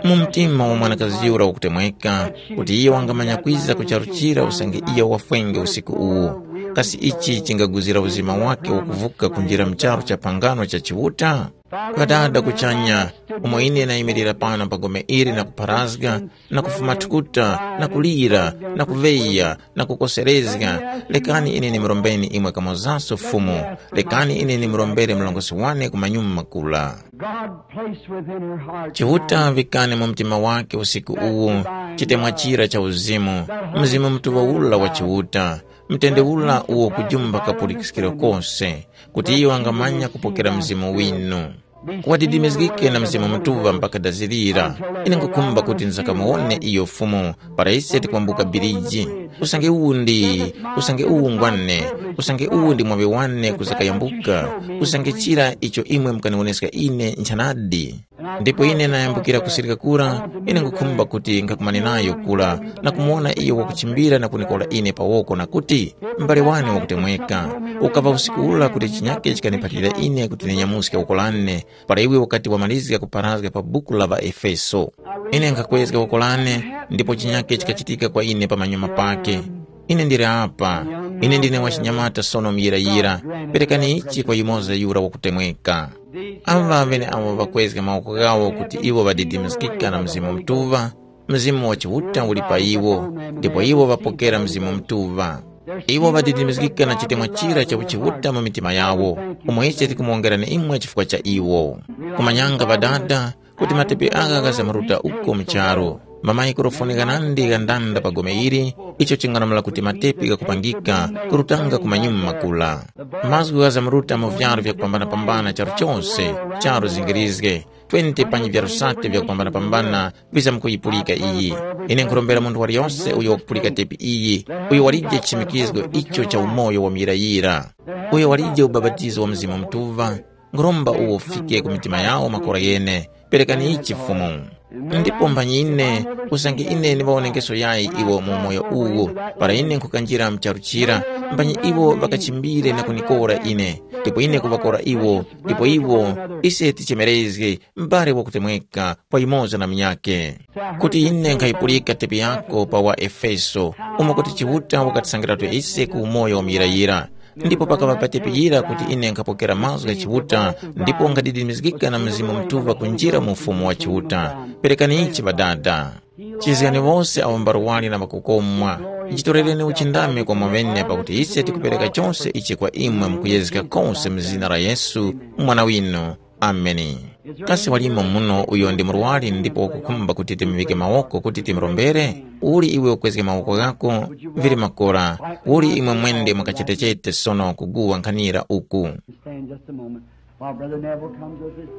Mu mtima wa mwanakazi yura wakutemweka, kuti iyo wangamanya kwiza ku charu chira usange iyo wafwenge usiku uwu, kasi ichi chingaguzira uzima wake wakuvuka kunjira mu charu cha phangano cha Chiuta? Ŵadada kuchanya, umo ine nayimirira pano pa gome ili na kupharazga, na kufuma thukuta, na kulira, na kuŵeya, na kukoserezga, lekani ine nimurombeni imwe kamozaso Fumu, lekani ine nimurombere mlongosi wane ku manyuma kula. God placed within her heart Chiuta vikani mu mtima wake usiku uwu, chitemwa chira cha uzimu, Mzimu Mutuŵa ula wa Chiuta, mtende ula uwo kujumba kapulikiskiro kose, kuti iyo angamanya kupokera Mzimu winu. Wadidimizgike na Mzimu Mutuŵa mpaka dazirira. Ine ngukhumba kuti nzakamuwone iyo Fumu, para ise tikwambuka biriji. Usange uwu ndi, usange uwu ngwane, usange uwu ndi mwaŵi wane kuzakayambuka, usange chira icho imwe mukaniwoneska ine nchanadi. Ndipo ine nayambukira kusirika kura, ine ngukhumba kuti nkhakumane nayo kura, na kumuwona iyo wakuchimbira na kunikora ine pa woko na kuti, m'bale wane wakutemweka, ukaŵa usiku ula kuti chinyake chikaniphalira ine kuti ninyamuske woko lane, para iwe ukati wamalizga kupharazga pa buku la ŵaEfeso. Ine nkhakwezga woko lane, ndipo chinyake chikachitika kwa ine pamanyuma pake. Ine ndili apa. Ine ndine wachinyamata sono muyirayira. Perekani ichi kwa yumoza yura wakutemweka. Aŵa ŵeneawo ŵakwezga mawoko ghawo kuti iwo ŵadidimizgika na Mzimu Mutuŵa, Mzimu wa Chiuta uli pa iwo, ndipo iwo ŵapokera Mzimu Mutuŵa. Iwo ŵadidimizgika na chitemwa chira cha uchiuta mu mitima yawo, umo ise tikumuwongerani imwe chifukwa cha iwo. Kumanyanga Ŵadada, kuti matepi agha ghazamuruta uko mu charu. Mamayikrofoni ghanandi ghandanda pa gome ili, icho chingalamula kuti matepi ghakupangika kurutanga ku manyuma makula. Mazgu ghazamuruta mu vyaru vyakupambanapambana charu chose, charu zingirizge, twenty panyi vyaru sate vyakupambanapambana vizamkuyipulika iyi. Ine nkhurombera munthu waliyose uyo wakupulika tepi iyi, uyo walije chichimikizgo icho cha umoyo wa muyirayira, uyo walije ubapatizo wa Mzimu Mutuŵa, nkhuromba uwo ufike ku mitima yawo makora ghene. Perekani ichi Fumu. Ndipo mphanyi ine, usange ine ndiŵawonengeso yayi iwo mu umoyo uwu, para ine nkhukanjira mu charu chira, mphanyi iwo ŵakachimbire na kunikora ine, ndipo ine kuŵakora iwo, ndipo iwo, ise tichemerezge, m'bale wakutemweka, kwa yumoza na munyakhe. Kuti ine nkhayipulika tepi yako pa wa Efeso, umo kuti Chiuta wakatisangiratu ise ku umoyo wa muyirayira. Ndipo pakaŵa patepi yira kuti ine nkhapokera mazgu gha Chiuta, ndipo nkhadidimizgika na Mzimu Mutuŵa kunjira mu Ufumu wa Chiuta. Perekani ichi Ŵadada. Chizgani wose awo mbarwali na ŵakukomwa. Jitorereni uchindami kwa mwaŵene pakuti ise tikupereka chose ichi kwa imwe mukuyezga kose mu zina la Yesu, Mwana winu. Ameni. Kasi walimo muno uyo ndi murwari ndipo wakukhumba kuti timuŵike mawoko kuti timurombere? Uli iwe ukwezge mawoko ghako, vili makora, uli imwe mwende mwakachetechete sono kuguwa nkhanira uku. Stand just a moment while Brother Neville comes with us.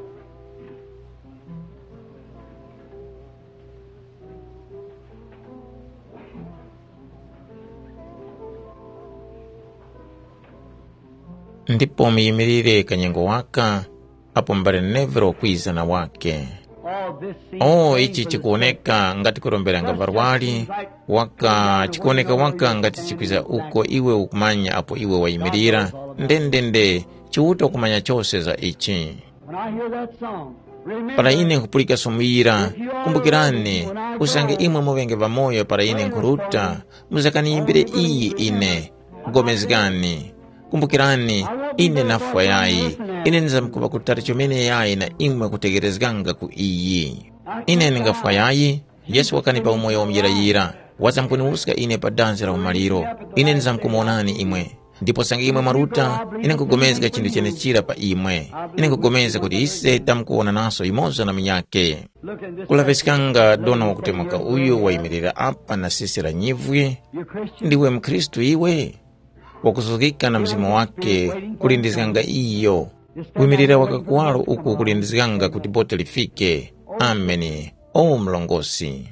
Ndipo muyimirire kanyengo waka, apo mbale Neville wakwiza na wake. Oh, ichi chikuwoneka ngati kuromberanga varwari, waka chikuwoneka waka ngati chikwiza uko iwe ukumanya apo iwe wayimirira. Ndendende, Chiuta ukumanya chose za ichi. When I hear that song, remember, para ine nkupulika somo yira, kumbukirani, usange imwe muŵenge ŵamoyo para ine nkhuruta, muzakaniyimbire iyi ine. Pulikani, kumbukirani, ine nafwa yayi, ine ndizamkuŵa kutali chomene yayi na imwe kutegherezganga ku iyi. Ine ndingafwa yayi, Yesu wakanipa umoyo wa muyirayira, wazamkuniwuska ine pa danzi la umaliro, ine ndizamkumuwonani imwe. Ndipo sange imwe mwaruta, ine nkugomezga chinthu chenechira pa imwe. Ine nkugomezga kuti ise tamkuwonanaso yumoza na munyakhe. Kulaŵiskanga dona wakutemuka uyu wayimirira apa na sisi la nyivwi, ndiwe mukhristu iwe? Wakuzukika na mzimu wake, kulindizganga iyo. Wimirira wakakuwaro uku kulindizganga kuti bote lifike. Ameni. O mlongosi.